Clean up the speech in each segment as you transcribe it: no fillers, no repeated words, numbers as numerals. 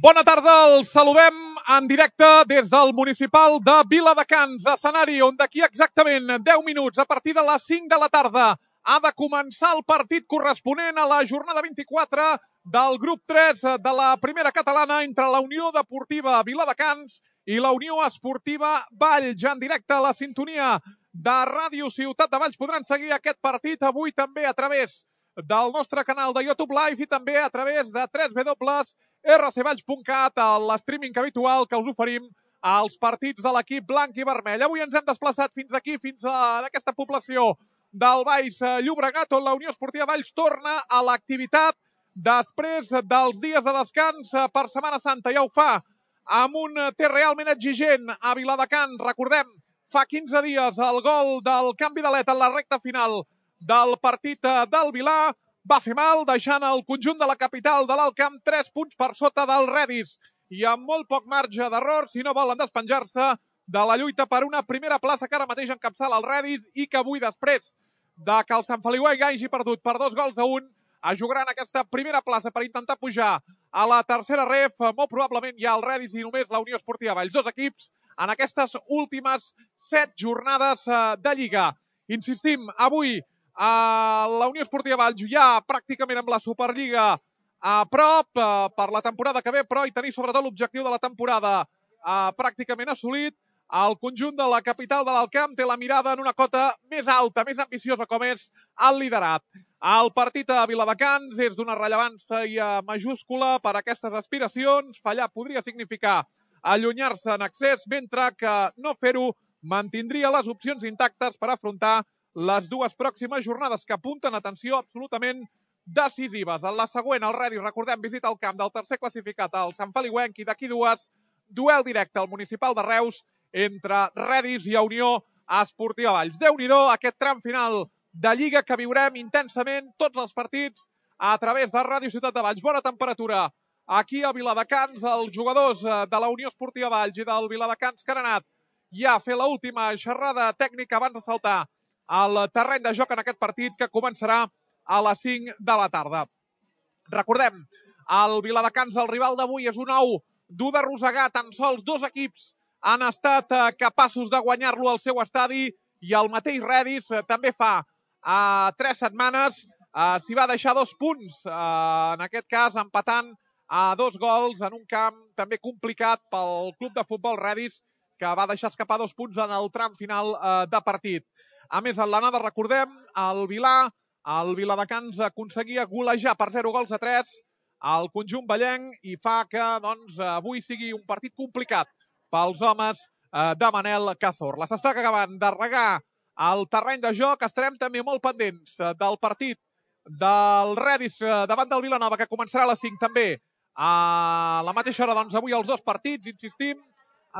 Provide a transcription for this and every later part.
Bona tarda, els saludem en directe des del municipal de Viladecans, escenari on d'aquí exactament 10 minuts, a partir de les 5 de la tarda, ha de començar el partit corresponent a la jornada 24 del grup 3 de la primera catalana entre la Unió Deportiva Viladecans i la Unió Esportiva Valls. En directe a la sintonia de Ràdio Ciutat de Valls podran seguir aquest partit avui també a través del nostre canal de YouTube Live i també a través de www.rcvalls.cat, l'streaming habitual que us oferim als partits de l'equip blanc i vermell. Avui ens hem desplaçat fins aquí, fins a aquesta població del Baix Llobregat, on la Unió Esportiva Valls torna a l'activitat després dels dies de descans per Setmana Santa. Ja ho fa amb un té realment exigent a Viladecans. Recordem, fa 15 dies el gol del canvi d'aleta en la recta final del partit del Vilà va fer mal, deixant el conjunt de la capital de l'Alt Camp 3 punts per sota del Redis i amb molt poc marge d'error si no volen despenjar-se de la lluita per una primera plaça que ara mateix encapçala el Redis i que avui, després de que el Sant Feliuenc hagi perdut per 2-1, es jugaran aquesta primera plaça per intentar pujar a la tercera ref. Molt probablement hi ha el Redis i només la Unió Esportiva Valls. Dos equips en aquestes últimes 7 jornades de Lliga. Insistim, avui la Unió Esportiva Valls ja pràcticament amb la Superliga a prop per la temporada que ve, però hi tenir sobretot l'objectiu de la temporada pràcticament assolit. El conjunt de la capital de l'Alt Camp té la mirada en una cota més alta, més ambiciosa, com és el liderat. El partit a Viladecans és d'una rellevància majúscula per a aquestes aspiracions. Fallar podria significar allunyar-se en excés, mentre que no fer-ho mantindria les opcions intactes per afrontar les dues pròximes jornades que apunten, atenció, absolutament decisives. En la següent, el Redis, recordem, visita el camp del tercer classificat, el Sant Feliuenc, i d'aquí dues, duel directe al municipal de Reus entre Redis i Unió Esportiva Valls. Déu-n'hi-do, aquest tram final de Lliga que viurem intensament tots els partits a través de Ràdio Ciutat de Valls. Bona temperatura aquí a Viladecans. Els jugadors de la Unió Esportiva Valls i del Viladecans que han anat ja a fer l'última xerrada tècnica abans de saltar al terreny de joc en aquest partit que començarà a les 5 de la tarda. Recordem, el Viladecans, el rival d'avui, és un ou dur de rosegar. Tan sols 2 equips han estat capaços de guanyar-lo al seu estadi i el mateix Redis també fa 3 setmanes s'hi va deixar 2 punts, en aquest cas empatant a 2 gols en un camp també complicat pel club de futbol Redis, que va deixar escapar 2 punts en el tram final de partit. A més, en l'anada, recordem, el Viladecans aconseguia golejar per 0-3 al conjunt vallenc i fa que avui sigui un partit complicat pels homes de Manel Cazorla. S'està acabant de regar el terreny de joc. Estarem també molt pendents del partit del Redis davant del Vilanova, que començarà a les 5 també. A la mateixa hora, avui els 2 partits, insistim,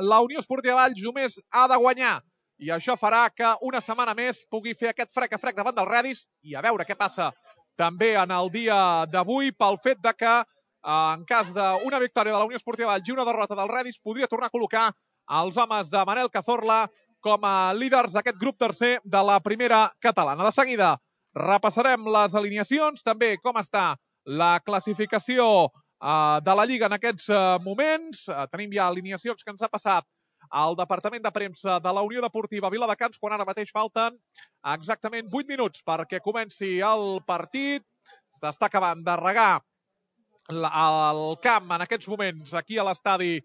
la Unió Esportiva Valls només ha de guanyar i això farà que una setmana més pugui fer aquest frec a frec davant del Redis i a veure què passa també en el dia d'avui, pel fet de que en cas d'una victòria de la Unió Esportiva Valls i una derrota del Redis podria tornar a col·locar els homes de Manel Cazorla com a líders d'aquest grup tercer de la primera catalana. De seguida repassarem les alineacions, també com està la classificació de la Lliga en aquests moments. Tenim ja alineacions que ens ha passat al Departament de Premsa de la Unió Deportiva Viladecans, quan ara mateix falten exactament 8 minuts perquè comenci el partit. S'està acabant de regar el camp en aquests moments aquí a l'estadi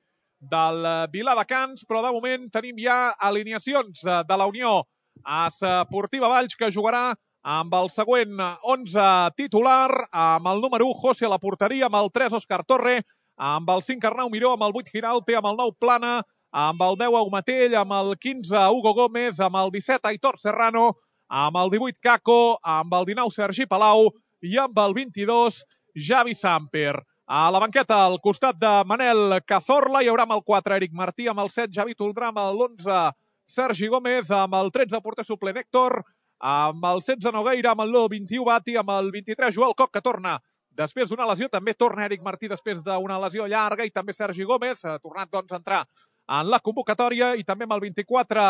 del Viladecans, però de moment tenim ja alineacions de la Unió Esportiva Valls, que jugarà amb el següent 11 titular, amb el número 1 José a la porteria, amb el 3 Òscar Torre, amb el 5 Arnau Miró, amb el 8 Giralpe, amb el 9 Plana, amb el 10 Aumatell, amb el 15 Hugo Gómez, amb el 17 Aitor Serrano, amb el 18 Caco, amb el 19 Sergi Palau i amb el 22 Javi Samper. A la banqueta, al costat de Manel Cazorla, hi haurà amb el 4 Eric Martí, amb el 7 Javi Toldrà, amb l'11 Sergi Gómez, amb el 13 porter suplent Héctor, amb el 16 Nogueira, amb el 21 Bati, amb el 23 Joel Coc, que torna després d'una lesió. També torna Eric Martí després d'una lesió llarga, i també Sergi Gómez, ha tornat a entrar en la convocatòria, i també amb el 24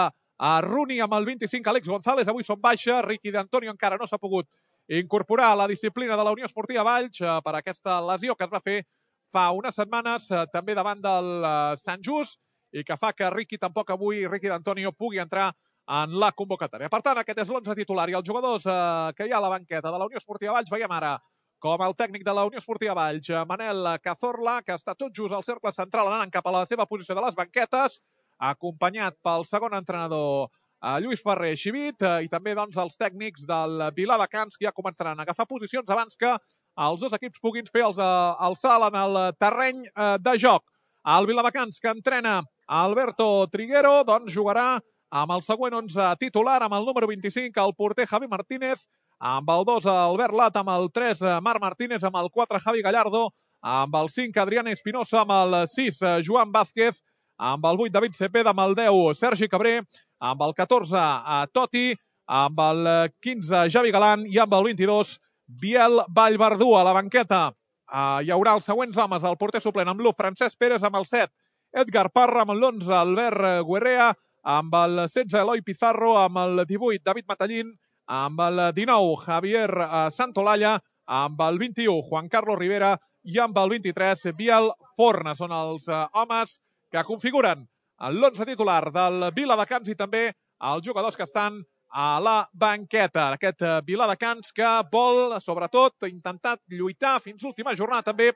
Runi, amb el 25 Àlex González. Avui són baixa, Riqui d'Antonio encara no s'ha pogut incorporar a la disciplina de la Unió Esportiva Valls per aquesta lesió que es va fer fa unes setmanes, també davant del Sant Just, i que fa que Riqui d'Antonio pugui entrar en la convocatòria. Per tant, aquest és l'11 titular i els jugadors que hi ha a la banqueta de la Unió Esportiva Valls. Veiem ara com el tècnic de la Unió Esportiva Valls, Manel Cazorla, que està tot just al cercle central anant cap a la seva posició de les banquetes, acompanyat pel segon entrenador Lluís Ferrer Xivit i també els tècnics del Viladecans, que ja començaran a agafar posicions abans que els dos equips puguin fer el salt en el terreny de joc. El Viladecans, que entrena Alberto Triguero, doncs jugarà amb el següent 11 titular, amb el número 25, el porter Javi Martínez, amb el 2 Albert Lat, amb el 3 Marc Martínez, amb el 4 Javi Gallardo, amb el 5 Adrián Espinosa, amb el 6 Joan Vázquez, amb el 8 David Cepeda, amb el 10 Sergi Cabré, amb el 14 Toti, amb el 15 Javi Galán i amb el 22 Biel Vallverdú. A la banqueta hi haurà els següents homes: el porter suplent amb l'1 Francesc Pérez, amb el 7 Edgar Parra, amb l'11 Albert Guerrea, amb el 16 Eloi Pizarro, amb el 18 David Matallín, amb el 19 Javier Santolalla, amb el 21 Juan Carlos Rivera i amb el 23 Biel Forna. Són els homes que configuren l'11 titular del Viladecans i també els jugadors que estan a la banqueta. Aquest Viladecans que vol, sobretot, intentar lluitar fins l'última jornada també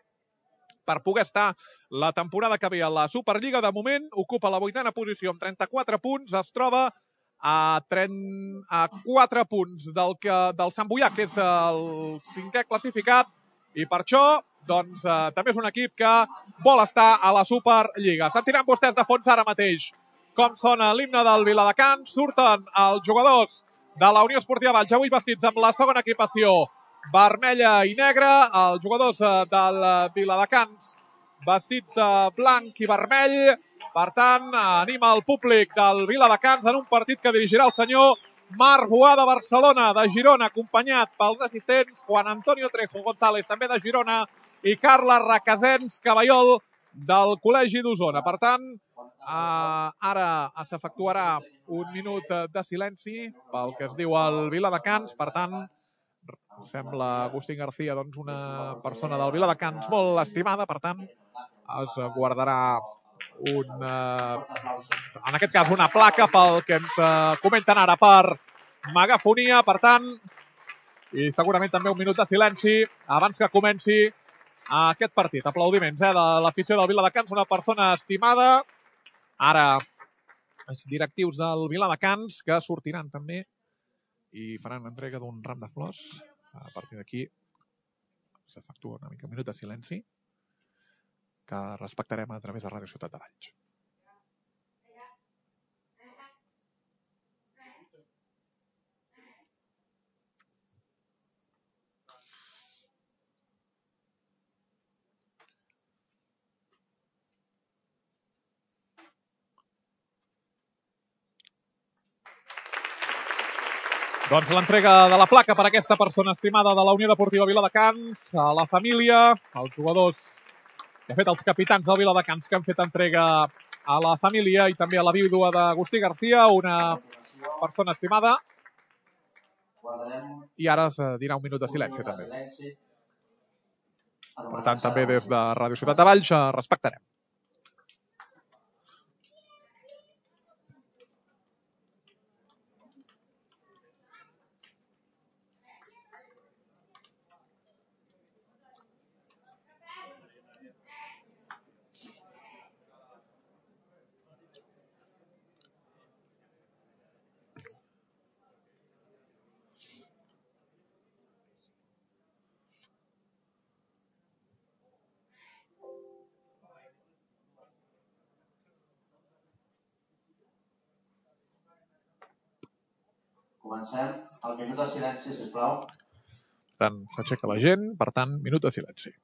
per poder estar la temporada que ve a la Superliga. De moment ocupa la 8ª posició amb 34 punts, es troba a 4 punts del Sant Boià, que és el 5è classificat, i per això també és un equip que vol estar a la Superliga. Sentiran vostès de fons ara mateix com sona l'himne del Viladecans. Surten els jugadors de la Unió Esportiva Valls, avui vestits amb la segona equipació vermella i negra, els jugadors del Viladecans vestits de blanc i vermell. Per tant, anima el públic del Viladecans en un partit que dirigirà el senyor Marc Boà de Barcelona, de Girona, acompanyat pels assistents Juan Antonio Trejo González, també de Girona, i Carla Requesens Caballol, del Col·legi d'Osona. Per tant, ara s'efectuarà un minut de silenci pel que es diu el Viladecans. Per tant, sembla Agustín García una persona del Viladecans molt estimada. Per tant, es guardarà en aquest cas una placa pel que ens comenten ara per megafonia. Per tant, i segurament també un minut de silenci abans que comenci aquest partit. Aplaudiments de l'afició del Viladecans, una persona estimada. Ara els directius del Viladecans que sortiran també i faran entrega d'un ram de flors. A partir d'aquí s'efectua una mica un minut de silenci que respectarem a través de Ràdio Ciutat de Valls. Doncs l'entrega de la placa per aquesta persona estimada de la Unió Deportiva Viladecans, a la família, als jugadors, de fet els capitans del Viladecans que han fet entrega a la família i també a la vídua d'Agustí García, una persona estimada. I ara es dirà un minut de silenci també. Per tant, també des de Ràdio Ciutat de Valls respectarem. Comencem. El minut de silenci, sisplau. Per tant, s'aixeca la gent. Per tant, minut de silenci.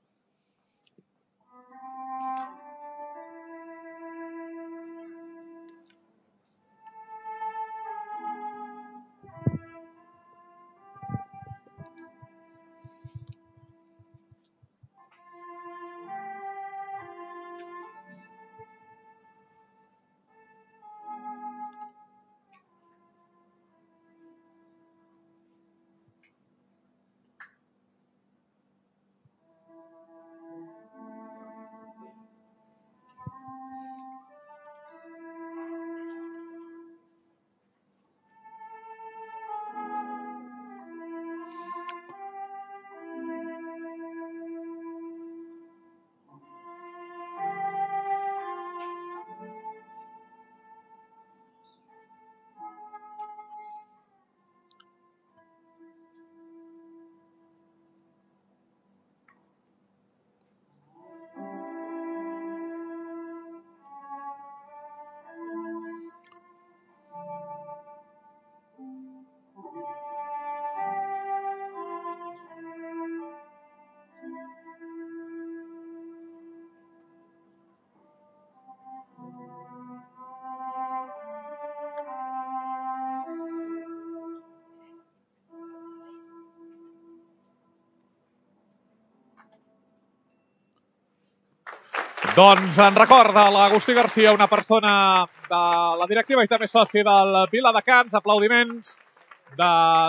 Doncs en recorda l'Agustí Garcia, una persona de la directiva i també soci del Viladecans. Aplaudiments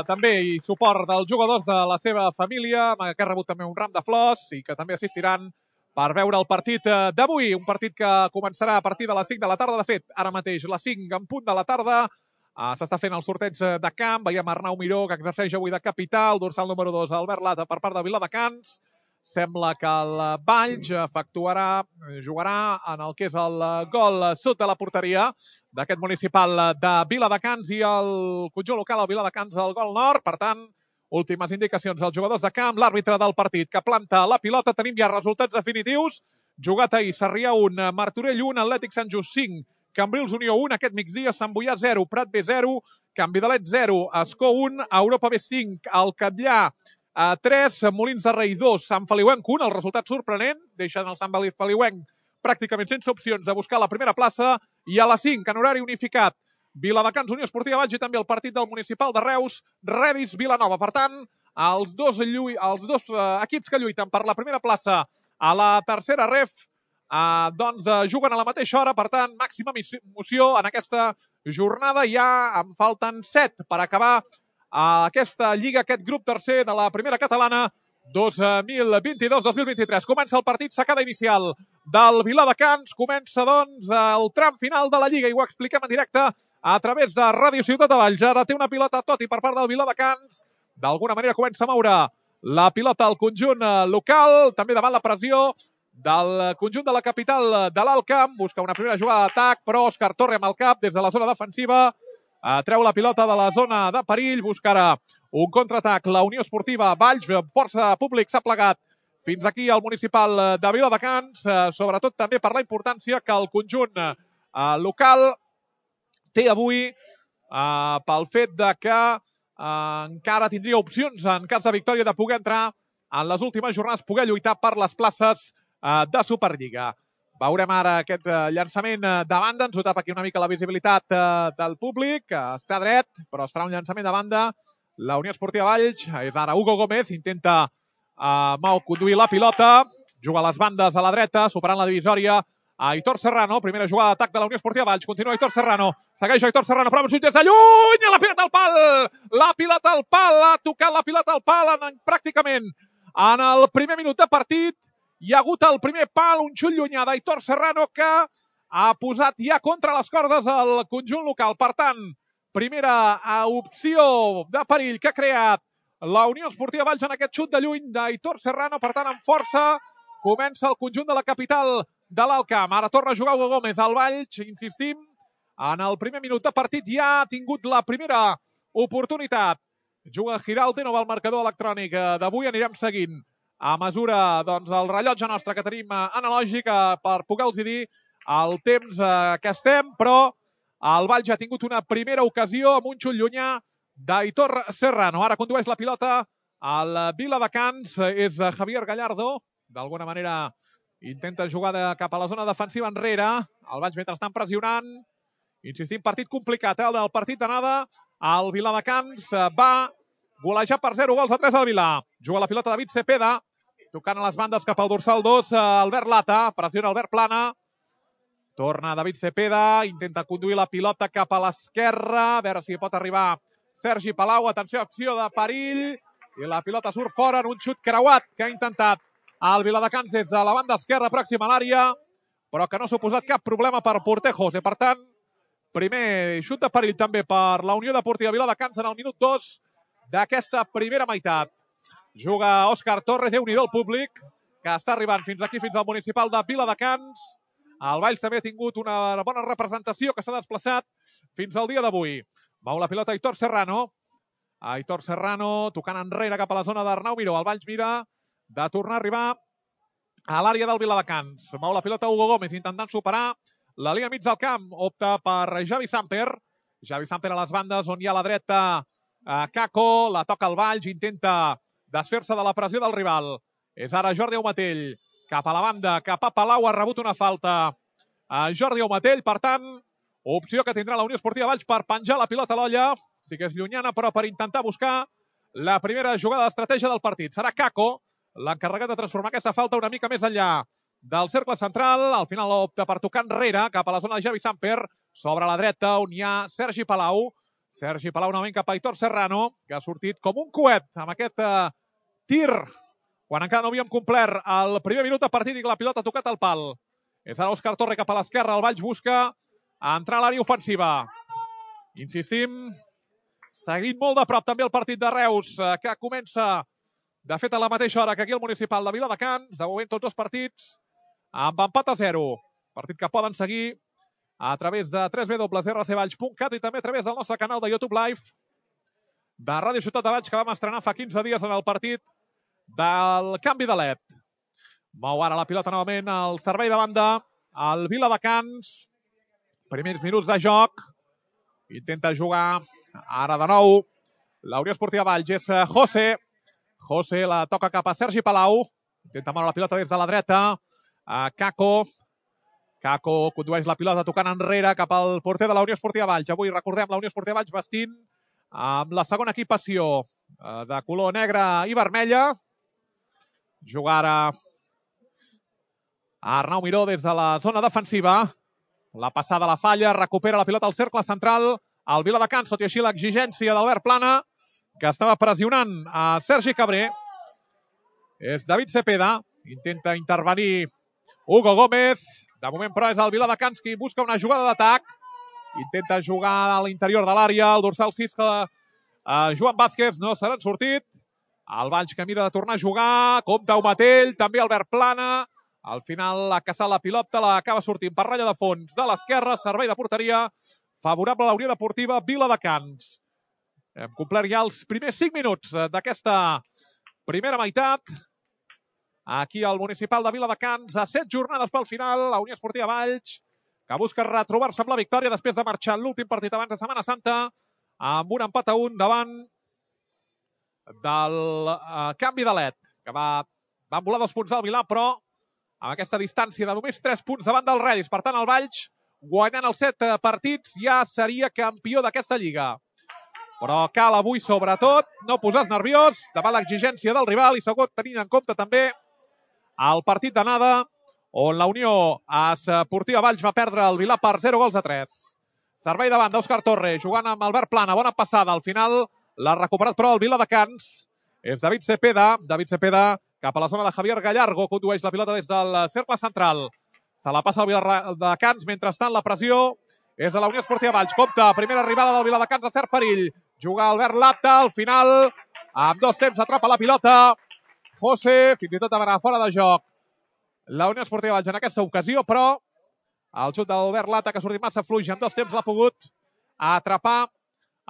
també i suport dels jugadors de la seva família, que ha rebut també un ram de flors i que també assistiran per veure el partit d'avui. Un partit que començarà a partir de les 5 de la tarda. De fet, ara mateix, les 5 en punt de la tarda. S'està fent el sorteig de camp. Veiem Arnau Miró, que exerceix avui de capital. Dorsal número 2, Albert Lata, per part de Viladecans. Sembla que el Valls jugarà en el que és el gol sud de la porteria d'aquest municipal de Viladecans i el conjunt local, el Viladecans, el gol nord. Per tant, últimes indicacions als jugadors de camp, l'àrbitre del partit que planta la pilota. Tenim ja resultats definitius. Jugat ahir, Sarrià 1, Martorell 1, Atlètic Sant Just 5, Cambrils Unió 1, aquest migdia, Sant Boià 0, Prat B 0, Can Vidalet 0, Escó 1, Europa B 5, el Catllà 3, Molins de Rei 2, Sant Feliuenc 1, el resultat sorprenent, deixen el Sant Feliuenc pràcticament sense opcions de buscar la primera plaça, i a les 5, en horari unificat, Viladecans, Unió Esportiva Valls i també el partit del Municipal de Reus, Redis, Vilanova. Per tant, els dos equips que lluiten per la primera plaça a la tercera ref juguen a la mateixa hora. Per tant, màxima emoció en aquesta jornada. Ja en falten 7 per acabar aquesta lliga, aquest grup tercer de la primera catalana 2022-2023. Comença el partit, sacada inicial del Viladecans. Comença, doncs, el tram final de la lliga i ho expliquem en directe a través de Ràdio Ciutat de Valls. Ara té una pilota Toti per part del Viladecans. D'alguna manera comença a moure la pilota al conjunt local, també davant la pressió del conjunt de la capital de l'Alt Camp. Busca una primera jugada d'atac, però Òscar Torre amb el cap des de la zona defensiva. Treu la pilota de la zona de perill, buscarà un contraatac. La Unió Esportiva Valls, força públic, s'ha plegat fins aquí al municipal de Viladecans, sobretot també per la importància que el conjunt local té avui pel fet de que encara tindria opcions en cas de victòria de poder entrar en les últimes jornades, poder lluitar per les places de Superliga. Veurem ara aquest llançament de banda. Ens ho tapa aquí una mica la visibilitat del públic. Està dret, però es farà un llançament de banda. La Unió Esportiva Valls és ara Hugo Gómez. Intenta conduir la pilota. Juga a les bandes a la dreta, superant la divisòria. Aitor Serrano, primera jugada d'atac de la Unió Esportiva Valls. Continua Aitor Serrano. Segueix Aitor Serrano, però amb uns des de lluny. La pilota al pal! La pilota al pal! Ha tocat la pilota al pal pràcticament en el primer minut de partit. Hi ha hagut el primer pal, un xut llunyà d'Aitor Serrano que ha posat ja contra les cordes el conjunt local. Per tant, primera opció de perill que ha creat la Unió Esportiva Valls en aquest xut de lluny d'Aitor Serrano. Per tant, amb força comença el conjunt de la capital de l'Alt Camp. Ara torna a jugar Hugo Gómez al Valls, insistim. En el primer minut de partit ja ha tingut la primera oportunitat. Juga Giraldino al marcador electrònic d'avui. Anirem seguint a mesura el rellotge nostre que tenim analògic per poder-los dir el temps que estem, però el Valls ja ha tingut una primera ocasió amb un xut llunyà d'Aitor Serrano. Ara condueix la pilota al Viladecans, és Javier Gallardo. D'alguna manera intenta jugar cap a la zona defensiva enrere. El Valls mentrestant pressionant. Insistim, partit complicat, el partit d'anada. El Viladecans va golejar per 0 gols a 3 al Vilà. Juga la pilota David Cepeda, tocant a les bandes cap al dorsal 2, Albert Lata, pressiona Albert Plana. Torna David Cepeda, intenta conduir la pilota cap a l'esquerra, a veure si pot arribar Sergi Palau. Atenció, acció de perill, i la pilota surt fora en un xut creuat que ha intentat el Viladecans des de la banda esquerra pròxima a l'àrea, però que no s'ha posat cap problema per Portejos. Per tant, primer xut de perill també per la Unió Deportiva Viladecans en el minut 2 d'aquesta primera meitat. Juga Òscar Torre, Déu-n'hi-do el públic, que està arribant fins aquí, fins al municipal de Viladecans. El Valls també ha tingut una bona representació que s'ha desplaçat fins al dia d'avui. Mou la pilota Aitor Serrano. Aitor Serrano tocant enrere cap a la zona d'Arnau Miró. El Valls mira de tornar a arribar a l'àrea del Viladecans. Mou la pilota Hugo Gómez intentant superar la línia mig del camp. Opta per Javi Samper. Javi Samper a les bandes on hi ha a la dreta Caco. La toca el Valls, intenta desfer-se de la pressió del rival. És ara Jordi Aumatell. Cap a la banda, cap a Palau, ha rebut una falta Jordi Aumatell. Per tant, opció que tindrà la Unió Esportiva Valls per penjar la pilota a l'olla. Sí que és llunyana, però per intentar buscar la primera jugada d'estratègia del partit. Serà Caco l'encarregat de transformar aquesta falta una mica més enllà del cercle central. Al final opta per tocar enrere cap a la zona de Javi Samper. Sobre la dreta on hi ha Sergi Palau. Sergi Palau novament cap a Aitor Serrano, que ha sortit com un coet amb aquest tir, quan encara no havíem complert el primer minut de partit i la pilota ha tocat al pal. És ara Òscar Torre cap a l'esquerra. El Valls busca entrar a l'àrea ofensiva. Insistim, seguint molt de prop també el partit de Reus, que comença, de fet, a la mateixa hora que aquí el municipal de Viladecans. De moment tots els partits amb empat a 0. Partit que poden seguir a través de www.rcvalls.cat i també a través del nostre canal de YouTube Live de Ràdio Ciutat de Valls, que vam estrenar fa 15 dies en el partit del canvi de LED. Mou ara la pilota novament al servei de banda, al Viladecans. Primers minuts de joc. Intenta jugar ara de nou la Unió Esportiva Valls. És José. José la toca cap a Sergi Palau. Intenta moure la pilota des de la dreta. Caco. Caco condueix la pilota tocant enrere cap al porter de la Unió Esportiva Valls. Avui, recordem, la Unió Esportiva Valls vestint amb la segona equipació de color negre i vermella. Juga ara Arnau Miró des de la zona defensiva. La passada la falla, recupera la pilota al cercle central. El Viladecans, tot i així l'exigència d'Albert Plana, que estava pressionant a Sergi Cabré. És David Cepeda. Intenta intervenir Hugo Gómez. De moment, però, és el Viladecans qui busca una jugada d'atac. Intenta jugar a l'interior de l'àrea. El dorsal 6, Joan Vázquez, no se n'han sortit. El Valls que mira de tornar a jugar. Compte Umatell, també Albert Plana. Al final ha caçat la pilota, l'acaba sortint per ratlla de fons de l'esquerra. Servei de porteria favorable a la Unió Deportiva Viladecans. Hem complert ja els primers 5 minuts d'aquesta primera meitat. Aquí al municipal de Viladecans, a 7 jornades pel final, la Unió Esportiva Valls, que busca retrobar-se amb la victòria després de marxar en l'últim partit abans de Setmana Santa, amb un empat a 1 davant del canvi de LED, que van volar 2 punts al Vilà, però amb aquesta distància de només 3 punts davant del Redis. Per tant, el Valls, guanyant els 7 partits, ja seria campió d'aquesta lliga. Però cal avui, sobretot, no posar-se nerviós davant l'exigència del rival i segon, tenint en compte també el partit d'anada, on la Unió Esportiva Valls va perdre el Vilà per 0-3. Servei davant d'Òscar Torre, jugant amb Albert Plana. Bona passada. Al final l'ha recuperat, però, el Viladecans. És David Cepeda. David Cepeda cap a la zona de Javier Gallargo. Condueix la pilota des del cercle central. Se la passa al Viladecans. Mentrestant, la pressió és de la Unió Esportiva Valls. Compte, primera arribada del Viladecans a cert perill. Juga Albert Lata. Al final, amb 2 temps, atrapa la pilota. José, fins i tot va anar fora de joc la Unió Esportiva Valls en aquesta ocasió, però el xut d'Albert Lata, que ha sortit massa fluix, en 2 temps l'ha pogut atrapar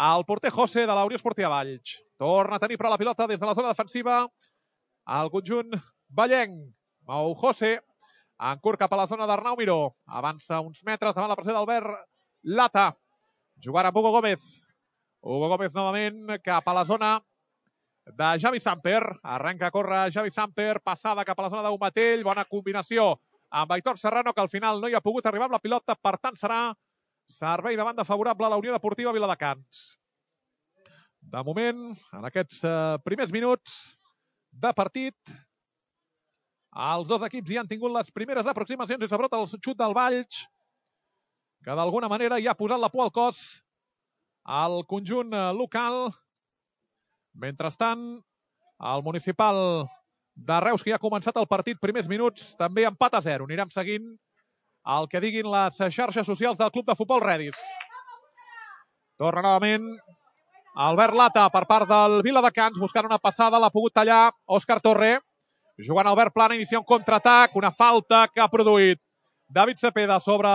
el porter José de la Unió Esportiva Valls. Torna a tenir però la pilota des de la zona defensiva al conjunt vallenc. Mou José, en curt cap a la zona d'Arnau Miró. Avança uns metres davant la pressió d'Albert Lata. Jugar amb Hugo Gómez. Hugo Gómez novament cap a la zona de Javi Samper. Arrenca a córrer Javi Samper, passada cap a la zona d'Umatell. Bona combinació amb Aitor Serrano, que al final no hi ha pogut arribar amb la pilota. Per tant, serà servei de banda favorable a la Unió Deportiva Viladecans. De moment, en aquests primers minuts de partit, els 2 equips ja han tingut les primeres aproximacions i sobretot el xut del Valls, que d'alguna manera ja ha posat la por al cos al conjunt local. Mentrestant, el municipal de Reus, que ja ha començat el partit, primers minuts, també empat a 0. Anirem seguint el que diguin les xarxes socials del Club de Futbol Redis. Torna novament Albert Lata per part del Viladecans, buscant una passada, l'ha pogut tallar Òscar Torre. Jugant Albert Plana, inicia un contraatac, una falta que ha produït David Cepeda sobre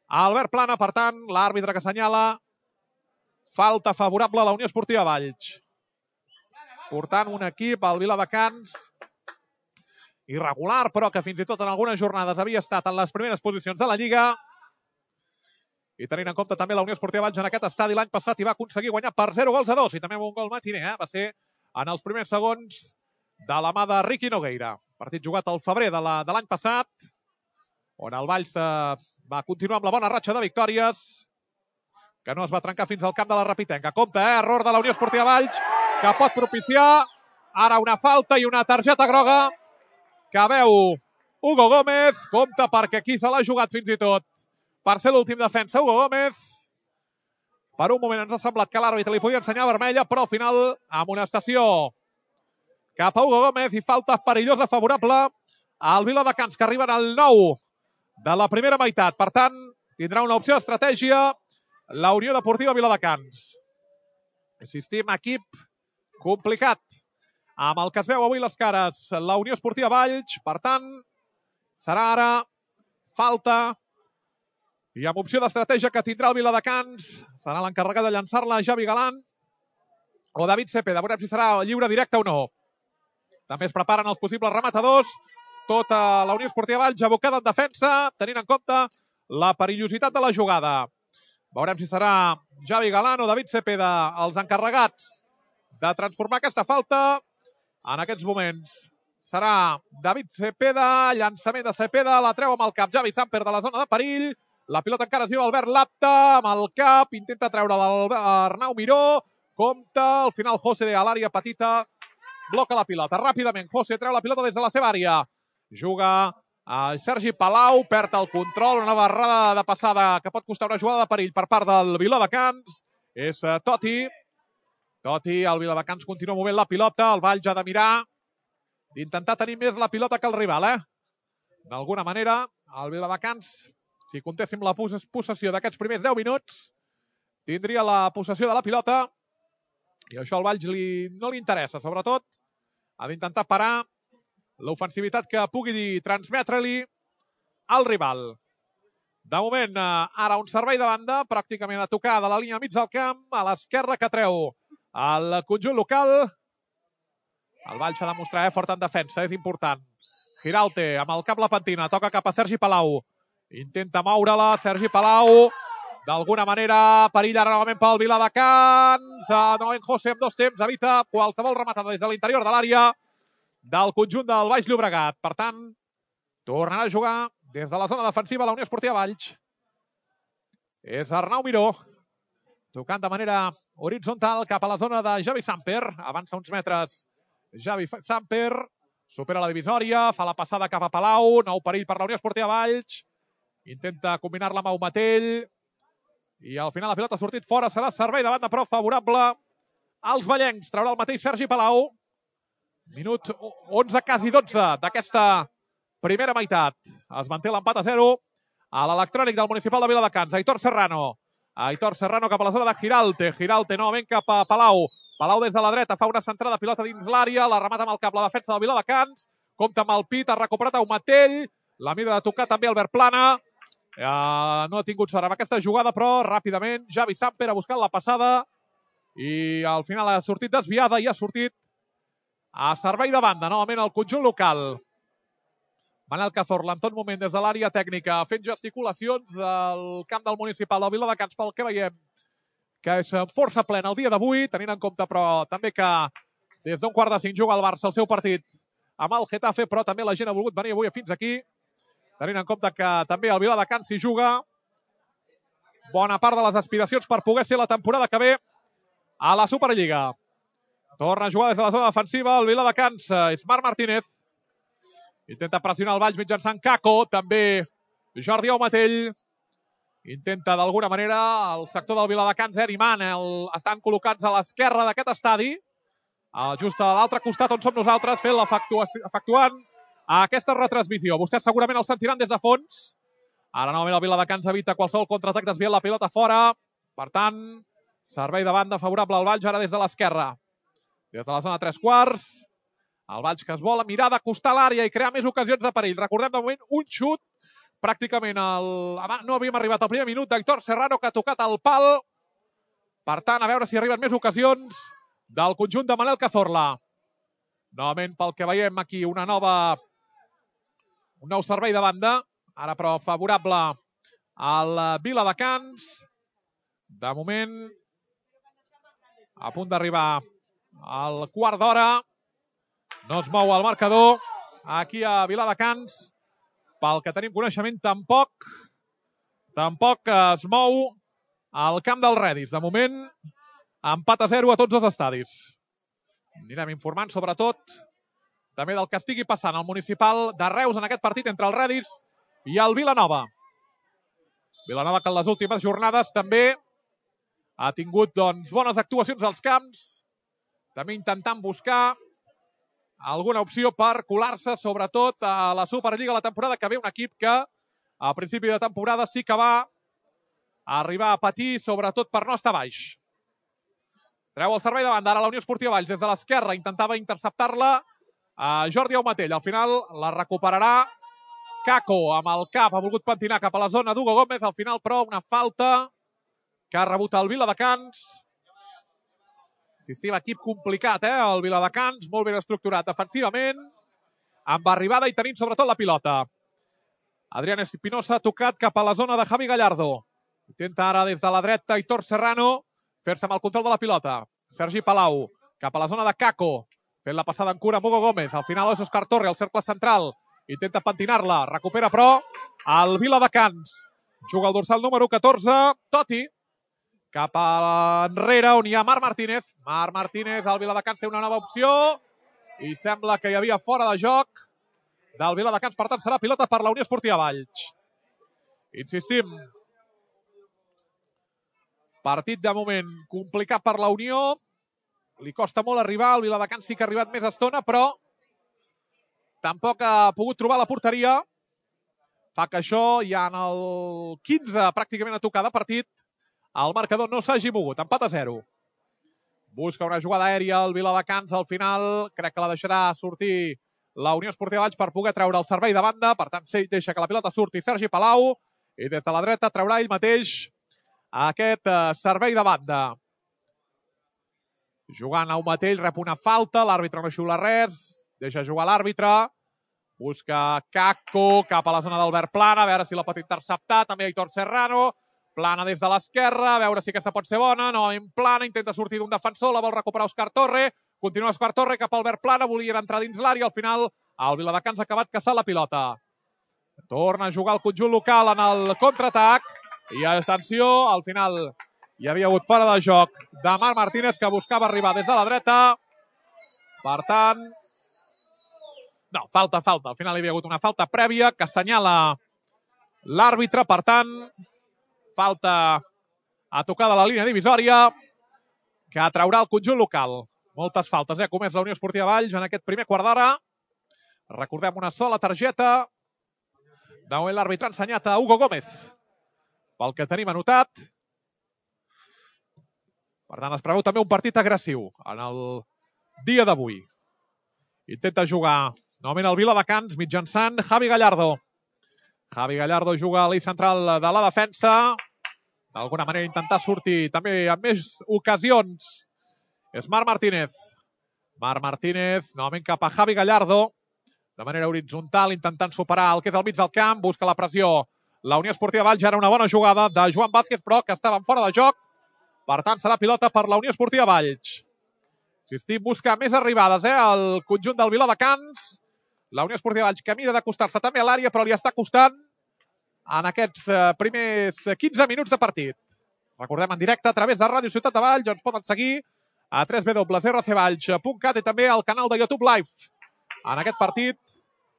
Albert Plana. Per tant, l'àrbitre que assenyala falta favorable a la Unió Esportiva Valls. Portant un equip, el Viladecans, irregular, però que fins i tot en algunes jornades havia estat en les primeres posicions de la Lliga. I tenint en compte també la Unió Esportiva Valls en aquest estadi l'any passat i va aconseguir guanyar per 0-2. I també amb un gol matiner, va ser en els primers segons de la mà de Riqui Nogueira. Partit jugat al febrer de l'any passat, on el Valls va continuar amb la bona ratxa de victòries, que no es va trencar fins al camp de la Rapitenca. Compte, error de la Unió Esportiva Valls, que pot propiciar ara una falta i una targeta groga que veu Hugo Gómez. Compte perquè aquí se l'ha jugat fins i tot per ser l'últim defensa. Hugo Gómez. Per un moment ens ha semblat que l'àrbitre li podia ensenyar vermella, però al final amonestació cap a Hugo Gómez i falta perillosa favorable al Viladecans, que arriben al 9 de la primera meitat. Per tant, tindrà una opció d'estratègia la Unió Deportiva Viladecans. Insistim, equip complicat amb el que es veu avui les cares la Unió Esportiva Valls. Per tant, serà ara falta i amb opció d'estratègia que tindrà el Viladecans. Serà l'encarregat de llançar-la Javi Galán o David Cepeda. Veurem si serà lliure directe o no. També es preparen els possibles rematadors. Tota la Unió Esportiva Valls abocada en defensa, tenint en compte la perillositat de la jugada. Veurem si serà Javi Galán o David Cepeda els encarregats de transformar aquesta falta. En aquests moments serà David Cepeda, llançament de Cepeda, la treu amb el cap Javi Samper de la zona de perill. La pilota encara es viu Albert Lapta amb el cap, intenta treure l'Arnau Miró, compta, al final José a l'àrea petita, bloca la pilota. Ràpidament, José treu la pilota des de la seva àrea. Juga a Sergi Palau, perd el control, una barrada de passada que pot costar una jugada de perill per part del Viladecans. És Totti. Totti, el Viladecans continua movent la pilota, el Valls ha de mirar, d'intentar tenir més la pilota que el rival, D'alguna manera, el Viladecans, si comptéssim la possessió d'aquests primers 10 minuts, tindria la possessió de la pilota i això al Valls no li interessa. Sobretot, ha d'intentar parar l'ofensivitat que pugui transmetre-li al rival. De moment, ara un servei de banda, pràcticament a tocar de la línia mig del camp, a l'esquerra que treu el conjunt local. El Valls ha de mostrar fort en defensa, és important. Giralte, amb el cap la pentina, toca cap a Sergi Palau. Intenta moure-la, Sergi Palau. D'alguna manera, perilla novament pel Viladecans. Novament José amb dos temps, evita qualsevol rematada des de l'interior de l'àrea del conjunt del Baix Llobregat. Per tant, tornarà a jugar des de la zona defensiva la Unió Esportiva Valls. És Arnau Miró, tocant de manera horitzontal cap a la zona de Javi Samper. Avança uns metres Javi Samper, supera la divisòria, fa la passada cap a Palau, nou perill per la Unió Esportiva Valls. Intenta combinar-la amb Aumatell. I al final la pilota ha sortit fora, serà servei de banda però favorable als vallencs. Traurà el mateix Sergi Palau. Minut 11, quasi 12 d'aquesta primera meitat. Es manté l'empat a 0 a l'electrònic del municipal de Viladecans. Aitor Serrano. Aitor Serrano cap a la zona de Giralte. Giralte novament cap a Palau. Palau des de la dreta fa una centrada pilota dins l'àrea. La remata amb el cap la defensa del Viladecans. Compta amb el pit, ha recuperat Aumatell. La mira de tocar també Albert Plana. No ha tingut sort amb aquesta jugada, però ràpidament Javi Samper ha buscat la passada i al final ha sortit desviada i ha sortit a servei de banda, novament el conjunt local. Manel Cazorla en tot moment des de l'àrea tècnica fent gesticulacions al camp del municipal del Viladecans, pel que veiem que és força plena el dia d'avui, tenint en compte però també que des d'un 4:45 juga el Barça el seu partit amb el Getafe, però també la gent ha volgut venir avui fins aquí, tenint en compte que també el Viladecans s'hi juga bona part de les aspiracions per poder ser la temporada que ve a la Superliga. Torna a jugar des de la zona defensiva el Viladecans, Ismar Martínez. Intenta pressionar el Valls mitjançant Caco, també Jordi Aumatell. Intenta d'alguna manera el sector del Viladecans, Eriman, estan col·locats a l'esquerra d'aquest estadi, just a l'altre costat on som nosaltres, efectuant aquesta retransmissió. Vostès segurament el sentiran des de fons. Ara novament el Viladecans evita qualsevol contraatac desviant la pilota fora. Per tant, servei de banda favorable al Valls ara des de l'esquerra. Des de la zona 3/4. El Valls que es vol mirar d'acostar l'àrea i crear més ocasions de perill. Recordem de moment un xut. Pràcticament no havíem arribat al primer minut d'Aitor Serrano que ha tocat el pal. Per tant, a veure si arriben més ocasions del conjunt de Manel Cazorla. Novament pel que veiem aquí un nou servei de banda. Ara però favorable al Viladecans. De moment a punt d'arribar al quart d'hora. No es mou el marcador aquí a Viladecans. Pel que tenim coneixement, tampoc es mou al camp del Redis. De moment, empat a 0 a tots els estadis. Anirem informant, sobretot, també del que estigui passant al municipal de Reus en aquest partit entre el Redis i el Vilanova. Vilanova que en les últimes jornades també ha tingut bones actuacions als camps, també intentant buscar alguna opció per colar-se, sobretot a la Superliga la temporada que ve, un equip que a principi de temporada sí que va arribar a patir, sobretot per no estar baix. Treu el servei de banda, ara la Unió Esportiva Valls des de l'esquerra, intentava interceptar-la a Jordi Aumatell. Al final la recuperarà Kako amb el cap, ha volgut pentinar cap a la zona d'Hugo Gómez, al final però una falta que ha rebut el Viladecans. Insistim, equip complicat, el Viladecans, molt ben estructurat defensivament, amb arribada i tenint sobretot la pilota. Adrián Espinosa ha tocat cap a la zona de Javi Gallardo. Intenta ara des de la dreta Aitor Serrano fer-se amb el control de la pilota. Sergi Palau cap a la zona de Kako, fent la passada en cura amb Hugo Gómez. Al final és Òscar Torre, al cercle central. Intenta pentinar-la, recupera però el Viladecans. Juga el dorsal número 14, Totti. Cap a enrere on hi ha Marc Martínez. Marc Martínez, el Viladecans té una nova opció i sembla que hi havia fora de joc del Viladecans, per tant serà pilota per la Unió Esportiva Valls. Insistim, partit de moment complicat per la Unió, li costa molt arribar, el Viladecans sí que ha arribat més estona, però tampoc ha pogut trobar la porteria. Fa que això ja en el 15 pràcticament a tocar de partit, el marcador no s'hagi mogut, empat a 0. Busca una jugada aèria el Viladecans, al final crec que la deixarà sortir la Unió Esportiva Valls per poder treure el servei de banda, per tant deixa que la pilota surti Sergi Palau i des de la dreta traurà ell mateix aquest servei de banda. Jugant Aumatell, rep una falta, l'àrbitre no xiula res, deixa jugar l'àrbitre, busca Kako cap a la zona d'Albert Plana, a veure si la pot interceptar, també Aitor Serrano, Plana des de l'esquerra, a veure si aquesta pot ser bona, no, en Plana, intenta sortir d'un defensor, la vol recuperar Òscar Torre, continua Òscar Torre cap a Albert Plana, volien entrar dins l'àrea, al final el Viladecans ha acabat caçant la pilota. Torna a jugar el conjunt local en el contraatac, i atenció, al final hi havia hagut fora de joc de Marc Martínez, que buscava arribar des de la dreta. Per tant, no, falta. Al final hi havia hagut una falta prèvia que assenyala l'àrbitre. Per tant, falta a tocar de la línia divisòria que traurà el conjunt local. Moltes faltes, ha comès la Unió Esportiva Valls en aquest primer quart d'hora. Recordem, una sola targeta. De moment l'àrbitre ha ensenyat a Hugo Gómez, pel que tenim anotat. Per tant, es preveu també un partit agressiu en el dia d'avui. Intenta jugar novament el Viladecans mitjançant Javi Gallardo. Javi Gallardo juga a l'eix central de la defensa. D'alguna manera intentar sortir també en més ocasions. És Marc Martínez. Marc Martínez, novament cap a Javi Gallardo. De manera horitzontal, intentant superar el que és el mig del camp. Busca la pressió la Unió Esportiva Valls. Era una bona jugada de Joan Vázquez, però que estaven fora de joc. Per tant, serà pilota per la Unió Esportiva Valls. Insistim, busca més arribades, el conjunt del Viladecans. La Unió Esportiva Valls que mira d'acostar-se també a l'àrea, però li està costant en aquests primers 15 minuts de partit. Recordem, en directe a través de Ràdio Ciutat de Valls. Ens poden seguir a www.rcvalls.cat i també al canal de YouTube Live. En aquest partit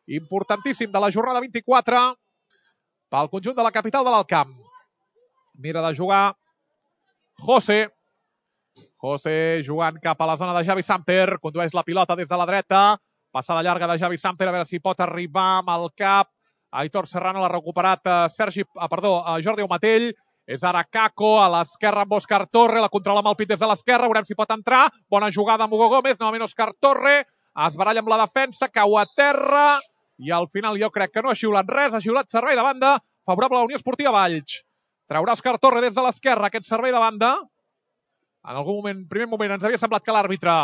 importantíssim de la jornada 24 pel conjunt de la capital de l'Alt Camp. Mira de jugar José jugant cap a la zona de Javi Samper, condueix la pilota des de la dreta, passada llarga de Javi Samper, a veure si pot arribar amb el cap. Aitor Serrano l'ha recuperat Jordi Aumatell. És ara Kako a l'esquerra amb Òscar Torre, la controla amb el pit des de l'esquerra, veurem si pot entrar. Bona jugada amb Hugo Gómez, novament Òscar Torre, es baralla amb la defensa, cau a terra i al final jo crec que no ha xiulat res, ha xiulat servei de banda favorable a la Unió Esportiva Valls. Traurà Òscar Torre des de l'esquerra aquest servei de banda. En algun moment, primer moment, ens havia semblat que l'àrbitre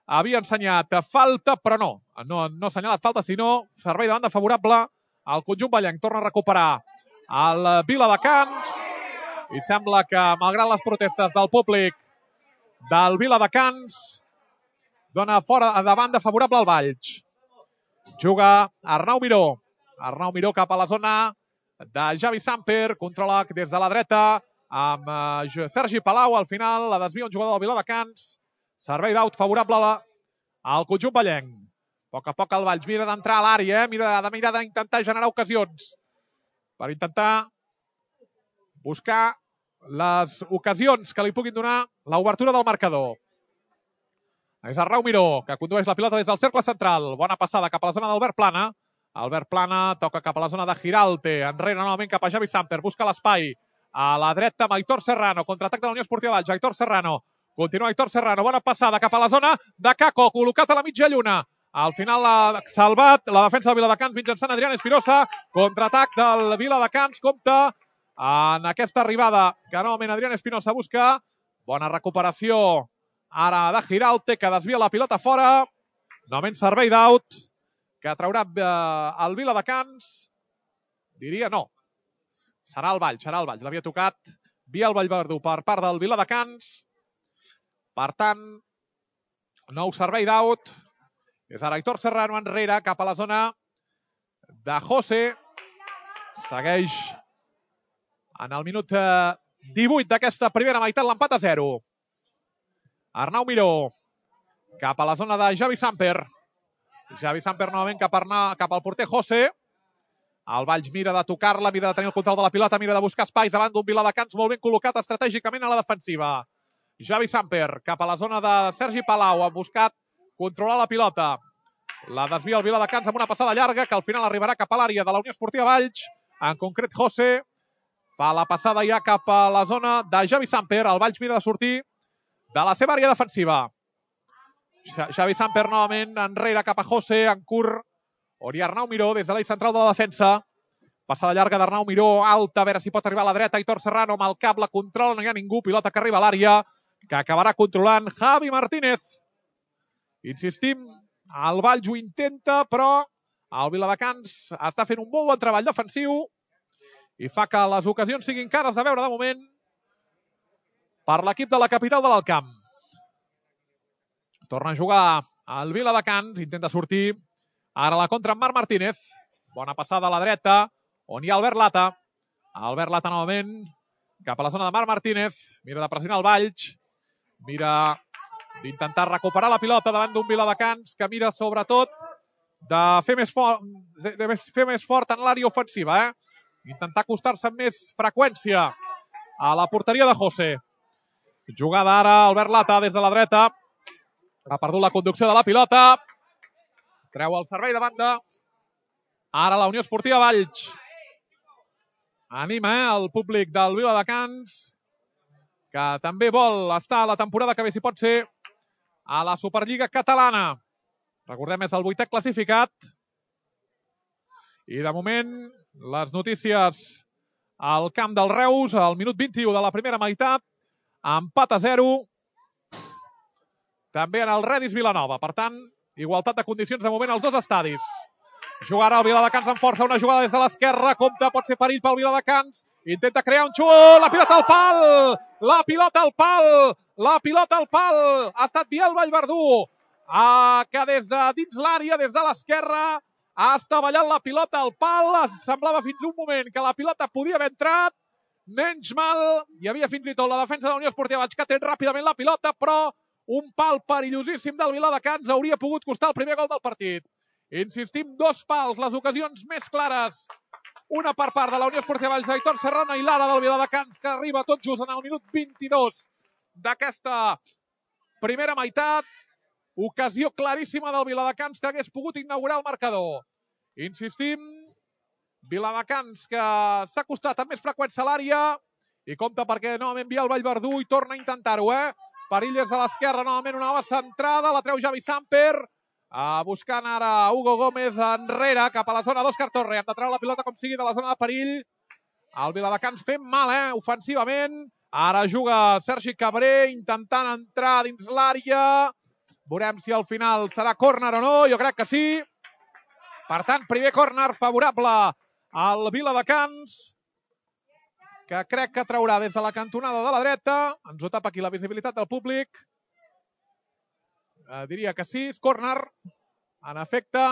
havia ensenyat falta, però no ha assenyalat falta, sinó servei de banda favorable al conjunt vallenc. Torna a recuperar el Viladecans i sembla que, malgrat les protestes del públic del Viladecans, dona fora de banda favorable al Valls. Juga Arnau Miró. Arnau Miró cap a la zona de Javi Samper, controla des de la dreta amb Sergi Palau. Al final la desvia un jugador del Viladecans. Servei d'aut favorable al conjunt vallenc. poc a poc el Valls mira d'entrar a l'àrea, mira d'intentar generar ocasions per intentar buscar les ocasions que li puguin donar l'obertura del marcador. És Arnau Miró, que condueix la pilota des del cercle central. Bona passada cap a la zona d'Albert Plana. Albert Plana toca cap a la zona de Giralte. Enrere novament cap a Javi Samper. Busca l'espai. A la dreta amb Aitor Serrano. Contraatac de la Unió Esportiva Valls. Aitor Serrano. Continua Aitor Serrano. Bona passada cap a la zona de Caco. Col·locat a la mitja lluna. Al final l'ha salvat la defensa del Viladecans mitjançant Adrián Espinosa. Contraatac del Viladecans. Compte en aquesta arribada que novament Adrián Espinosa busca. Bona recuperació ara de Giralte, que desvia la pilota fora. Novament servei d'out que traurà el Viladecans. Diria no. Serà el Valls. L'havia tocat via el Vallverdú per part del Viladecans. Per tant, nou servei d'out. És ara Aitor Serrano enrere cap a la zona de José. Segueix en el minut 18 d'aquesta primera meitat l'empat a 0. Arnau Miró cap a la zona de Javi Samper. Javi Samper novament cap al porter José. El Valls mira de tocar-la, mira de tenir el control de la pilota, mira de buscar espais davant d'un Viladecans molt ben col·locat estratègicament a la defensiva. Javi Samper cap a la zona de Sergi Palau. Ha buscat controlar la pilota. La desvia el Viladecans amb una passada llarga que al final arribarà cap a l'àrea de la Unió Esportiva Valls. En concret, José fa la passada ja cap a la zona de Javi Samper. El Valls mira de sortir de la seva àrea defensiva. Javi Samper novament enrere cap a José, en curt. On hi ha Arnau Miró des de l'eix central de la defensa. Passada llarga d'Arnau Miró, alta, a veure si pot arribar a la dreta. Aitor Serrano amb el cap, la controla, no hi ha ningú. Pilota que arriba a l'àrea, que acabarà controlant Javi Martínez. Insistim, el Valls ho intenta, però el Viladecans està fent un molt bon treball defensiu i fa que les ocasions siguin cares de veure de moment per l'equip de la capital de l'Alt Camp. Torna a jugar el Viladecans, intenta sortir. Ara la contra amb Marc Martínez. Bona passada a la dreta, on hi ha Albert Lata. Albert Lata novament cap a la zona de Marc Martínez. Mira de pressionar el Valls. Mira d'intentar recuperar la pilota davant d'un Viladecans que mira sobretot de fer més fort en l'àrea ofensiva. Intentar acostar-se amb més freqüència a la porteria de José. Jugada ara Albert Lata des de la dreta. Ha perdut la conducció de la pilota. Treu el servei de banda. Ara la Unió Esportiva Valls. Anima el públic del Viladecans, que també vol estar a la temporada que ve, si pot ser, a la Superliga Catalana. Recordem, és el 8è classificat. I de moment, les notícies al camp del Reus, al minut 21 de la primera meitat, empat a 0. També en el Redis Vilanova. Per tant, igualtat de condicions de moment als dos estadis. Jugarà el Viladecans amb força, una jugada des de l'esquerra, compte, pot ser perill pel Viladecans, intenta crear un xut, la pilota al pal, la pilota al pal, la pilota al pal, ha estat Biel Vallverdú, que des de dins l'àrea, des de l'esquerra, ha estavellat la pilota al pal, semblava fins un moment que la pilota podia haver entrat, menys mal, hi havia fins i tot la defensa de la Unió Esportiva Valls que ha tret ràpidament la pilota, però un pal perillosíssim del Viladecans hauria pogut costar el primer gol del partit. Insistim, dos pals, les ocasions més clares. Una per part de la Unió Esportiva Valls, Aitor Serrano, i l'ara del Viladecans, que arriba tot just en el minut 22 d'aquesta primera meitat. Ocasió claríssima del Viladecans que hagués pogut inaugurar el marcador. Insistim, Viladecans que s'ha acostat amb més freqüència a l'àrea i compta perquè novament Biel Vallverdú i torna a intentar-ho. Perill des a l'esquerra, novament una nova centrada, la treu Javi Samper. Buscant ara Hugo Gómez enrere cap a la zona d'Òscar Torre. Han de treure la pilota com sigui de la zona de perill. El Viladecans fent mal, ofensivament. Ara juga Sergi Cabré intentant entrar dins l'àrea. Veurem si al final serà córner o no. Jo crec que sí. Per tant, primer córner favorable al Viladecans, que crec que traurà des de la cantonada de la dreta. Ens ho tapa aquí la visibilitat del públic. Diria que sí, és córner, en efecte.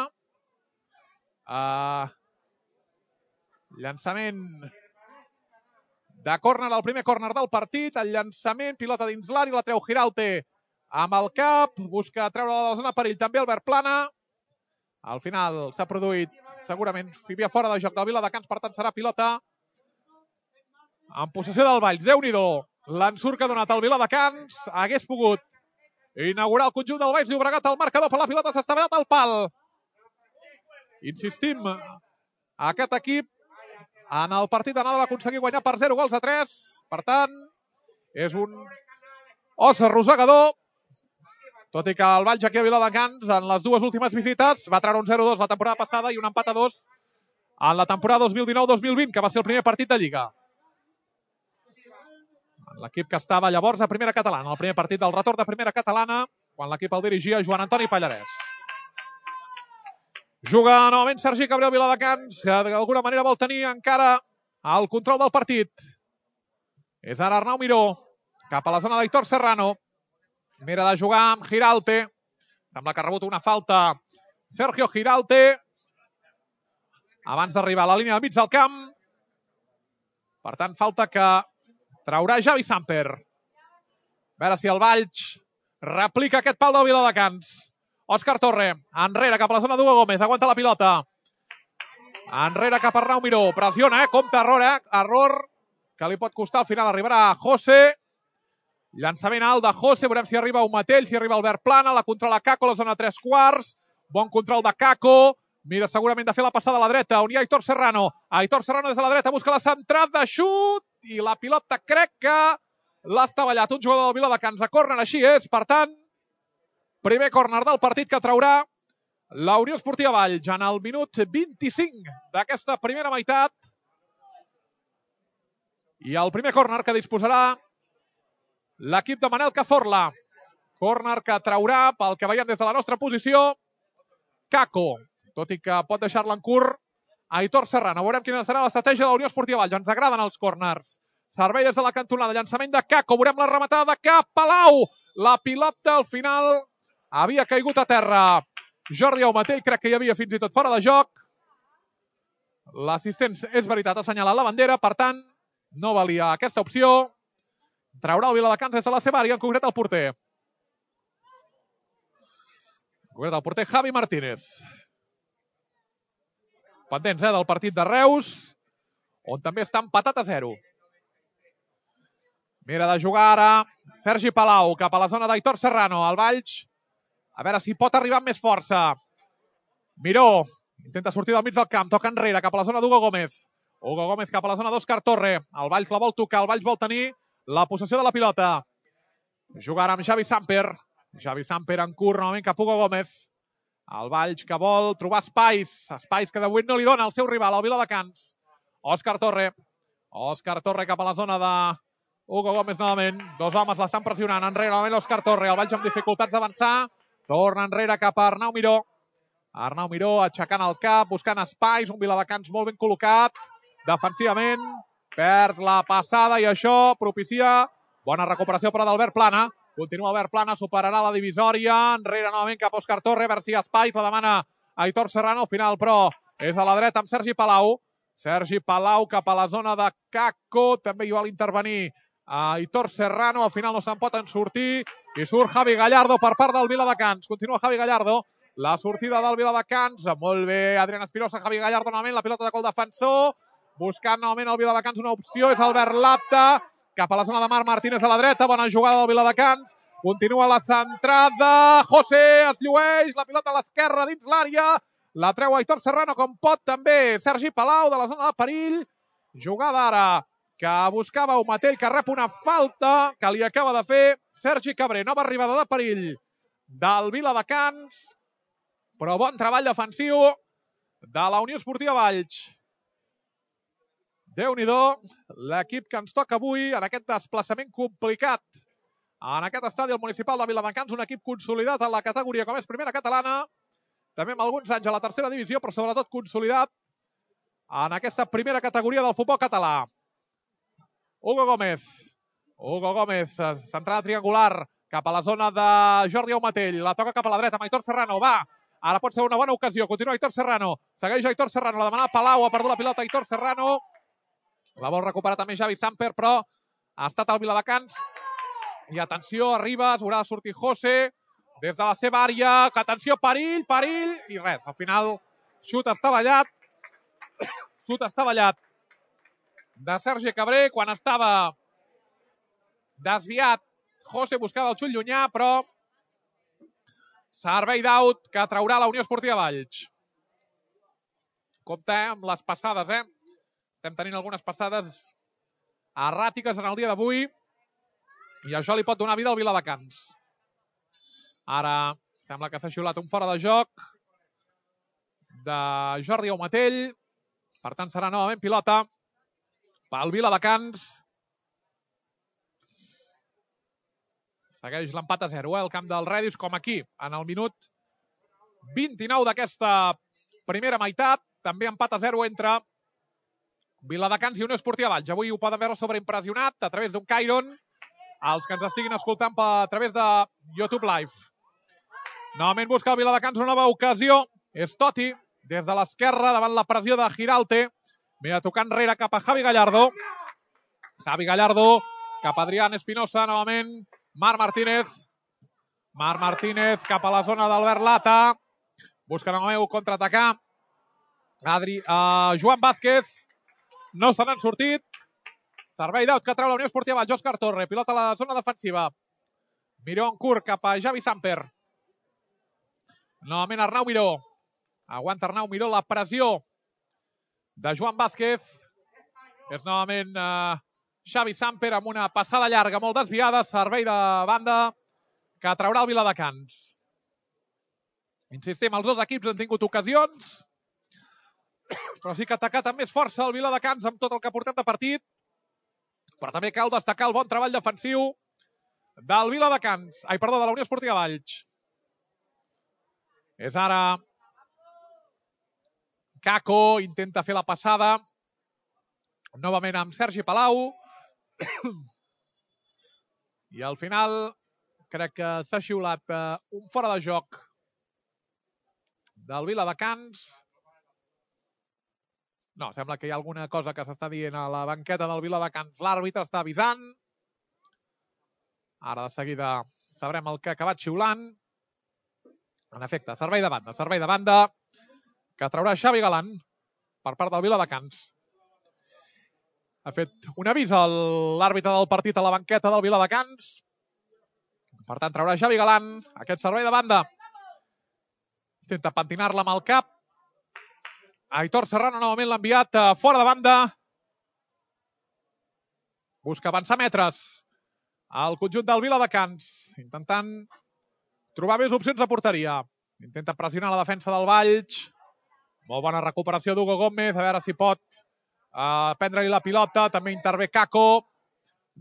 Llançament de córner, el primer córner del partit. El llançament, pilota dins l'àrea, la treu Giralte amb el cap. Busca treure-la de la zona perill també Albert Plana. Al final s'ha produït, segurament, Fibia fora de joc del Viladecans, per tant serà pilota en possessió del Valls. Déu-n'hi-do, l'ensurt que ha donat el Viladecans. Hagués pogut inaugurar el conjunt del Valls Llobregat al marcador, però la pilota s'ha estavellat al pal. Insistim, aquest equip en el partit d'anada va aconseguir guanyar per 0-3. Per tant, és un os arrossegador. Tot i que el Valls aquí a Viladecans, en les dues últimes visites, va treure un 0-2 la temporada passada i un empat a 2 en la temporada 2019-2020, que va ser el primer partit de Lliga. L'equip que estava llavors a Primera Catalana, el primer partit del retorn de Primera Catalana, quan l'equip el dirigia Joan Antoni Pallarès. Juga novament Sergi Cabré al Viladecans, que d'alguna manera vol tenir encara el control del partit. És ara Arnau Miró, cap a la zona d'Aitor Serrano. Mira de jugar amb Giralte. Sembla que ha rebut una falta Sergio Giralte abans d'arribar a la línia del mig del camp. Per tant, falta que traurà Javi Samper. A veure si el Valls replica aquest pal del Viladecans. Òscar Torre, enrere cap a la zona d'Hugo Gómez, aguanta la pilota. Enrere cap a Arnau Miró, pressiona, compta error que li pot costar, al final arribarà José. Llançament alt de José, veurem si arriba Umatell, si arriba Albert Plana, la controla Caco, la zona 3/4. Bon control de Caco. Mira segurament de fer la passada a la dreta, on hi ha Aitor Serrano. Aitor Serrano des de la dreta, busca la centrada de xut, i la pilota crec que l'ha estavellat un jugador del Viladecans a córner, així és. Per tant, primer córner del partit que traurà la Unió Esportiva Valls en el minut 25 d'aquesta primera meitat. I el primer córner que disposarà l'equip de Manel Cazorla. Córner que traurà, pel que veiem des de la nostra posició, Caco. Tot i que pot deixar-la en curt Aitor Serrano. Veurem quina serà l'estratègia de la Unió Esportiva Valls. Ens agraden els córners. Servei des de la cantonada. Llançament de Caco. Veurem la rematada de Cap Palau. La pilota al final havia caigut a terra. Jordi Aumatell crec que hi havia fins i tot fora de joc. L'assistent, és veritat, ha assenyalat la bandera. Per tant, no valia aquesta opció. Traurà el Viladecans des de la seva àrea, en concret el porter. El porter Javi Martínez. Pendents del partit de Reus, on també està empatat a 0. Mira de jugar ara Sergi Palau cap a la zona d'Aitor Serrano. El Valls, a veure si pot arribar amb més força. Miró intenta sortir del mig del camp, toca enrere cap a la zona d'Hugo Gómez. Hugo Gómez cap a la zona d'Òscar Torre. El Valls la vol tocar, el Valls vol tenir la possessió de la pilota. Jugarà amb Javi Samper. Javi Samper en curt, novament cap a Hugo Gómez. El Valls que vol trobar espais que de moment no li dona el seu rival, el Viladecans. Òscar Torre. Òscar Torre cap a la zona de Hugo Gómez novament. Dos homes l'estan pressionant. Enrere novament l'Òscar Torre. El Valls amb dificultats d'avançar. Torna enrere cap a Arnau Miró. Arnau Miró aixecant el cap, buscant espais. Un Viladecans molt ben col·locat. Defensivament. Perd la passada i això propicia bona recuperació però d'Albert Plana. Continua Albert Plana, superarà la divisòria. Enrere novament cap a Òscar Torre. A veure si hi ha espais. La demana Aitor Serrano. Al final, però, és a la dreta amb Sergi Palau. Sergi Palau cap a la zona de Caco. També hi vol intervenir Aitor Serrano. Al final no se'n poden sortir. I surt Javi Gallardo per part del Viladecans. Continua Javi Gallardo. La sortida del Viladecans. Molt bé, Adrián Espirosa. Javi Gallardo novament. La pilota de gol defensor. Buscant novament el Viladecans una opció. És Albert Lapta. Cap a la zona de Marc Martínez a la dreta. Bona jugada del Viladecans. Continua la centrada. José es llueix. La pilota a l'esquerra dins l'àrea. La treu Aitor Serrano com pot també Sergi Palau de la zona de perill. Jugada ara que buscava Umatell, que rep una falta que li acaba de fer Sergi Cabré. Nova arribada de perill del Viladecans. Però bon treball defensiu de la Unió Esportiva Valls. Déu-n'hi-do, l'equip que ens toca avui en aquest desplaçament complicat en aquest estadi al municipal de Viladecans, un equip consolidat en la categoria com és Primera Catalana, també amb alguns anys a la tercera divisió, però sobretot consolidat en aquesta primera categoria del futbol català. Hugo Gómez, centrada triangular cap a la zona de Jordi Aumatell, la toca cap a la dreta amb Aitor Serrano, va, ara pot ser una bona ocasió, continua Aitor Serrano, segueix Aitor Serrano, la demana Palau, ha perdut la pilota Aitor Serrano. La vol recuperar també Javi Samper, però ha estat al Viladecans. I atenció, arriba, haurà de sortir José. des de la seva àrea, que atenció, perill, i res, al final xut estavellat de Sergi Cabré, quan estava desviat, José buscava el xut llunyà, però servei d'aut que traurà la Unió Esportiva Valls. Compte amb les passades, Estem tenint algunes passades erràtiques en el dia d'avui i això li pot donar vida al Viladecans. Ara sembla que s'ha xiulat un fora de joc de Jordi Aumatell. Per tant, serà novament pilota pel Viladecans. Segueix l'empat a 0, el camp del Redis, com aquí, en el minut 29 d'aquesta primera meitat. També empat a 0 entre Viladecans i Unió Esportiva Valls. Avui ho poden veure sobreimpressionat a través d'un Cairon, els que ens estiguin escoltant a través de YouTube Live. Novament busca el Viladecans una nova ocasió. És Totti, des de l'esquerra, davant la pressió de Giralte. Mira, tocant enrere cap a Javi Gallardo. Javi Gallardo cap a Adrián Espinosa, novament. Marc Martínez cap a la zona d'Albert Lata. Busca novament contraatacar. Joan Vázquez. No se n'han sortit. Servei d'aut que treu la Unió Esportiva Valls. Òscar Torre, pilota a la zona defensiva. Miró en curt cap a Javi Samper. Novament Arnau Miró. Aguanta Arnau Miró la pressió de Joan Vázquez. És novament Xavi Samper amb una passada llarga molt desviada. Servei de banda que traurà el Viladecans. Insistim, els dos equips han tingut ocasions, però sí que ha atacat amb més força el Viladecans amb tot el que ha portat de partit. Però també cal destacar el bon treball defensiu del Viladecans. De la Unió Esportiva Valls. És ara Caco, intenta fer la passada. Novament amb Sergi Palau. I al final crec que s'ha xiulat un fora de joc del Viladecans. No, sembla que hi ha alguna cosa que s'està dient a la banqueta del Viladecans. L'àrbitre està avisant. Ara de seguida sabrem el que ha acabat xiulant. En efecte, servei de banda que traurà Xavi Galan per part del Viladecans. Ha fet un avís a l'àrbitre del partit a la banqueta del Viladecans. Per tant, traurà Xavi Galan aquest servei de banda. Intenta pentinar-la amb el cap. Aitor Serrano novament l'ha enviat fora de banda. Busca avançar metres al conjunt del Viladecans, intentant trobar més opcions de porteria. Intenta pressionar la defensa del Valls. Molt bona recuperació d'Hugo Gómez, a veure si pot prendre-li la pilota. També intervé Caco.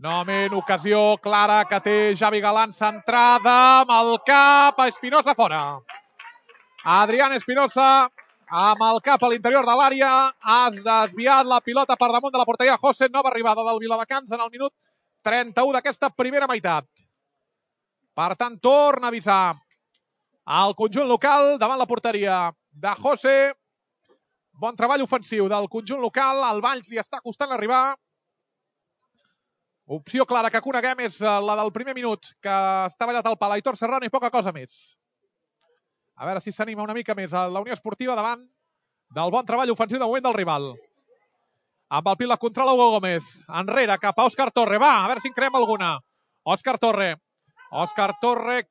Novament ocasió clara que té Xavi Galan, centrada amb el cap a Espinosa fora. Adrián Espinosa amb el cap a l'interior de l'àrea. Has desviat la pilota per damunt de la porteria. José, nova arribada del Viladecans en el minut 31 d'aquesta primera meitat. Per tant, torna a avisar el conjunt local davant la porteria de José. Bon treball ofensiu del conjunt local. El Valls li està costant arribar. Opció clara que coneguem és la del primer minut, que està ballat al pal Aitor Serrano i poca cosa més. A veure si s'anima una mica més a la Unió Esportiva davant del bon treball ofensiu de moment del rival. Amb el pil la controla Hugo Gómez. Enrere cap a Òscar Torre. Va, a veure si en creem alguna. Òscar Torre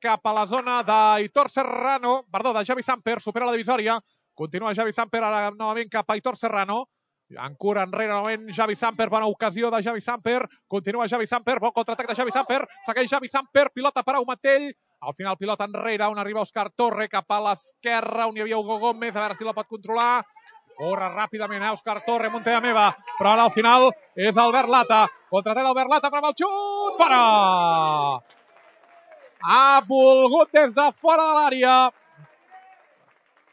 cap a la zona d'Aitor Serrano. Perdó, de Xavi Samper. Supera la divisòria. Continua Xavi Samper ara novament cap a Aitor Serrano. En cura enrere novament Xavi Samper. Bona ocasió de Xavi Samper. Continua Xavi Samper. Bon contraatac de Xavi Samper. Segueix Xavi Samper. Pilota per Aumatell. Al final pilota enrere on arriba Òscar Torre cap a l'esquerra on hi havia Hugo Gómez. A veure si la pot controlar. Corre ràpidament Òscar Torre, Montella meva. Però ara al final és Albert Lata. Contraatac d'Albert Lata per el xut. Fora! Ha volgut des de fora de l'àrea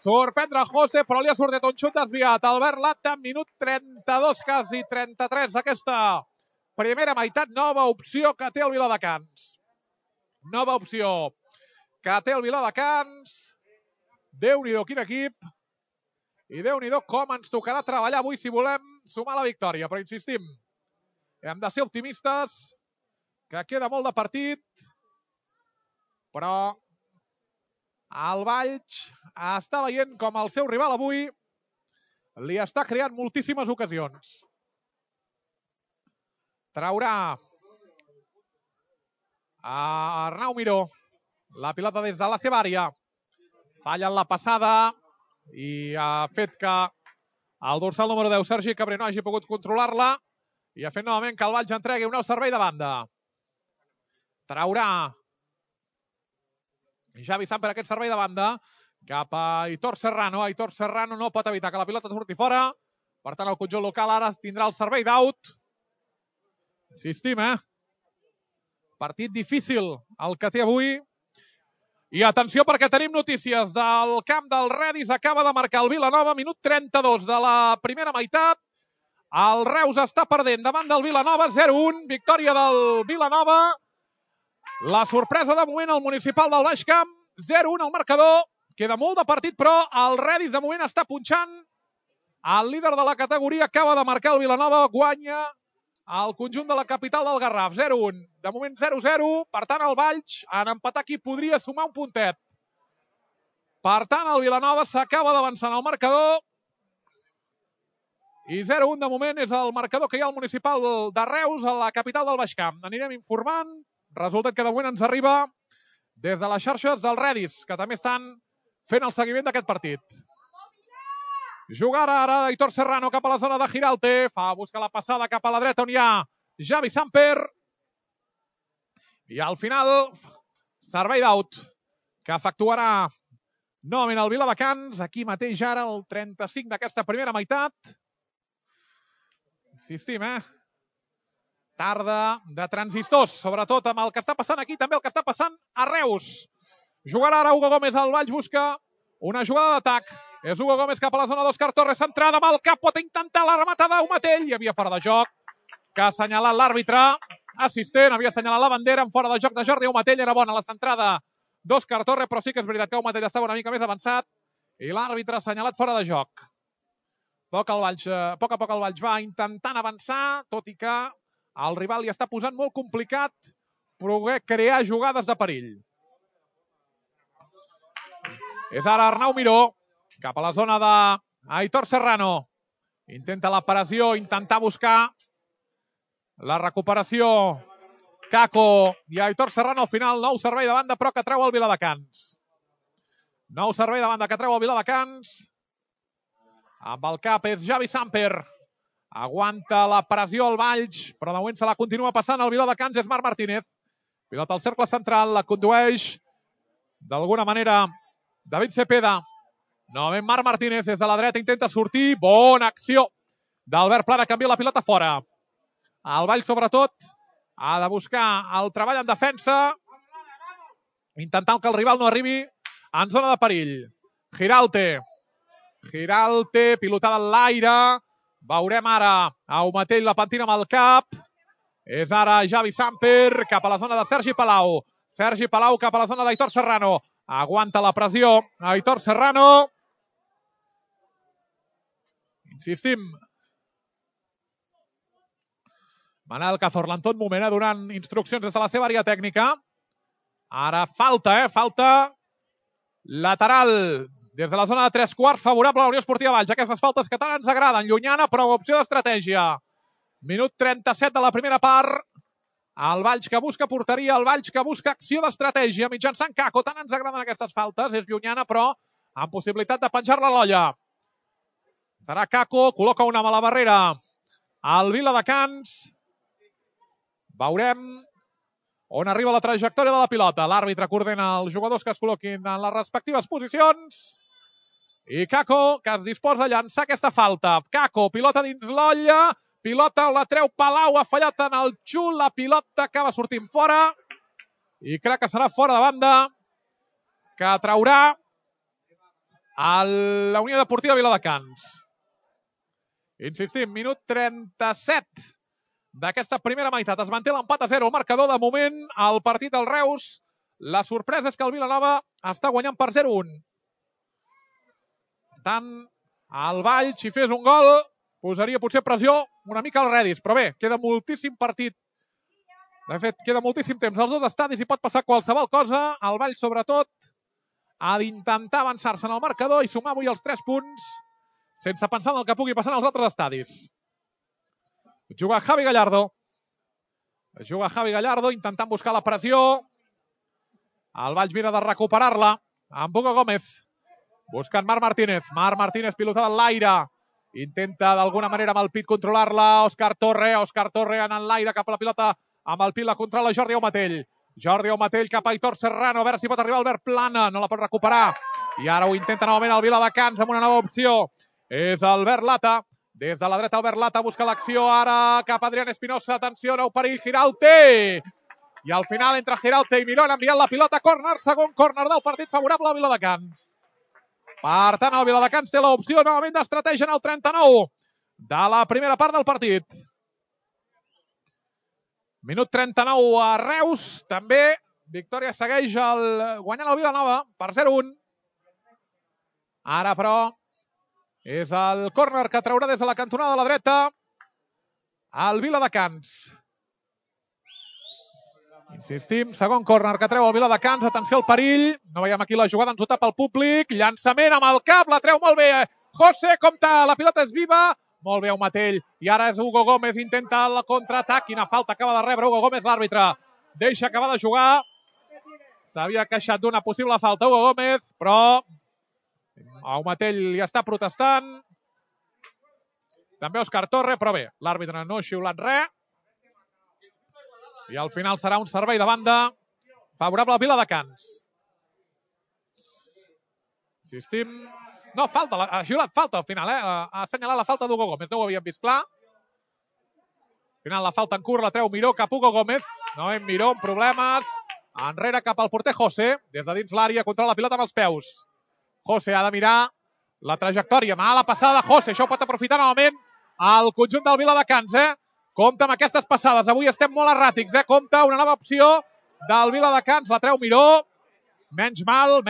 sorprendre José, però li ha sortit un xut desviat. Albert Lata, minut 32, quasi 33, aquesta primera meitat. Nova opció que té el Viladecans. Nova opció que té el Viladecans. Déu-n'hi-do, quin equip. I Déu-n'hi-do com ens tocarà treballar avui si volem sumar la victòria. Però insistim, hem de ser optimistes, que queda molt de partit, però El Valls està veient com el seu rival avui li està creant moltíssimes ocasions. Traurà a Arnau Miró la pilota des de la seva àrea. Falla en la passada i ha fet que el dorsal número 10, Sergi Cabré, no hagi pogut controlar-la i ha fet novament que el Valls entregui un nou servei de banda. Traurà Javi Samper aquest servei de banda cap a Aitor Serrano. Aitor Serrano no pot evitar que la pilota surti fora. Per tant, el conjunt local ara tindrà el servei d'out. Insistim, partit difícil el que té avui. I atenció perquè tenim notícies del camp del Redis. Acaba de marcar el Vilanova, minut 32 de la primera meitat. El Reus està perdent davant del Vilanova, 0-1. Victòria del Vilanova. La sorpresa de moment al municipal del Baix Camp, 0-1 al marcador. Queda molt de partit, però el Redis de moment està punxant. El líder de la categoria acaba de marcar el Vilanova, guanya el conjunt de la capital del Garraf, 0-1. De moment 0-0, per tant el Valls en empatar aquí podria sumar un puntet. Per tant el Vilanova s'acaba d'avançar en el marcador. I 0-1 de moment és el marcador que hi ha al municipal de Reus, a la capital del Baix Camp. Anirem informant. Resultat que de moment ens arriba des de les xarxes del Redis, que també estan fent el seguiment d'aquest partit. Jugarà ara Aitor Serrano cap a la zona de Giralte. Fa buscar la passada cap a la dreta on hi ha Javi Samper. I al final, servei d'out que efectuarà novament el Viladecans. Aquí mateix ara el 35 d'aquesta primera meitat. Insistim, Tarda de transistors, sobretot amb el que està passant aquí, també el que està passant a Reus. Jugarà ara Hugo Gómez, el Valls busca una jugada d'atac. És Hugo Gómez cap a la zona d'Òscar Torres, centrada amb el cap, pot intentar la rematada d'Aumatell. Hi havia fora de joc, que ha assenyalat l'àrbitre assistent, havia assenyalat la bandera en fora de joc de Jordi Aumatell. Era bona la centrada d'Òscar Torres, però sí que és veritat que Aumatell estava una mica més avançat i l'àrbitre ha assenyalat fora de joc. A poc a poc el Valls va intentant avançar, tot i que el rival li està posant molt complicat poder crear jugades de perill. És ara Arnau Miró, cap a la zona d'Aitor Serrano. Intenta la pressió, intentar buscar la recuperació. Caco i Aitor Serrano al final, nou servei de banda, però que treu el Viladecans. Nou servei de banda que treu el Viladecans. Amb el cap és Javi Samper. Aguanta la pressió al Valls, però de moment se la continua passant el Viladecans, és Marc Martínez. Pilota al cercle central, la condueix d'alguna manera David Cepeda. Novament Marc Martínez des de la dreta, intenta sortir. Bona acció d'Albert Plana, canvia la pilota fora. El Valls, sobretot, ha de buscar el treball en defensa, intentant que el rival no arribi en zona de perill. Giralte, pilotada en l'aire. Veurem ara Aumatell la pentina amb el cap. És ara Javi Samper cap a la zona de Sergi Palau. Sergi Palau cap a la zona d'Aitor Serrano. Aguanta la pressió Aitor Serrano. Insistim. Manel Cazorla en tot moment donant instruccions des de la seva àrea tècnica. Ara falta, falta lateral des de la zona de 3/4, favorable a la Unió Esportiva Valls. Aquestes faltes que tant ens agraden. Llunyana, però opció d'estratègia. Minut 37 de la primera part. El Valls que busca porteria, el Valls que busca acció d'estratègia mitjançant Caco. Tant ens agraden aquestes faltes. És llunyana, però amb possibilitat de penjar-la a l'olla. Serà Caco, col·loca una a la barrera al Viladecans. Veurem on arriba la trajectòria de la pilota. L'àrbitre coordina els jugadors que es col·loquin en les respectives posicions. I Caco, que es disposa a llançar aquesta falta. Caco, pilota dins l'olla. Pilota la treu Palau, ha fallat en el xut. La pilota acaba sortint fora. I crec que serà fora de banda, que traurà la Unió Deportiva Viladecans. Insistim, minut 37 d'aquesta primera meitat. Es manté l'empat a 0 al marcador. De moment, el partit del Reus, la sorpresa és que el Vilanova està guanyant per 0-1. Per tant, el Valls, si fes un gol, posaria potser pressió una mica al Redis. Però bé, queda moltíssim partit. De fet, queda moltíssim temps als dos estadis i pot passar qualsevol cosa. El Valls, sobretot, ha d'intentar avançar-se en el marcador i sumar avui els 3 punts sense pensar en el que pugui passar en els altres estadis. Juga Javi Gallardo. Juga Javi Gallardo intentant buscar la pressió. El Valls mira de recuperar-la amb Hugo Gómez. Buscant Marc Martínez. Marc Martínez pilotada en l'aire. Intenta d'alguna manera amb el pit controlar-la. Òscar Torre. Òscar Torre en l'aire cap a la pilota. Amb el pit la controla Jordi Aumatell. Jordi Aumatell cap a Aitor Serrano. A veure si pot arribar Albert Plana. No la pot recuperar. I ara ho intenta novament el Viladecans amb una nova opció. És Albert Lata. Des de la dreta Albert Lata busca l'acció. Ara cap a Adrián Espinosa. Atenció, nou perill. Girauté. I al final entre Girauté i Miró han enviat la pilota. Córner, segon córner del partit favorable al Viladecans. Per tant, el Viladecans té l'opció novament d'estratègia en el 39 de la primera part del partit. Minut 39 a Reus. També victòria segueix guanyant el Vilanova per 0-1. Ara, però, és el córner que traurà des de la cantonada de la dreta el Viladecans. Insistim, segon córner que treu el Viladecans. Atenció al perill. No veiem aquí la jugada, ens ho tapa el públic. Llançament amb el cap, la treu molt bé. José, compta, la pilota és viva. Molt bé, Aumatell. I ara és Hugo Gómez, intenta el contraatac. Quina falta acaba de rebre Hugo Gómez, l'àrbitre. Deixa acabar de jugar. S'havia queixat d'una possible falta Hugo Gómez, però Aumatell hi està protestant. També Òscar Torre, però bé, l'àrbitre no ha xiulat res. I al final serà un servei de banda favorable al Viladecans. Insistim. No, falta, ha xiulat falta al final, ha assenyalat la falta d'Hugo Gómez, no ho havíem vist clar. Al final la falta en curt la treu Miró cap a Hugo Gómez. No hem Miró amb problemes. Enrere cap al porter José, des de dins l'àrea, controla la pilota amb els peus. José ha de mirar la trajectòria. Mala passada, José, això ho pot aprofitar novament el conjunt del Viladecans, Compte amb aquestes passades, avui estem molt erràtics, Compte, una nova opció del Viladecans, la treu Miró. Menys mal,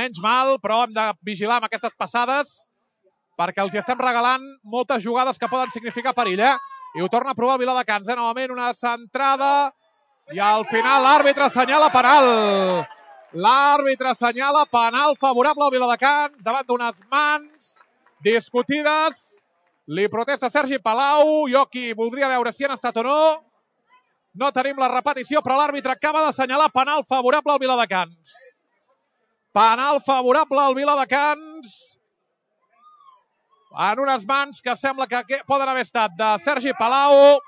però hem de vigilar amb aquestes passades perquè els hi estem regalant moltes jugades que poden significar perill, I ho torna a provar el Viladecans, Novament una centrada i al final l'àrbitre assenyala penal. L'àrbitre assenyala penal favorable al Viladecans davant d'unes mans discutides. Li protesta Sergi Palau. Jo aquí voldria veure si han estat o no. No tenim la repetició, però l'àrbitre acaba d'assenyalar penal favorable al Viladecans. Penal favorable al Viladecans en unes mans que sembla que poden haver estat de Sergi Palau.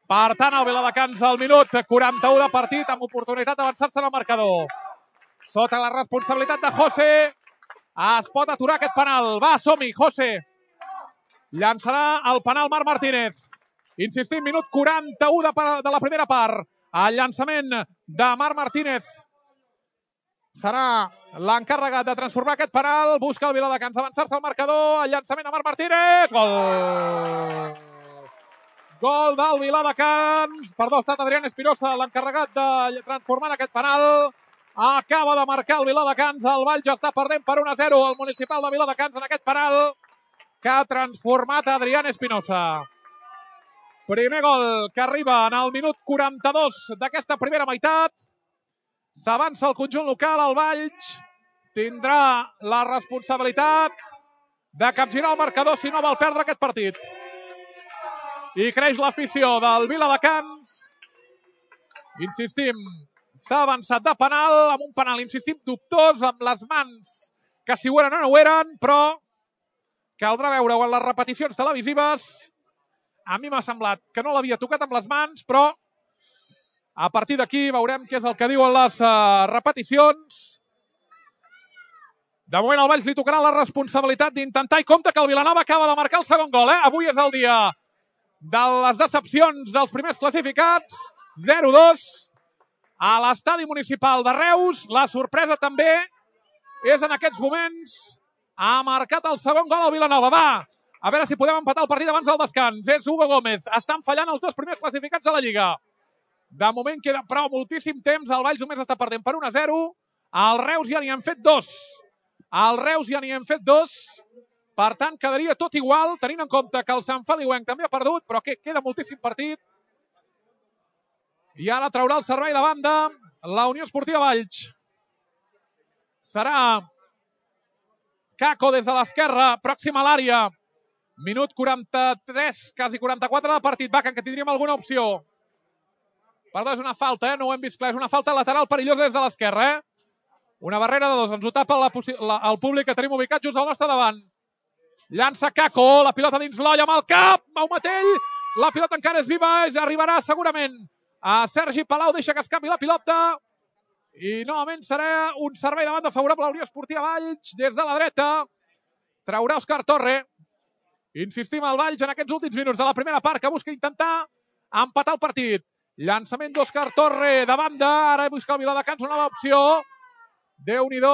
Per tant, el Viladecans al minut 41 de partit amb oportunitat d'avançar-se en el marcador. Sota la responsabilitat de José es pot aturar aquest penal. Va, som-hi, José. Llançarà el penal Marc Martínez. Insistim, minut 41 de la primera part. El llançament de Marc Martínez serà l'encarregat de transformar aquest penal. Busca el Viladecans avançar-se al marcador. El llançament de Marc Martínez. Gol! Gol del Viladecans. Perdó, ha estat Adrián Espinosa l'encarregat de transformar aquest penal. Acaba de marcar el Viladecans. El Valls està perdent per 1-0 el municipal de Viladecans en aquest penal que ha transformat Adrián Espinosa. Primer gol que arriba en el minut 42 d'aquesta primera meitat. S'avança el conjunt local, el Valls tindrà la responsabilitat de capgirar el marcador si no vol perdre aquest partit. I creix l'afició del Viladecans. Insistim, s'ha avançat de penal, amb un penal, insistim, dubtós, amb les mans que si ho eren o no ho eren, però caldrà veure-ho en les repeticions televisives. A mi m'ha semblat que no l'havia tocat amb les mans, però a partir d'aquí veurem què és el que diuen les repeticions. De moment al Valls li tocarà la responsabilitat d'intentar, i compte que el Vilanova acaba de marcar el segon gol. Avui és el dia de les decepcions dels primers classificats. 0-2 a l'estadi municipal de Reus. La sorpresa també és en aquests moments. Ha marcat el segon gol al Vilanova. Va, a veure si podem empatar el partit abans del descans. És Hugo Gómez. Estan fallant els dos primers classificats de la Lliga. De moment queda però moltíssim temps. El Valls només està perdent per 1-0. Al Reus ja n'hi han fet dos. Per tant, quedaria tot igual, tenint en compte que el Sant Feliuenc també ha perdut, però que queda moltíssim partit. I ara traurà el servei de banda la Unió Esportiva Valls. Serà Kako des de l'esquerra, pròxima a l'àrea. Minut 43, quasi 44 de partit. Bacan, que tindríem alguna opció. Perdó, és una falta, no ho hem vist clar. És una falta lateral perillosa des de l'esquerra. Una barrera de dos. Ens ho tapa el públic que tenim ubicat just al nostre davant. Llança Kako, la pilota dins l'olla amb el cap. Maumatell, la pilota encara és viva. Arribarà segurament a Sergi Palau. Deixa que escapi la pilota. I novament serà un servei de banda favorable a la Unió Esportiva Valls. Des de la dreta traurà Òscar Torre. Insistim al Valls en aquests últims minuts de la primera part, que busca intentar empatar el partit. Llançament d'Òscar Torre de banda. Ara busca el Viladecans una nova opció. Déu-n'hi-do,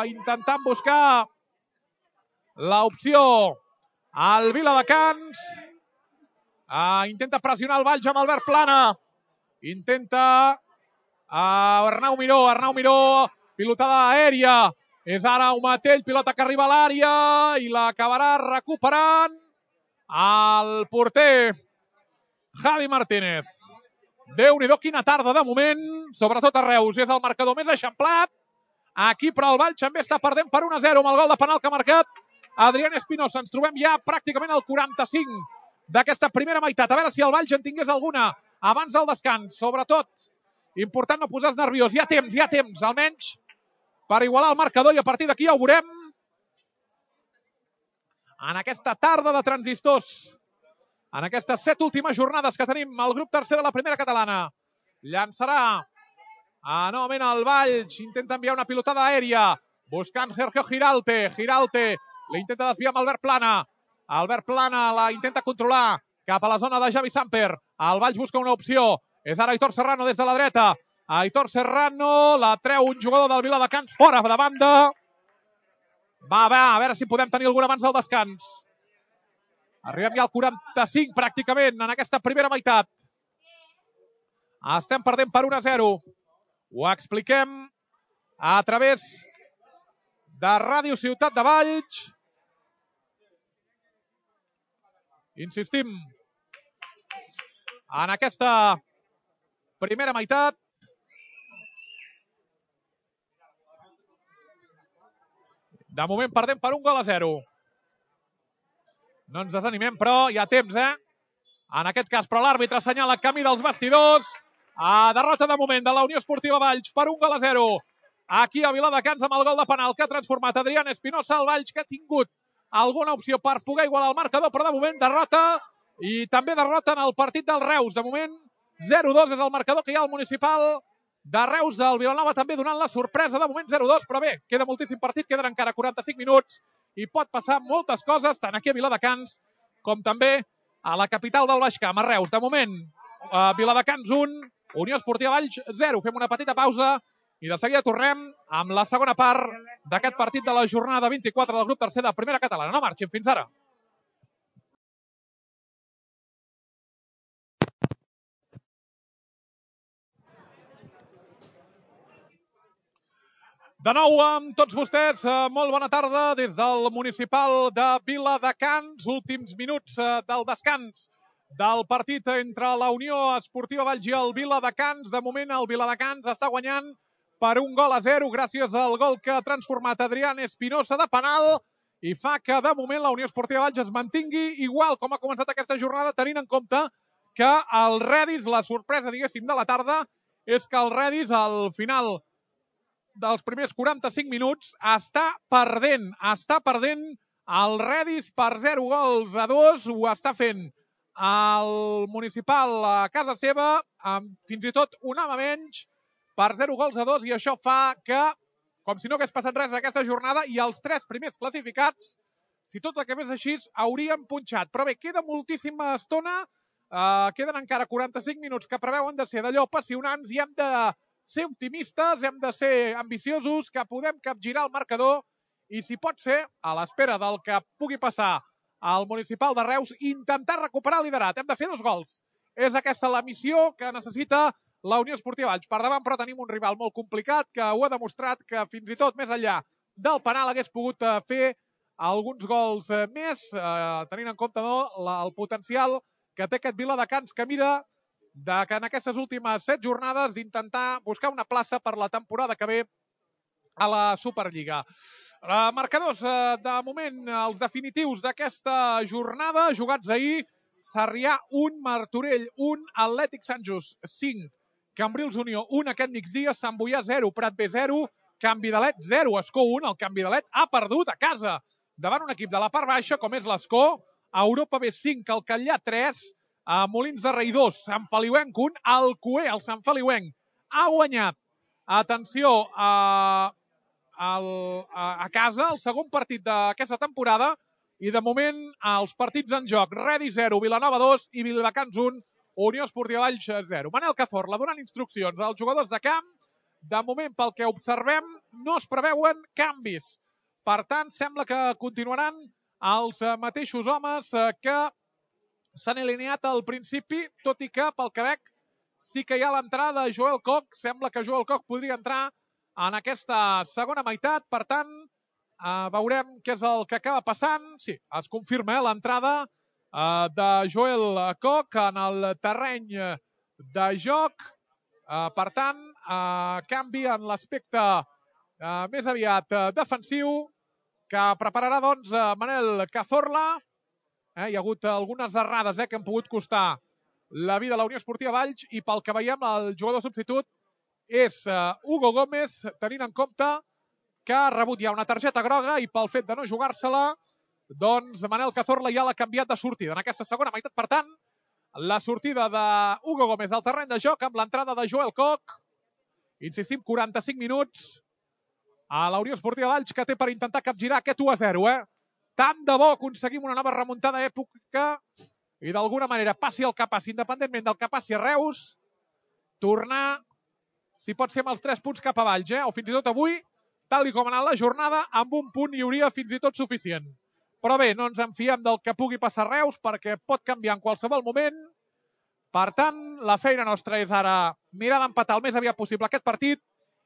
intentant buscar l'opció al Viladecans. Intenta pressionar el Valls amb Albert Plana. Intenta Arnau Miró, pilotada aèria. És ara Umatell, pilota que arriba a l'àrea i l'acabarà recuperant el porter Javi Martínez. Déu-n'hi-do, quina tarda de moment, sobretot a Reus. És el marcador més eixamplat. Aquí, però, el Valls també està perdent per 1-0 amb el gol de penal que ha marcat Adrián Espinosa. Ens trobem ja pràcticament al 45 d'aquesta primera meitat. A veure si el Valls en tingués alguna abans del descans. Sobretot, important no posar-se nerviós. Hi ha temps, almenys, per igualar el marcador, i a partir d'aquí ja ho veurem en aquesta tarda de transistors. En aquestes 7 últimes jornades que tenim al grup tercer de la primera catalana. Llançarà novament el Valls. Intenta enviar una pilotada aèria. Buscant Sergio Giralte. Giralte l'intenta desviar amb Albert Plana. Albert Plana la intenta controlar cap a la zona de Javi Samper. El Valls busca una opció. És ara Aitor Serrano des de la dreta. Aitor Serrano la treu un jugador del Viladecans fora de banda. Va, a veure si podem tenir alguna abans del descans. Arribem ja al 45 pràcticament en aquesta primera meitat. Estem perdent per 1-0. Ho expliquem a través de Ràdio Ciutat de Valls. Insistim en aquesta primera meitat. De moment perdem per 1-0. No ens desanimem, però hi ha temps, En aquest cas, però l'àrbitre assenyala camí dels vestidors. Derrota de moment de la Unió Esportiva Valls per 1-0. Aquí a Viladecans amb el gol de penal que ha transformat Adrián Espinosa. El Valls que ha tingut alguna opció per poder igualar el marcador, però de moment derrota. I també derrota en el partit del Reus. De moment 0-2 és el marcador que hi ha al municipal de Reus del Vilanova, també donant la sorpresa. De moment 0-2, però bé, queda moltíssim partit, queden encara 45 minuts i pot passar moltes coses, tant aquí a Viladecans com també a la capital del Baix Camp, a Reus. De moment, Viladecans 1, Unió Esportiva Valls 0. Fem una petita pausa i de seguida tornem amb la segona part d'aquest partit de la jornada 24 del grup tercer de primera catalana. No marxin, fins ara. De nou amb tots vostès, molt bona tarda des del municipal de Viladecans. Últims minuts del descans del partit entre la Unió Esportiva Valls i el Viladecans. De moment el Viladecans està guanyant per 1-0 gràcies al gol que ha transformat Adrián Espinosa de penal i fa que de moment la Unió Esportiva Valls es mantingui igual com ha començat aquesta jornada, tenint en compte que el Redis, la sorpresa, diguéssim, de la tarda, és que el Redis al final dels primers 45 minuts està perdent el Redis per 0-2. Ho està fent el municipal a casa seva, amb fins i tot un home menys, per 0-2, i això fa que, com si no hagués passat res aquesta jornada, i els 3 primers classificats, si tot acabés així, haurien punxat. Però bé, queda moltíssima estona, queden encara 45 minuts que preveuen de ser d'allò apassionants i hem de ser optimistes, hem de ser ambiciosos, que podem capgirar el marcador i, si pot ser, a l'espera del que pugui passar al municipal de Reus, intentar recuperar el liderat. Hem de fer 2 gols. És aquesta la missió que necessita la Unió Esportiva Valls. Per davant, però, tenim un rival molt complicat que ho ha demostrat, que fins i tot més enllà del penal hagués pogut fer alguns gols més, tenint en compte el potencial que té aquest Viladecans, que mira que en aquestes últimes 7 jornades d'intentar buscar una plaça per la temporada que ve a la Superliga. Marcadors, de moment, els definitius d'aquesta jornada, jugats ahir: Sarrià 1, Martorell 1, Atlètic Sant Just 5, Cambrils Unió 1 aquest migdia, Sant Boià 0, Prat B 0, Can Vidalet 0, Escó 1. El Can Vidalet ha perdut a casa davant un equip de la part baixa com és l'Escó. A Europa B 5, el Catllà 3, a Molins de Rei 2, Sant Feliuenc 1, Alcoer, el Sant Feliuenc, ha guanyat, atenció, a casa, el segon partit d'aquesta temporada, i de moment els partits en joc: Redi 0, Vilanova 2 i Viladecans 1, Unió Esportiva Valls 0. Manel Cazorla donant instruccions als jugadors de camp. De moment, pel que observem, no es preveuen canvis. Per tant, sembla que continuaran els mateixos homes que s'han alineat al principi, tot i que, pel que veig, sí que hi ha l'entrada de Joel Koch. Sembla que Joel Koch podria entrar en aquesta segona meitat. Per tant, veurem què és el que acaba passant. Sí, es confirma l'entrada de Joel Koch en el terreny de joc. Per tant, canvi en l'aspecte més aviat defensiu, que prepararà, doncs, Manel Cazorla. Hi ha hagut algunes errades que han pogut costar la vida a la Unió Esportiva Valls, i pel que veiem, el jugador substitut és Hugo Gómez, tenint en compte que ha rebut ja una targeta groga, i pel fet de no jugar-se-la, doncs Manel Cazorla ja l'ha canviat de sortida en aquesta segona meitat. Per tant, la sortida d'Hugo Gómez al terreny de joc amb l'entrada de Joel Koch. Insistim, 45 minuts a la Unió Esportiva Valls, que té per intentar capgirar aquest 1-0. Tant de bo aconseguim una nova remuntada d'època i d'alguna manera, passi el que passi, independentment del que passi a Reus, tornar, si pot ser, amb els 3 punts cap a Valls, o fins i tot avui, tal com ha anat la jornada, amb un punt hi hauria fins i tot suficient. Però bé, no ens en fiem del que pugui passar a Reus, perquè pot canviar en qualsevol moment. Per tant, la feina nostra és ara mirar d'empatar el més aviat possible aquest partit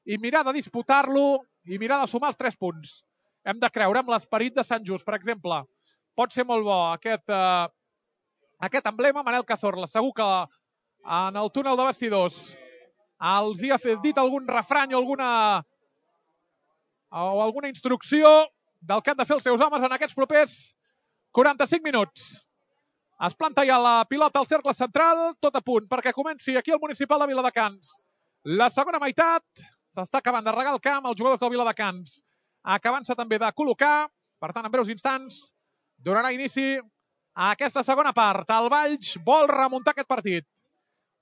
i mirar de disputar-lo i mirar de sumar els 3 punts. Hem de creure en l'esperit de Sant Just, per exemple. Pot ser molt bo aquest emblema. Manel Cazorla, segur que en el túnel de vestidors els hi ha dit algun refrany o alguna instrucció del que han de fer els seus homes en aquests propers 45 minuts. Es planta ja la pilota al cercle central, tot a punt perquè comenci aquí el Municipal de Viladecans. La segona meitat, s'està acabant de regar el camp, els jugadors del Viladecans acabant-se també de col·locar. Per tant, en breus instants donarà inici a aquesta segona part. El Valls vol remuntar aquest partit.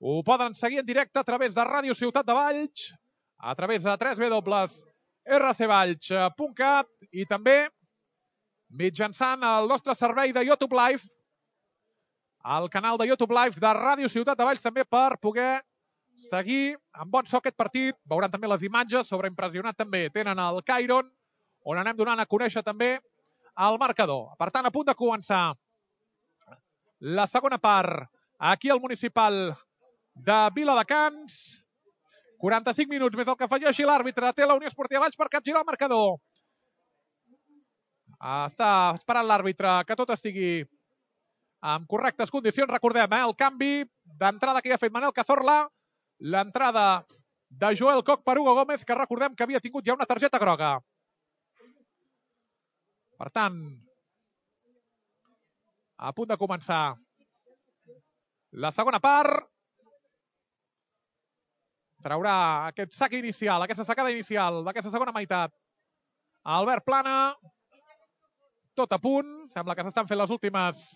Ho poden seguir en directe a través de Ràdio Ciutat de Valls, a través de www.rcvalls.cat i també mitjançant el nostre servei de YouTube Live, el canal de YouTube Live de Ràdio Ciutat de Valls, també per poder seguir amb bon so aquest partit. Veuran també les imatges, sobreimpressionat també tenen el Cairon, on anem donant a conèixer també el marcador. Per tant, a punt de començar la segona part aquí al Municipal de Viladecans. 45 minuts més el que afegeixi l'àrbitre. Té la Unió Esportiva Valls per capgirar el marcador. Està esperant l'àrbitre que tot estigui en correctes condicions. Recordem, el canvi d'entrada que ja ha fet Manel Cazorla, l'entrada de Joel Koch per Hugo Gómez, que recordem que havia tingut ja una targeta groga. Per tant, a punt de començar la segona part. Traurà aquest sac inicial, aquesta sacada inicial d'aquesta segona meitat Albert Plana. Tot a punt. Sembla que s'estan fent les últimes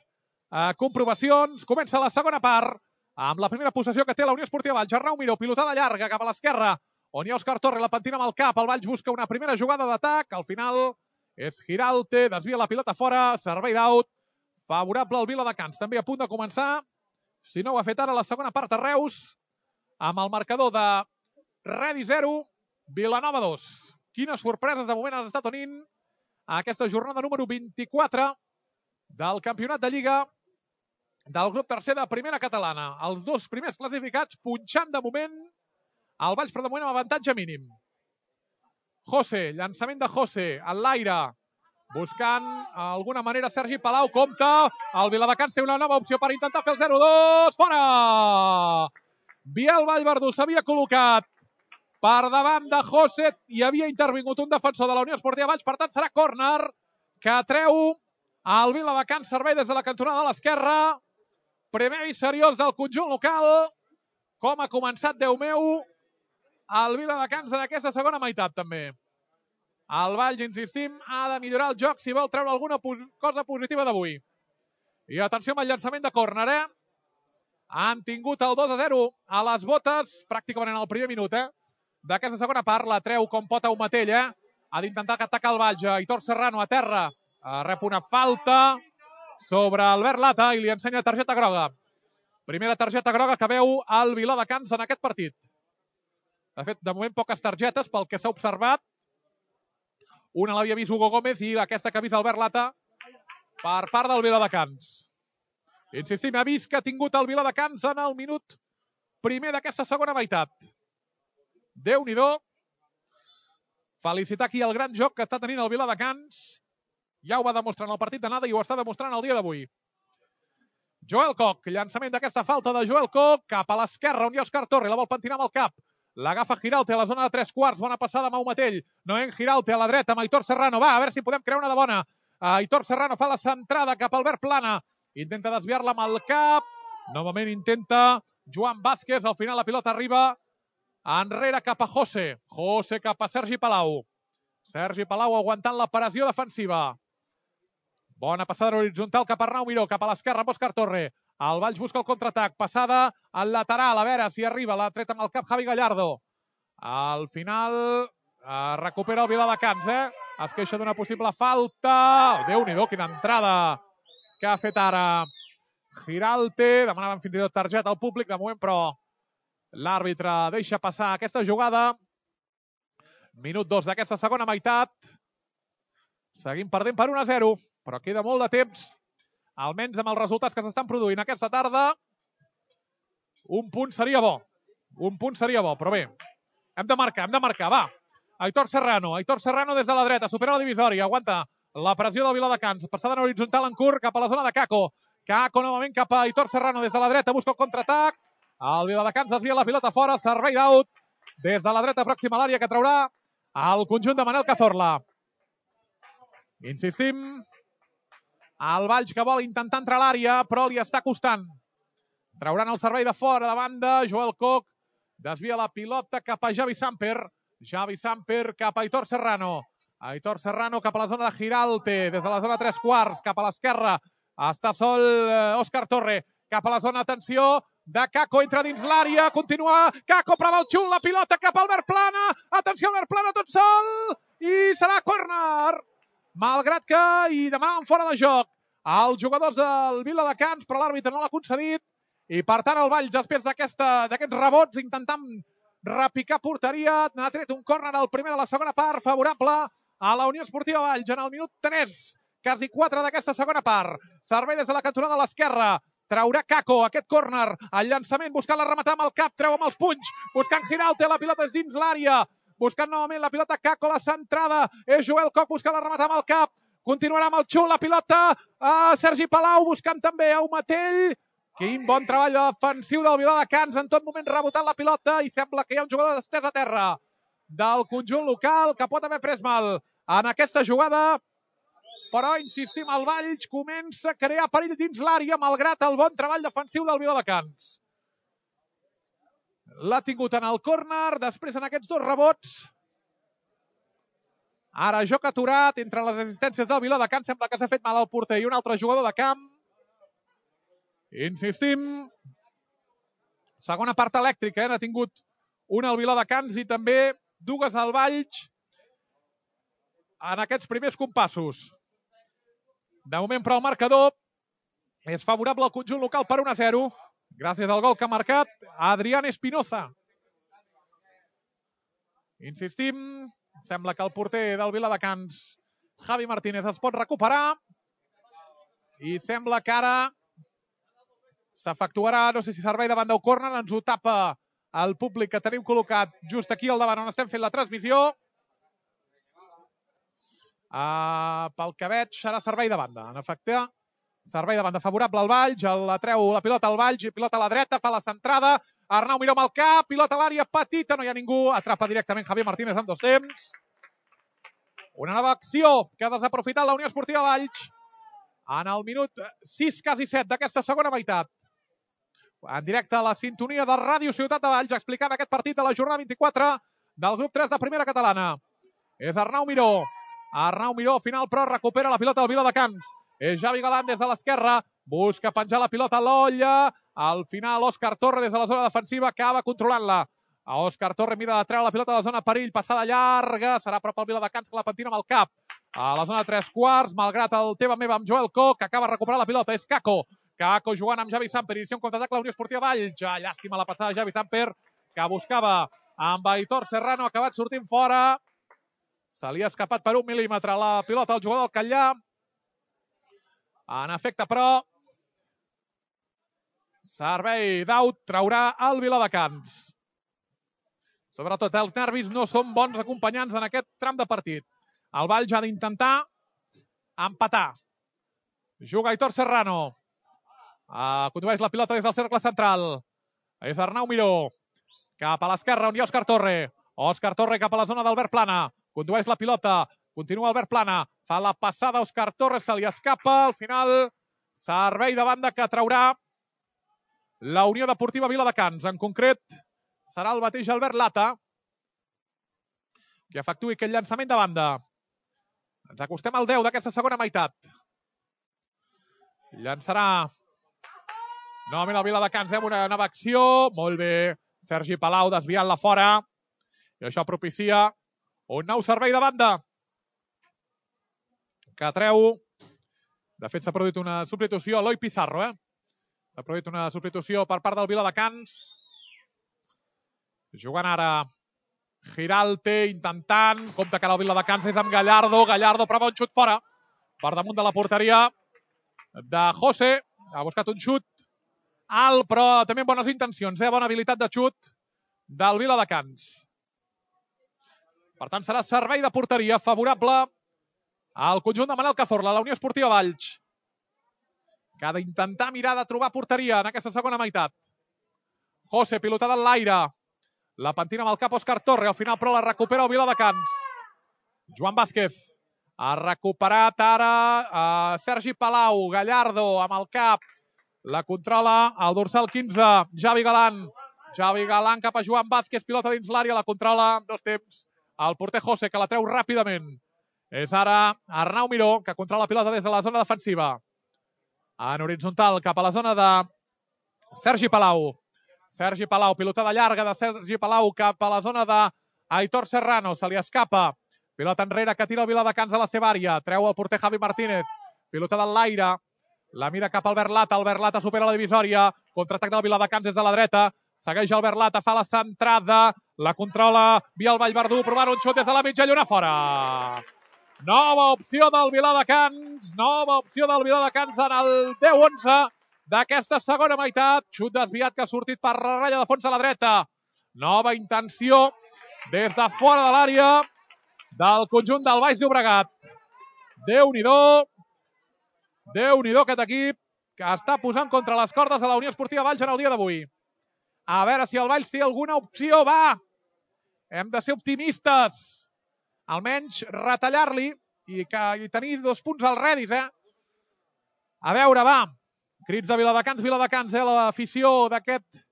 comprovacions. Comença la segona part amb la primera possessió que té la Unió Esportiva Valls. Arnau Miró, pilotada llarga cap a l'esquerra, on hi ha Òscar Torre, la pentina amb el cap. El Valls busca una primera jugada d'atac. Al final és Giralte, desvia la pilota fora, servei d'out favorable al Viladecans. També a punt de començar, si no ho ha fet ara, la segona part a Reus, amb el marcador de Redi 0, Vilanova 2. Quines sorpreses de moment han estat tenint aquesta jornada número 24 del campionat de Lliga del grup tercer de primera catalana. Els 2 primers classificats punxant de moment, el Valls però de moment amb avantatge mínim. José, llançament de José, en l'aire, buscant alguna manera Sergi Palau, compta, el Viladecans té una nova opció per intentar fer el 0-2, fora! Biel Vallverdú s'havia col·locat per davant de José. Hi havia intervingut un defensor de la Unió Esportiva Valls, per tant serà córner que treu el Viladecans. Servei des de la cantonada de l'esquerra. Primer i seriós del conjunt local. Com ha començat, Déu meu, el Viladecans en aquesta segona meitat també. El Valls, insistim, ha de millorar el joc si vol treure alguna cosa positiva d'avui. I atenció amb el llançament de córner, Han tingut el 2-0 a les botes pràcticament en el primer minut, d'aquesta segona part. La treu com pot Aumatell, Ha d'intentar atacar el Valls. Aitor Serrano a terra. Rep una falta sobre Albert Lata i li ensenya targeta groga. Primera targeta groga que veu el Viladecans en aquest partit. De fet, de moment poques targetes pel que s'ha observat. Una l'havia vist Hugo Gómez i aquesta que ha vist Albert Lata per part del Viladecans. Insistim, ha vist que ha tingut el Viladecans en el minut primer d'aquesta segona meitat. Déu-n'hi-do. Felicitar aquí el gran joc que està tenint el Viladecans. Ja ho va demostrar en el partit d'anada i ho està demostrant el dia d'avui. Joel Koch, llançament d'aquesta falta de Joel Koch, cap a l'esquerra, on hi ha Òscar Torre, la vol pentinar amb el cap. L'agafa Giraulte a la zona de 3/4, bona passada amb Aumatell. Noen Giraulte a la dreta amb Aitor Serrano. Va, a veure si podem crear una de bona. Aitor Serrano fa la centrada cap a Albert Plana. Intenta desviar-la amb el cap. Novament intenta Joan Vázquez. Al final la pilota arriba enrere cap a José. José cap a Sergi Palau. Sergi Palau aguantant la pressió defensiva. Bona passada horitzontal cap a Arnau Miró, cap a l'esquerra amb Òscar Torre. El Valls busca el contraatac. Passada al lateral, a veure si arriba. L'ha tret amb el cap Javi Gallardo. Al final recupera el Viladecans, Es queixa d'una possible falta. Déu-n'hi-do, quina entrada que ha fet ara Giraulte. Demanaven fins i tot targeta al públic de moment, però l'àrbitre deixa passar aquesta jugada. Minut 2 d'aquesta segona meitat. Seguim perdent per 1-0, però queda molt de temps, almenys amb els resultats que s'estan produint aquesta tarda. Un punt seria bo. Però bé, hem de marcar, va. Aitor Serrano des de la dreta, supera la divisòria, aguanta la pressió del Viladecans. Passada en horitzontal en curt cap a la zona de Kako. Kako novament cap a Aitor Serrano des de la dreta, busca el contraatac. El Viladecans desvia la pilota fora, servei d'out des de la dreta pròxima a l'àrea que traurà el conjunt de Manel Cazorla. Insistim, el Valls que vol intentar entrar a l'àrea, però li està costant. Trauran el servei de fora, de banda, Joel Koch desvia la pilota cap a Javi Samper. Javi Samper cap a Aitor Serrano. Aitor Serrano cap a la zona de Giraulte, des de la zona 3/4, cap a l'esquerra. Està sol Òscar Torre, cap a la zona, atenció, de Kako, entra dins l'àrea, continua Kako, prova el xut, la pilota cap a Albert Plana. Atenció, Albert Plana tot sol, i serà córner. Malgrat que hi demanen fora de joc els jugadors del Viladecans, però l'àrbitre no l'ha concedit. I per tant el Valls, després d'aquests rebots, intentant repicar porteria, n'ha tret un córner al primer de la segona part, favorable a la Unió Esportiva Valls en el minut 3, quasi 4 d'aquesta segona part. Servei des de la cantonada de l'esquerra. Traurà Kako aquest córner. El llançament buscant la rematar amb el cap, treu amb els punys, buscant Giraulte, la pilota és dins l'àrea. Buscant novament la pilota Kako, la centrada. És Joel Koch buscant la rematar amb el cap. Continuarà amb el xut, la pilota a Sergi Palau, buscant també Aumatell. Quin bon treball defensiu del Viladecans, en tot moment rebotant la pilota, i sembla que hi ha un jugador d'estès a terra del conjunt local que pot haver pres mal en aquesta jugada. Però, insistim, el Valls comença a crear perill dins l'àrea, malgrat el bon treball defensiu del Viladecans. L'ha tingut en el córner, després en aquests dos rebots. Ara joc aturat entre les assistències del Viladecans, sembla que s'ha fet mal al porter i un altre jugador de camp. Insistim, segona part elèctrica, n'ha tingut una al Viladecans i també dues al Valls en aquests primers compassos. De moment, però, el marcador és favorable al conjunt local per 1-0, gràcies al gol que ha marcat Adrián Espinoza. Insistim, sembla que el porter del Viladecans, Javi Martínez, es pot recuperar i sembla que ara s'efectuarà, no sé si servei davant del córner, ens ho tapa el públic que tenim col·locat just aquí al davant on estem fent la transmissió. Pel que veig serà servei de banda. En efecte, Servei de banda favorable al Valls, la treu la pilota al Valls, pilota a la dreta, fa la centrada, Arnau Miró amb el cap, pilota a l'àrea petita, no hi ha ningú, atrapa directament Javier Martínez en 2 temps. Una nova acció que ha desaprofitat la Unió Esportiva Valls en el minut 6, quasi 7 d'aquesta segona meitat. En directe a la sintonia de Ràdio Ciutat de Valls, explicant aquest partit de la jornada 24 del grup 3 de Primera Catalana. És Arnau Miró. Arnau Miró, final, però recupera la pilota del Viladecans. És Javi Galán des de l'esquerra, busca penjar la pilota a l'olla. Al final, Òscar Torre des de la zona defensiva acaba controlant-la. Òscar Torre mira de treure la pilota de la zona perill, passada llarga, serà a prop el Viladecans que la pentina amb el cap. A la zona de 3/4, malgrat el teva meva amb Joel Coc, que acaba recuperant la pilota, és Caco. Caco jugant amb Javi Samper, inicia un contraatac la Unió Esportiva Valls. Llàstima la passada de Javi Samper, que buscava amb Aitor Serrano, ha acabat sortint fora. Se li ha escapat per 1 mil·límetre la pilota al jugador del Catllà. En efecte, però, servei d'out traurà el Viladecans. Sobretot, els nervis no són bons acompanyants en aquest tram de partit. El Valls ha d'intentar empatar. Juga Aitor Serrano. Condueix la pilota des del cercle central. És Arnau Miró. Cap a l'esquerra, on hi ha Òscar Torre. Òscar Torre cap a la zona d'Albert Plana. Condueix la pilota. Continua Albert Plana. Fa la passada a Òscar Torre. Se li escapa. Al final, servei de banda que traurà la Unió Deportiva Viladecans. En concret, serà el mateix Albert Lata que efectuï aquest llançament de banda. Ens acostem al 10 d'aquesta segona meitat. Llançarà novament el Viladecans amb una nova acció. Molt bé. Sergi Palau desviant-la fora. I això propicia un nou servei de banda que treu. De fet, s'ha produït una substitució. Eloi Pizarro, S'ha produït una substitució per part del Viladecans. Jugant ara Giralte, intentant. Compte que ara el Viladecans és amb Gallardo. Gallardo prova un xut fora. Per damunt de la porteria de José. Ha buscat un xut alt, però també amb bones intencions. Bona habilitat de xut del Viladecans. Per tant, serà servei de porteria favorable al conjunt de Manel Cazorla, la Unió Esportiva Valls, que ha d'intentar mirar de trobar porteria en aquesta segona meitat. José, pilotada en l'aire. La pentina amb el cap Òscar Torre. Al final, però, la recupera el Viladecans. Joan Vázquez. Ha recuperat ara Sergi Palau. Gallardo amb el cap. La controla el dorsal 15. Javi Galán. Javi Galán cap a Joan Vázquez. Pilota dins l'àrea. La controla en 2 temps el porter José, que la treu ràpidament. És ara Arnau Miró, que controla la pilota des de la zona defensiva. En horitzontal, cap a la zona de Sergi Palau. Sergi Palau, pilotada llarga de Sergi Palau cap a la zona d'Aitor Serrano. Se li escapa. Pilota enrere que tira el Viladecans a la seva àrea. Treu el porter Javi Martínez. Pilotada en l'aire. La mira cap al Albert Lata. Albert Lata supera la divisòria. Contraatac del Viladecans des de la dreta. Segueix Albert Lata, fa la centrada. La controla via el Vallverdú. Provant un xut des de la mitja lluna fora. Nova opció del Viladecans. Nova opció del Viladecans en el 10-11 d'aquesta segona meitat. Xut desviat que ha sortit per la ratlla de fons a la dreta. Nova intenció des de fora de l'àrea del conjunt del Baix Llobregat. Déu-n'hi-do. Déu-n'hi-do aquest equip que està posant contra les cordes a la Unió Esportiva Valls en el dia d'avui. A veure si el Valls té alguna opció. Va! Hem de ser optimistes. Almenys retallar-li i tenir 2 punts al redis, A veure, va. Crits de Viladecans, l'afició d'aquest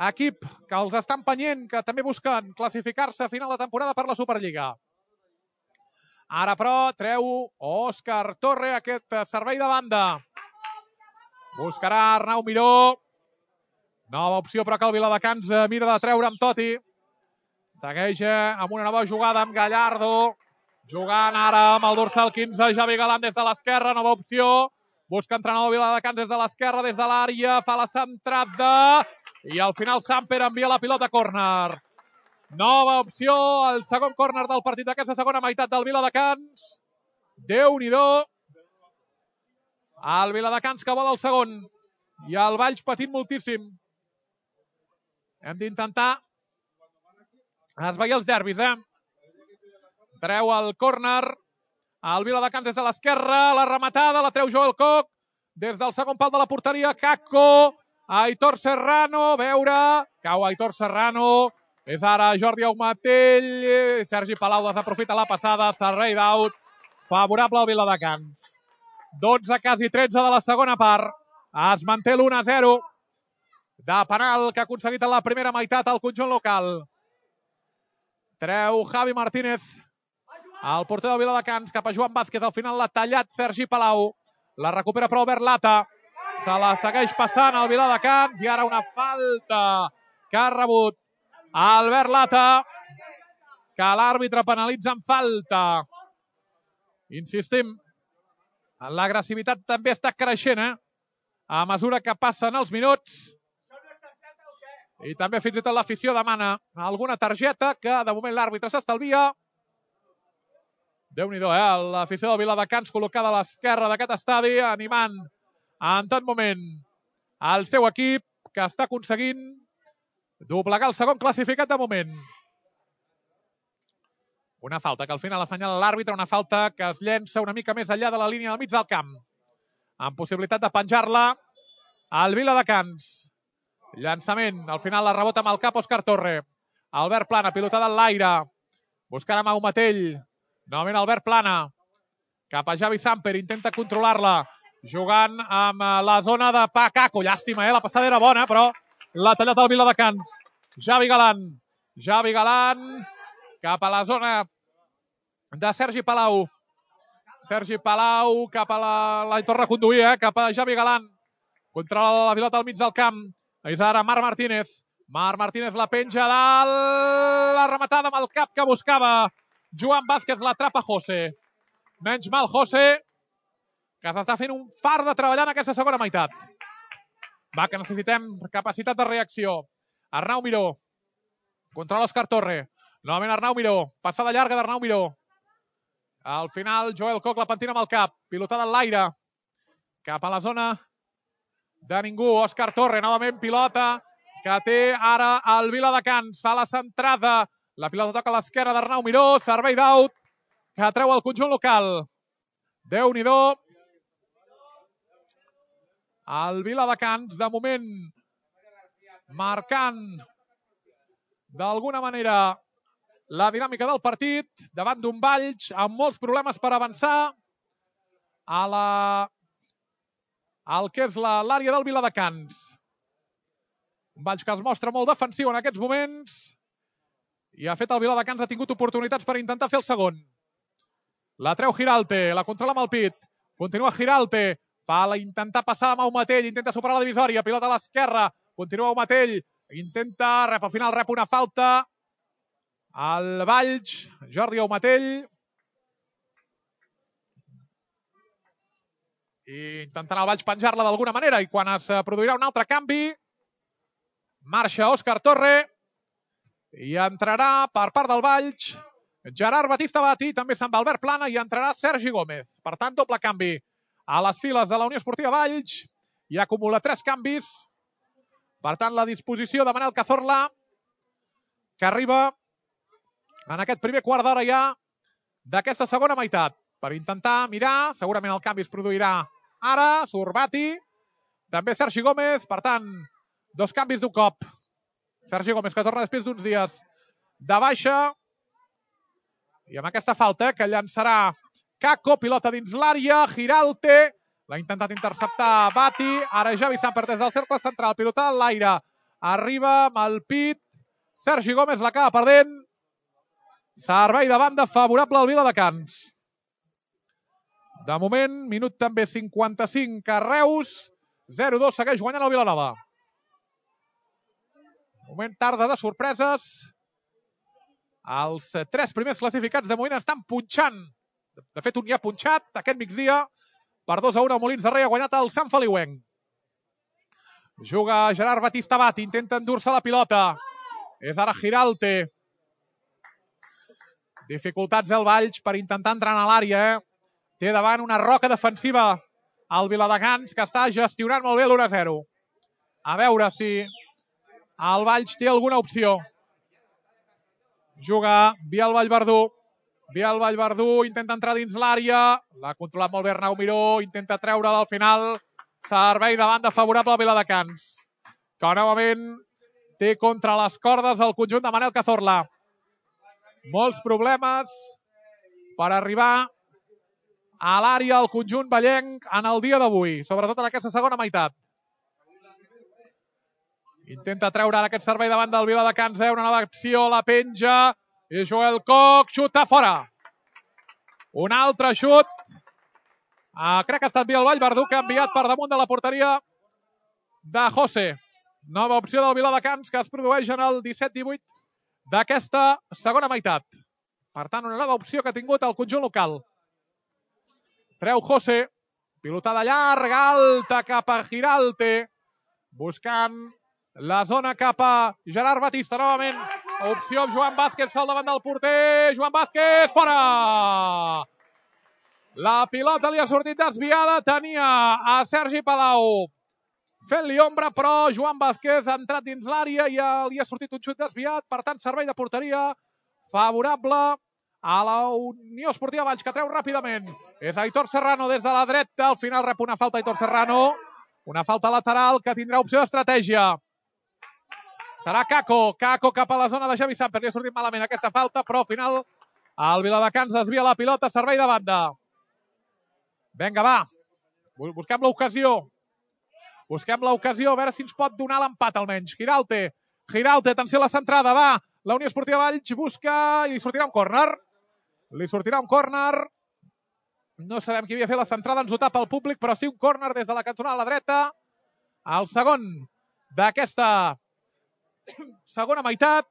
equip que els està empenyent, que també busquen classificar-se a final de temporada per la Superliga. Ara, però, treu Òscar Torre aquest servei de banda. Buscarà Arnau Miró. Nova opció, però que el Viladecans mira de treure amb Toti. Segueix amb una nova jugada amb Gallardo. Jugant ara amb el dorsal 15, Javi Galán des de l'esquerra. Nova opció. Busca entrenador Viladecans des de l'esquerra, des de l'àrea. Fa la centrada. I al final Samper envia la pilota a córner. Nova opció, el segon córner del partit d'aquesta segona meitat del Viladecans. Déu-n'hi-do. El Viladecans que vol el segon. I el Valls patint moltíssim. Hem d'intentar esvair els derbis, Treu el córner El Viladecans des de l'esquerra, la rematada, la treu Joel Koch. Des del segon pal de la porteria, Kakko, Aitor Serrano, a veure, cau Aitor Serrano, és ara Jordi Aumatell, Sergi Palau desaprofita la passada, servei d'out, favorable al Viladecans. 12, quasi 13 de la segona part, es manté l'1-0 de penal que ha aconseguit en la primera meitat el conjunt local. Treu Javi Martínez, el porter del Viladecans, cap a Joan Vázquez, al final l'ha tallat Sergi Palau. La recupera però Albert Lata. Se la segueix passant el Viladecans i ara una falta que ha rebut Albert Lata, que l'àrbitre penalitza amb falta. Insistim, l'agressivitat també està creixent, a mesura que passen els minuts. I també fins i tot l'afició demana alguna targeta que de moment l'àrbitre s'estalvia. Déu-n'hi-do, l'afició del Viladecans col·locada a l'esquerra d'aquest estadi, animant en tot moment el seu equip, que està aconseguint doblegar el segon classificat de moment. Una falta que al final assenyala l'àrbitre, una falta que es llença una mica més enllà de la línia del mig del camp, amb possibilitat de penjar-la al Viladecans. Llançament, al final la rebota amb el cap Òscar Torre. Albert Plana, pilotada en l'aire, buscant amb Aumatell. Novament Albert Plana, cap a Javi Samper, intenta controlar-la, jugant amb la zona de Kakko. Llàstima, la passada era bona, però l'ha tallat el Viladecans. Javi Galan, cap a la zona de Sergi Palau. Sergi Palau cap a la torna a conduir, cap a Javi Galan. Controla la pilota al mig del camp. És ara Marc Martínez. Marc Martínez la penja dalt, la rematada amb el cap que buscava Joan Vázquez, l'atrapa José. Menys mal José, que s'està fent un far de treballar en aquesta segona meitat. Va, que necessitem capacitat de reacció. Arnau Miró, contra l'Òscar Torre. Novament Arnau Miró, passada llarga d'Arnau Miró. Al final Joel Koch la pentina amb el cap, pilotada en l'aire, cap a la zona de ningú. Òscar Torre, novament pilota, que té ara el Viladecans. Fa la centrada. La pilota toca a l'esquerra d'Arnau Miró, servei d'out, que treu el conjunt local. Déu-n'hi-do. El Viladecans, de moment, marcant d'alguna manera la dinàmica del partit, davant d'un Valls amb molts problemes per avançar al que és l'àrea del Viladecans. Un Valls que es mostra molt defensiu en aquests moments, i ha fet el Viladecans, ha tingut oportunitats per intentar fer el segon. La treu Giralte, la controla amb el pit. Continua Giralte, fa la intentar passar amb Aumatell, intenta superar la divisòria, pilota a l'esquerra, continua Aumatell, intenta, al final rep una falta. El Valls, Jordi Aumatell. I intentarà el Valls penjar-la d'alguna manera, i quan es produirà un altre canvi, marxa Òscar Torre, i entrarà per part del Valls Gerard Batista Bati, també se'n va Albert Plana i entrarà Sergi Gómez. Per tant, doble canvi a les files de la Unió Esportiva Valls i acumula 3 canvis. Per tant, la disposició de Manel Cazorla, que arriba en aquest primer quart d'hora ja d'aquesta segona meitat. Per intentar mirar, segurament el canvi es produirà ara, surt Bati, també Sergi Gómez, per tant, 2 canvis d'un cop. Sergi Gómez, que torna després d'uns dies de baixa. I amb aquesta falta, que llançarà Kakko, pilota dins l'àrea, Giralte, l'ha intentat interceptar Bati, ara Javi Samper des del cercle central, pilotada en l'aire, arriba amb el pit, Sergi Gómez l'acaba perdent, servei de banda favorable al Viladecans. De moment, minut també 55 a Reus, 0-2, segueix guanyant el Vilanova. Moment tarda de sorpreses. Els 3 primers classificats de moment estan punxant. De fet, un ja ha punxat aquest migdia. Per 2-1 el Molins de Rei ha guanyat el Sant Feliuenc. Juga Gerard Batista Bati, intenta endur-se la pilota. És ara Giralte. Dificultats del Valls per intentar entrar a l'àrea. Té davant una roca defensiva el Viladecans, que està gestionant molt bé l'1-0. A veure si el Valls té alguna opció. Juga Biel Vallverdú. Biel Vallverdú intenta entrar dins l'àrea. L'ha controlat molt bé Arnau Miró. Intenta treure-la al final. Servei de banda favorable a Viladecans, que novament té contra les cordes el conjunt de Manel Cazorla. Molts problemes per arribar a l'àrea al conjunt vallenc en el dia d'avui, sobretot en aquesta segona meitat. Intenta treure ara aquest servei davant del Viladecans, una nova acció, la penja, i Joel Koch xuta fora. Un altre xut. Crec que ha estat Biel Vallverdú, que ha enviat per damunt de la porteria de José. Nova opció del Viladecans que es produeix en el 17-18 d'aquesta segona meitat. Per tant, una nova opció que ha tingut el conjunt local. Treu José, pilotada llarga, alta cap a Giralte, buscant la zona cap a Gerard Batista. Novament, opció amb Joan Vázquez sol davant del porter. Joan Vázquez, fora! La pilota li ha sortit desviada, tenia a Sergi Palau fent-li ombra, però Joan Vázquez ha entrat dins l'àrea i li ha sortit un xut desviat. Per tant, servei de porteria favorable a la Unió Esportiva Valls, que treu ràpidament. És Aitor Serrano des de la dreta. Al final rep una falta Aitor Serrano. Una falta lateral que tindrà opció d'estratègia. Serà Caco. Caco cap a la zona de Javi Samper. Li ha sortit malament aquesta falta, però al final el Viladecans desvia la pilota. Servei de banda. Vinga, va. Busquem l'ocasió. Busquem l'ocasió, a veure si ens pot donar l'empat almenys. Giralte, atenció a la centrada, va. La Unió Esportiva Valls busca i li sortirà un córner. No sabem qui havia fet la centrada, ens ho tapa el públic, però sí un córner des de la cantonada a la dreta. El segon d'aquesta segona meitat.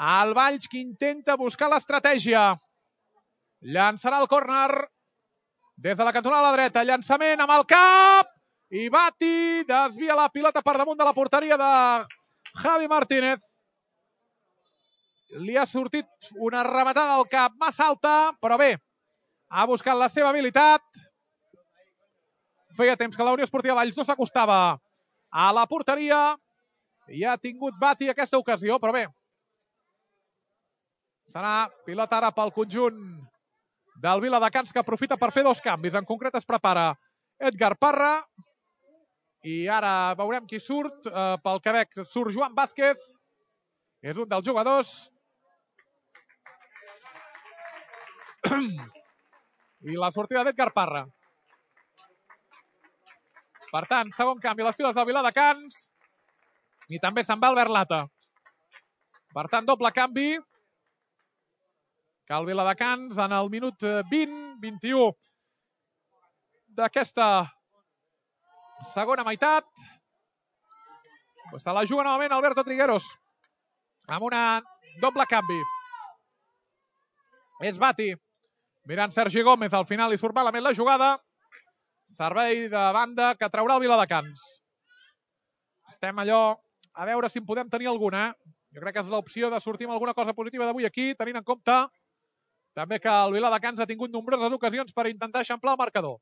El Valls que intenta buscar l'estratègia. Llançarà el córner des de la cantonada a la dreta. Llançament amb el cap. I Bati desvia la pilota per damunt de la porteria de Javi Martínez. Li ha sortit una rematada al cap massa alta, però bé, ha buscat la seva habilitat. Feia temps que la Unió Esportiva Valls no s'acostava a la porteria i ha tingut Bati aquesta ocasió, però bé. Serà pilota ara pel conjunt del Viladecans, que aprofita per fer dos canvis. En concret es prepara Edgar Parra i ara veurem qui surt. Pel Quebec surt Joan Vázquez, és un dels jugadors. I la sortida d'Edgar Parra. Per tant, segon canvi a les files del Viladecans i també se'n va Albert Lata. Per tant, doble canvi. Que el Viladecans en el minut 20-21 d'aquesta segona meitat se la juga novament Alberto Trigueros amb una doble canvi. És Bati mirant Sergi Gómez, al final li surt malament la jugada. Servei de banda que traurà el Viladecans. Estem allò a veure si en podem tenir alguna. Jo crec que és l'opció de sortir amb alguna cosa positiva d'avui aquí, tenint en compte també que el Viladecans ha tingut nombroses ocasions per intentar eixamplar el marcador.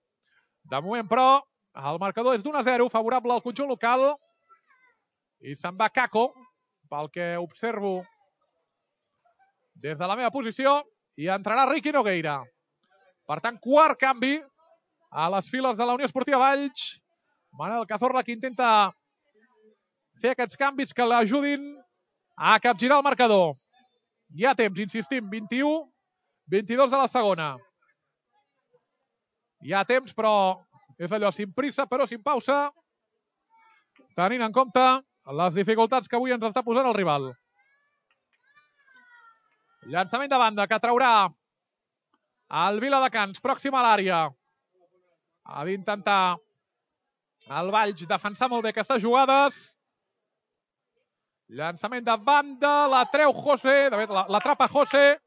De moment, però, el marcador és d'1-0, favorable al conjunt local. I se'n va Caco, pel que observo des de la meva posició, i entrarà Riqui Nogueira. Per tant, quart canvi a les files de la Unió Esportiva Valls. Manel Cazorla, que intenta fer aquests canvis que l'ajudin a capgirar el marcador. Hi ha temps, insistim, 21-22 de la segona. Hi ha temps, però és allò, sin prisa, però sin pausa, tenint en compte les dificultats que avui ens està posant el rival. Llançament de banda que traurà el Viladecans, pròxim a l'àrea. Ha d'intentar el Valls defensar molt bé aquestes jugades. Llançament de banda, la treu José, de fet l'atrapa José.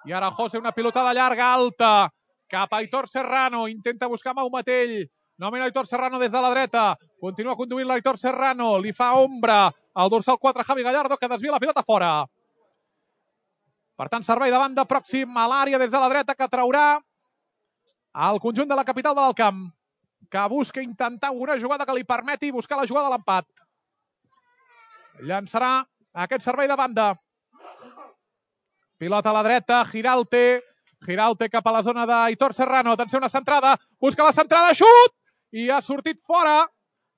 I ara José, una pilotada llarga, alta, cap a Aitor Serrano. Intenta buscar Mau Matell. Novament Aitor Serrano des de la dreta. Continua conduint l'Aitor Serrano. Li fa ombra al dorsal 4 Javi Gallardo, que desvia la pilota fora. Per tant, servei de banda pròxim a l'àrea des de la dreta que traurà el conjunt de la capital de l'Alt Camp, que busca intentar una jugada que li permeti buscar la jugada de l'empat. Llançarà aquest servei de banda. Pilota a la dreta, Giralte cap a la zona d'Aitor Serrano. Atenció, una centrada, busca la centrada, xut! I ha sortit fora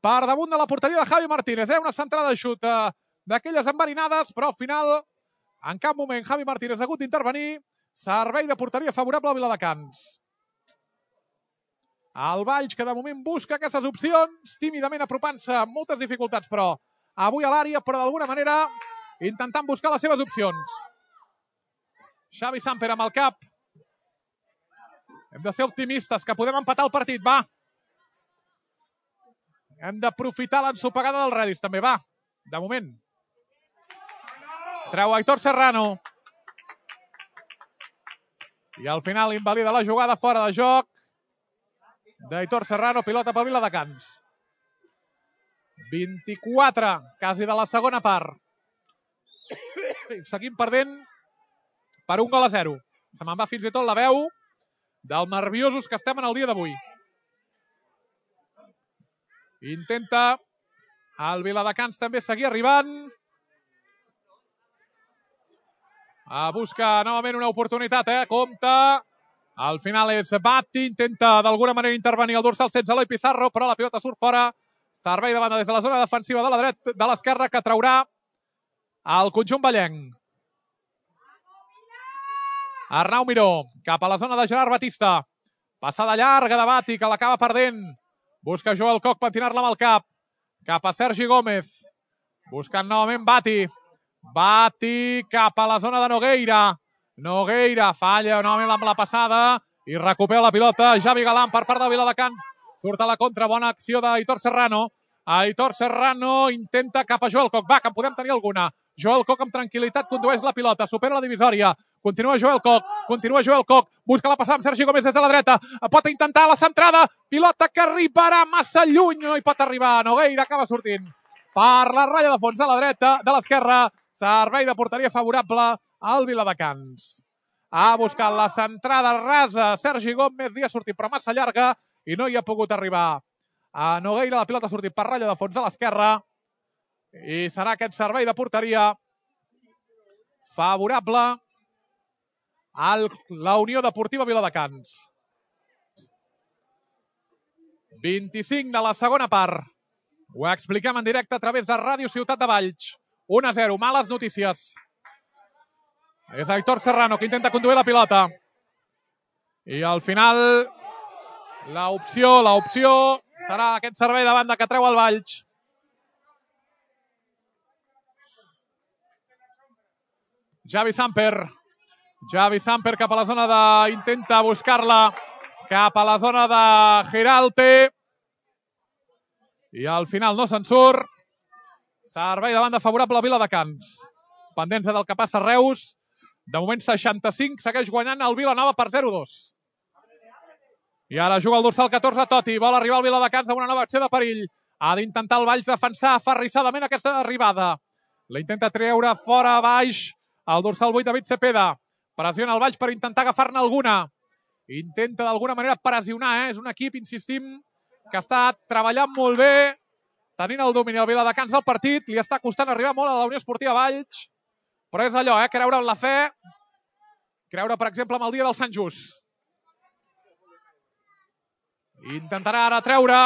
per damunt de la porteria de Javi Martínez. Una centrada de xut d'aquelles enverinades, però al final, en cap moment, Javi Martínez ha hagut d'intervenir. Servei de porteria favorable al Viladecans. El Valls, que de moment busca aquestes opcions, tímidament apropant-se amb moltes dificultats, però avui a l'àrea, però d'alguna manera intentant buscar les seves opcions. Xavi Samper amb el cap. Hem de ser optimistes, que podem empatar el partit, va. Hem d'aprofitar l'ensopegada del Redis, també, va. De moment. Treu Aitor Serrano. I al final invalida la jugada fora de joc d'Aitor Serrano, pilota pel Viladecans. 24, quasi de la segona part. Seguim perdent per 1-0. Se me'n va fins i tot la veu dels nerviosos que estem en el dia d'avui. Intenta el Viladecans també seguir arribant. Busca novament una oportunitat, compta. Al final és Batti, intenta d'alguna manera intervenir el dorsal 16, Eloi Pizarro, però la pilota surt fora. Servei de banda des de la zona defensiva de la dreta, de l'esquerra, que traurà el conjunt vallenc. Arnau Miró, cap a la zona de Gerard Batista. Passada llarga de Batti, que l'acaba perdent. Busca Joel Koch pentinar-la amb el cap. Cap a Sergi Gómez. Buscant novament Batti. Batti cap a la zona de Nogueira. Nogueira falla novament amb la passada i recupera la pilota Javi Galán per part de Viladecans. Surt a la contra, bona acció d'Aitor Serrano. Aitor Serrano intenta cap a Joel Koch. Va, que en podem tenir alguna. Joel Koch amb tranquil·litat condueix la pilota, supera la divisòria. Continua Joel Koch. Busca la passada amb Sergi Gómez des de la dreta. Pot intentar la centrada. Pilota que arribarà massa lluny. No hi pot arribar. Nogueira acaba sortint per la ratlla de fons a la dreta, de l'esquerra. Servei de porteria favorable al Viladecans. Ha buscat la centrada rasa Sergi Gómez, li ha sortit però massa llarga i no hi ha pogut arribar a Nogueira. La pilota ha sortit per ratlla de fons a l'esquerra i serà aquest servei de porteria favorable a la Unió Deportiva Viladecans. 25 de la segona part. Ho expliquem en directe a través de Ràdio Ciutat de Valls. 1-0, males notícies. És Aitor Serrano que intenta conduir la pilota. I al final l'opció serà aquest servei de banda que treu el Valls. Javi Samper cap a la zona de... Intenta buscar-la cap a la zona de Giralte. I al final no se'n surt. Servei de banda favorable a Viladecans. Pendents del que passa a Reus. De moment 65, segueix guanyant el Vilanova per 0-2. I ara juga el dorsal 14, Totti. Vol arribar al Viladecans amb una nova acció de perill. Ha d'intentar el Valls defensar aferrissadament aquesta arribada. La intenta treure fora baix el dorsal 8, David Cepeda. Pressiona el Valls per intentar agafar-ne alguna. Intenta d'alguna manera pressionar. És un equip, insistim, que està treballant molt bé, tenint el domini al Viladecans del partit. Li està costant arribar molt a la Unió Esportiva Valls. Però és allò, creure en la fe, creure, per exemple, en el dia del Sant Just. Intentarà ara treure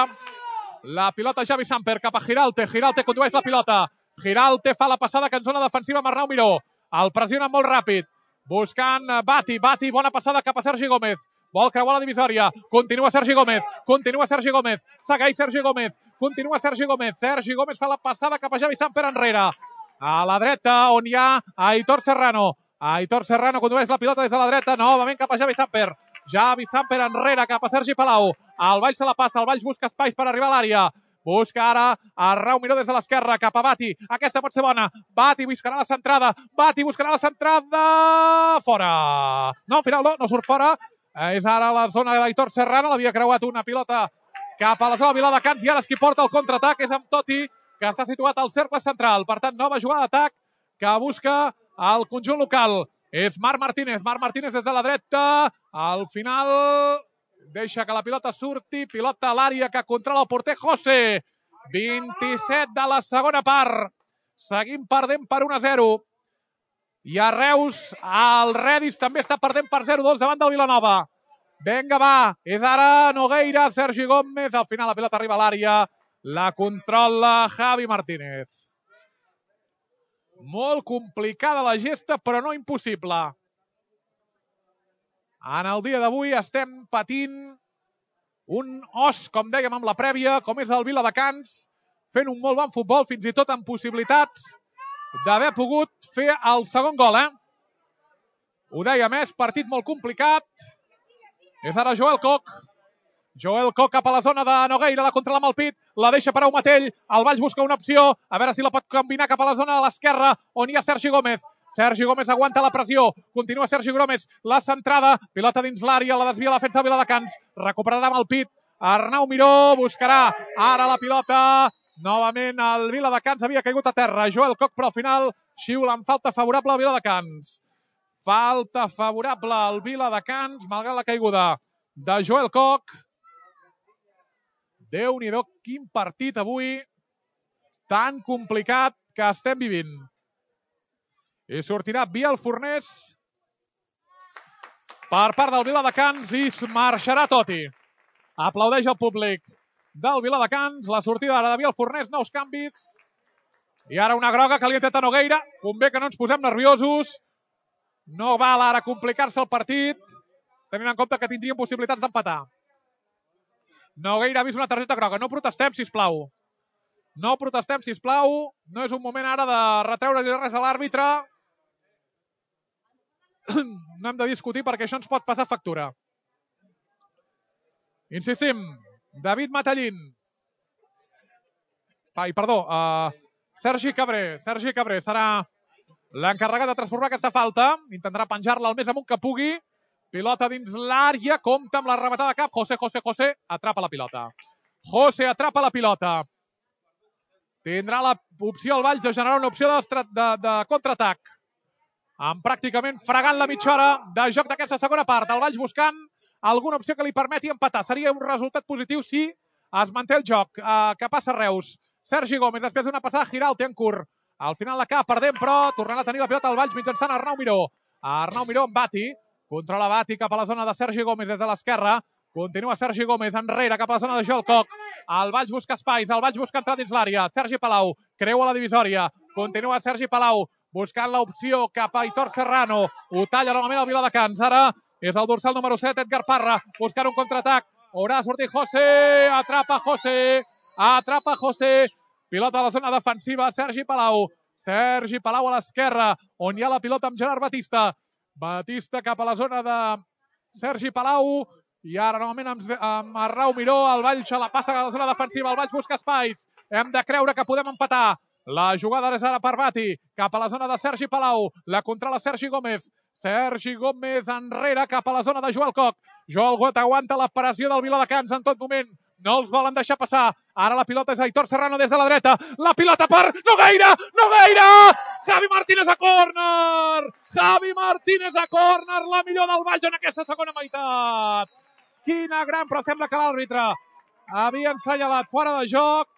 la pilota Javi Samper cap a Giralte. Giralte condueix la pilota. Giralte fa la passada que en zona defensiva amb Arnau Miró. El pressiona molt ràpid. Buscant Batti. Batti, bona passada cap a Sergi Gómez. Vol creuar la divisòria. Continua Sergi Gómez. Segueix Sergi Gómez. Continua Sergi Gómez. Sergi Gómez fa la passada cap a Javi Samper enrere. A la dreta, on hi ha Aitor Serrano. Aitor Serrano condueix la pilota des de la dreta, novament cap a Javi Samper. Javi Samper enrere cap a Sergi Palau. El Valls se la passa, el Valls busca espais per arribar a l'àrea. Busca ara Arnau Miró des de l'esquerra, cap a Batti. Aquesta pot ser bona. Batti buscarà la centrada. Fora. No, al final no surt fora. És ara la zona d'Aitor Serrano. L'havia creuat una pilota cap a la zona de Viladecans i ara és qui porta el contraatac. És amb Totti, que està situat al cercle central. Per tant, nova jugada d'atac que busca el conjunt local. És Marc Martínez. Marc Martínez des de la dreta. Al final deixa que la pilota surti. Pilota a l'àrea que controla el porter José. 27 de la segona part. Seguim perdent per 1-0. I a Reus, el Redis també està perdent per 0-2 davant del Vilanova. Vinga, va, és ara Nogueira, Sergi Gómez, al final la pilota arriba a l'àrea, la controla Javi Martínez. Molt complicada la gesta, però no impossible. En el dia d'avui estem patint un os, com dèiem amb la prèvia, com és el Viladecans, fent un molt bon futbol, fins i tot amb possibilitats d'haver pogut fer el segon gol, Ho dèiem, és partit molt complicat. És ara Joel Koch. Joel Koch cap a la zona de Nogueira, la controla amb el pit, la deixa per a Matell, el Valls busca una opció, a veure si la pot combinar cap a la zona de l'esquerra, on hi ha Sergi Gómez. Sergi Gómez aguanta la pressió, continua Sergi Gómez, la centrada, pilota dins l'àrea, la desvia la defensa del Viladecans, recuperarà amb el pit, Arnau Miró buscarà ara la pilota, novament el Viladecans havia caigut a terra, Joel Koch, però al final xiula amb falta favorable al Viladecans. Falta favorable al Viladecans, malgrat la caiguda de Joel Koch. Déu-n'hi-do, quin partit avui tan complicat que estem vivint. I sortirà Biel Fornés per part del Viladecans i marxarà Totti. Aplaudeix el públic del Viladecans. La sortida ara de Biel Fornés, nous canvis. I ara una groga que li intenta Nogueira. Convé que no ens posem nerviosos. No val ara complicar-se el partit, tenint en compte que tindríem possibilitats d'empatar. Nogueira ha vist una targeta groga. No protestem, sisplau. No protestem, sisplau. No és un moment ara de retreure-li res a l'àrbitre. No hem de discutir perquè això ens pot passar factura. Insistim, David Matallín. Sergi Cabré. Sergi Cabré serà l'encarregat de transformar aquesta falta. Intentarà penjar-la el més amunt que pugui. Pilota dins l'àrea, compta amb la rematada de cap. José atrapa la pilota. José atrapa la pilota. Tindrà l'opció al Valls de generar una opció de contraatac. Amb pràcticament fregant la mitja hora de joc d'aquesta segona part. El Valls buscant alguna opció que li permeti empatar. Seria un resultat positiu si es manté el joc. Que passa Reus. Sergi Gómez, després d'una passada giral, té en curt. Al final l'acaba perdent, però tornarà a tenir la pilota al Valls mitjançant Arnau Miró. Arnau Miró amb Bati. Controla Bati cap a la zona de Sergi Gómez des de l'esquerra. Continua Sergi Gómez enrere cap a la zona de Joel Koch. El Valls busca espais, el Valls busca entrar dins l'àrea. Sergi Palau creua la divisòria. Continua Sergi Palau buscant l'opció cap a Aitor Serrano. Ho talla novament el Viladecans. Ara és el dorsal número 7, Edgar Parra, buscant un contraatac. Haurà sortit José. Atrapa José. Pilota a la zona defensiva, Sergi Palau. Sergi Palau a l'esquerra, on hi ha la pilota amb Gerard Batista. Batista cap a la zona de Sergi Palau. I ara novament amb Arnau Miró. El Valls la passa a la zona defensiva. El Valls busca espais. Hem de creure que podem empatar. La jugada és ara per Bati. Cap a la zona de Sergi Palau. La controla Sergi Gómez. Sergi Gómez enrere cap a la zona de Joel Koch. Joel Koch aguanta la pressió del Viladecans en tot moment. No els volen deixar passar. Ara la pilota és Aitor Serrano des de la dreta. La pilota per Nogueira! Javi Martínez a córner! La millor del Valls en aquesta segona meitat. Quina gran, però sembla que l'àrbitre havia assenyalat fora de joc.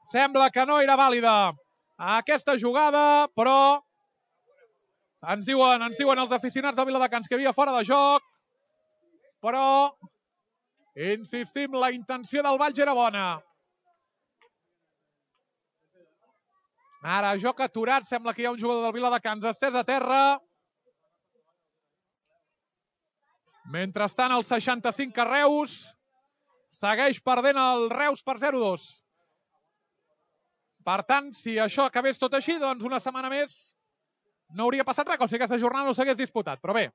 Sembla que no era vàlida aquesta jugada, però ens diuen els aficionats del Viladecans que havia fora de joc, però insistim, la intenció del Valls era bona. Ara, joc aturat, sembla que hi ha un jugador del Viladecans estès a terra. Mentrestant, el 65 a Reus. Segueix perdent el Reus per 0-2. Per tant, si això acabés tot així, doncs una setmana més no hauria passat res, com si aquesta jornada no s'hagués disputat. Però bé,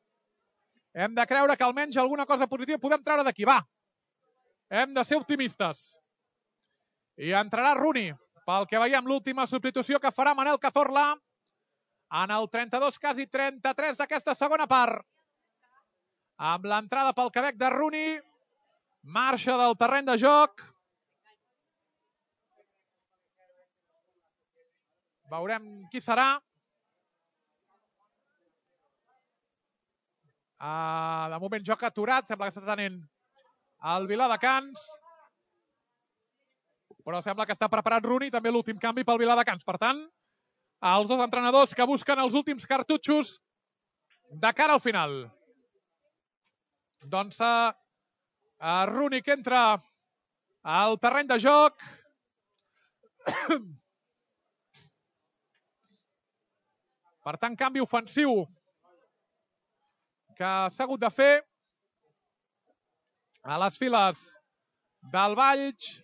hem de creure que almenys alguna cosa positiva podem treure d'aquí. Va, hem de ser optimistes. I entrarà Rooney, pel que veiem l'última substitució que farà Manel Cazorla en el 32, quasi 33 d'aquesta segona part. Amb l'entrada pel Quebec de Rooney, marxa del terreny de joc. Veurem qui serà. De moment joc aturat, sembla que està tenint el Viladecans. Però sembla que està preparat Rooney, també l'últim canvi pel Viladecans. Per tant, els dos entrenadors que busquen els últims cartutxos de cara al final. Doncs Rooney que entra al terreny de joc. Per tant, canvi ofensiu que s'ha hagut de fer a les files del Valls.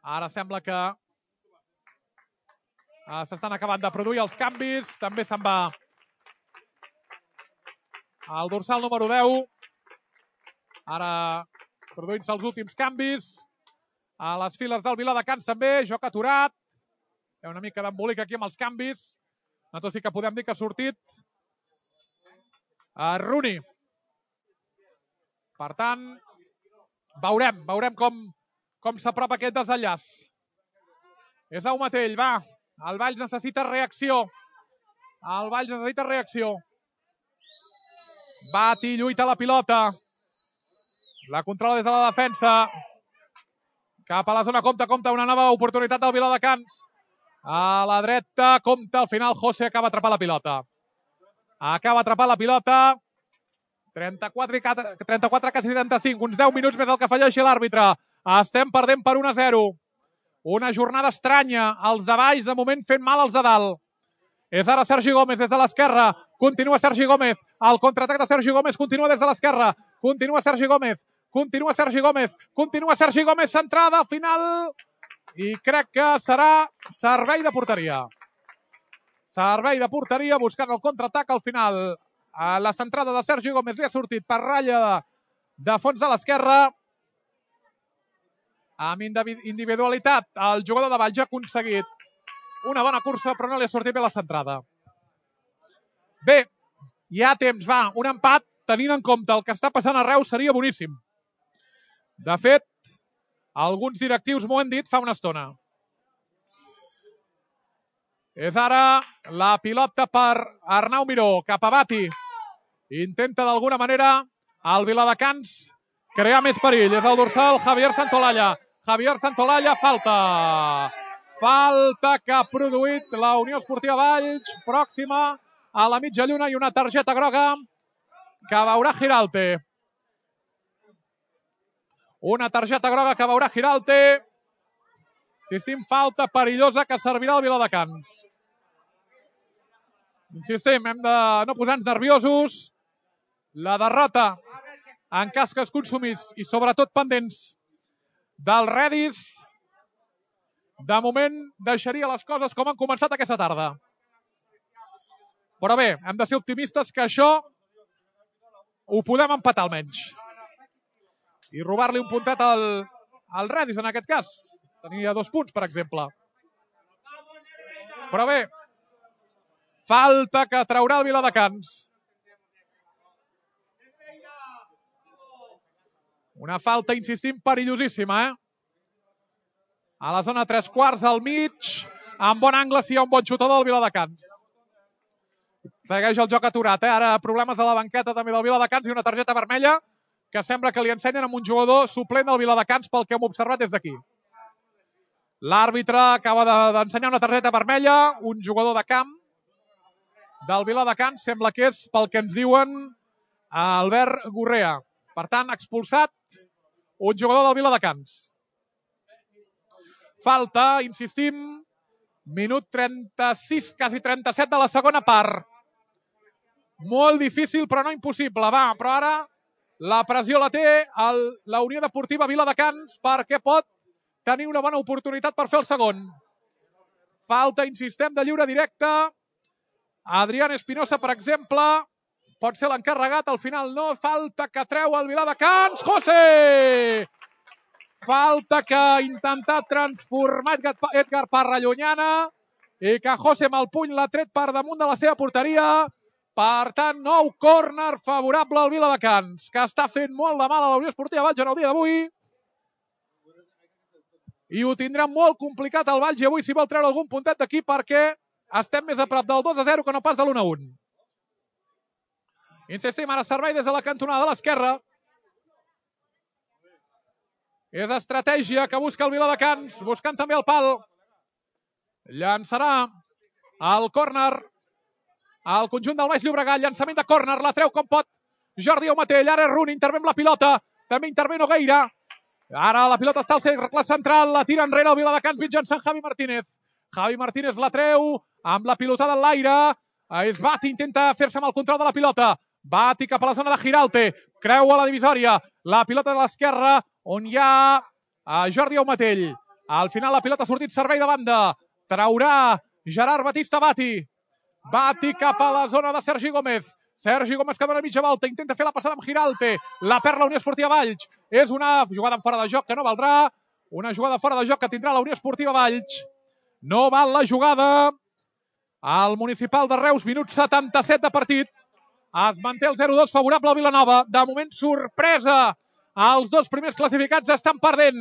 Ara sembla que s'estan acabant de produir els canvis. També se'n va el dorsal número 10. Ara produint-se els últims canvis. A les files del Viladecans també, joc aturat. Hi ha una mica d'embolic aquí amb els canvis. Nosaltres sí que podem dir que ha sortit Rooney. Per tant, veurem com s'apropa aquest desenllaç. És el mateix, va. El Valls necessita reacció. Bat i lluita la pilota. La controla des de la defensa. Cap a la zona, compta una nova oportunitat del Viladecans. A la dreta, compta, al final José acaba atrapant la pilota. 34, quasi 35, uns 10 minuts més del que afegeixi l'àrbitre. Estem perdent per 1-0. Una jornada estranya. Els de baix, de moment, fent mal als de dalt. És ara Sergi Gómez des de l'esquerra. Continua Sergi Gómez. El contraatac de Sergi Gómez continua des de l'esquerra. Continua Sergi Gómez. Centrada al final. I crec que serà servei de porteria. Buscant el contraatac al final. La centrada de Sergi Gómez li ha sortit per ratlla de fons de l'esquerra. Amb individualitat, el jugador de Valls ha aconseguit una bona cursa, però no li ha sortit bé la centrada. Bé, hi ha temps, va, un empat, tenint en compte el que està passant a Reus, seria boníssim. De fet, alguns directius m'ho han dit fa una estona. És ara la pilota per Arnau Miró, cap a Bati. Intenta d'alguna manera el Viladecans crear més perill. És el dorsal Javier Santolalla. Falta que ha produït la Unió Esportiva Valls, pròxima a la mitja lluna, i una targeta groga que veurà Giralte. Insistim, falta perillosa que servirà al Viladecans. Insistim, hem de no posar-nos nerviosos. La derrota, en cas que es consumís, i sobretot pendents del Redis, de moment deixaria les coses com han començat aquesta tarda. Però bé, hem de ser optimistes que això ho podem empatar almenys. I robar-li un puntet al Redis, en aquest cas. Tenia 2 punts, per exemple. Però bé, falta que traurà el Viladecans. Una falta, insistim, perillosíssima, A la zona 3/4, al mig, en bon angle, si hi ha un bon xutador del Viladecans. Segueix el joc aturat, Ara problemes a la banqueta també del Viladecans i una targeta vermella que sembla que li ensenyen amb un jugador suplent del Viladecans pel que hem observat des d'aquí. L'àrbitre acaba d'ensenyar una targeta vermella, un jugador de camp del Viladecans, sembla que és pel que ens diuen Albert Gurrea. Per tant, expulsat un jugador del Viladecans. Falta, insistim, minut 36, quasi 37 de la segona part. Molt difícil, però no impossible. Va, però ara la pressió la té la Unió Deportiva Viladecans perquè pot tenir una bona oportunitat per fer el segon. Falta, insistem, de lliure directe. Adrián Espinosa, per exemple, pot ser l'encarregat, al final no. Falta que treu el Viladecans. José! Falta que ha intentat transformar Edgar Parra-Llunyana i que José amb el puny l'ha tret per damunt de la seva porteria. Per tant, nou córner favorable al Viladecans, que està fent molt de mal a la Unió Esportiva Valls en el dia d'avui. I ho tindrà molt complicat el Valls avui si vol treure algun puntet d'aquí perquè estem més a prop del 2-0 que no pas de l'1-1. Insistim, ara servei des de la cantonada de l'esquerra. És estratègia que busca el Viladecans, buscant també el pal. Llançarà el córner al conjunt del Baix Llobregat. Llançament de córner, la treu com pot Jordi Aumatell. Ara és Runi, intervé amb la pilota. També intervé Nogueira. Ara la pilota està al cercle central, la tira enrere el Viladecans mitjançant Javi Martínez. Javi Martínez la treu amb la pilotada en l'aire. És Bati, intenta fer-se amb el control de la pilota. Bati cap a la zona de Giralt, creua la divisòria. La pilota de l'esquerra on hi ha Jordi Aumatell. Al final la pilota ha sortit servei de banda. Traurà Gerard Batista Bati. Bati cap a la zona de Sergi Gómez. Sergi Gómez que dona mitja volta, intenta fer la passada amb Giralt. La perd la Unió Esportiva Valls. És una jugada fora de joc que no valdrà. Una jugada fora de joc que tindrà la Unió Esportiva Valls. No val la jugada. Al Municipal de Reus, minut 77 de partit. Es manté el 0-2 favorable al Vilanova. De moment, sorpresa. Els dos primers classificats estan perdent.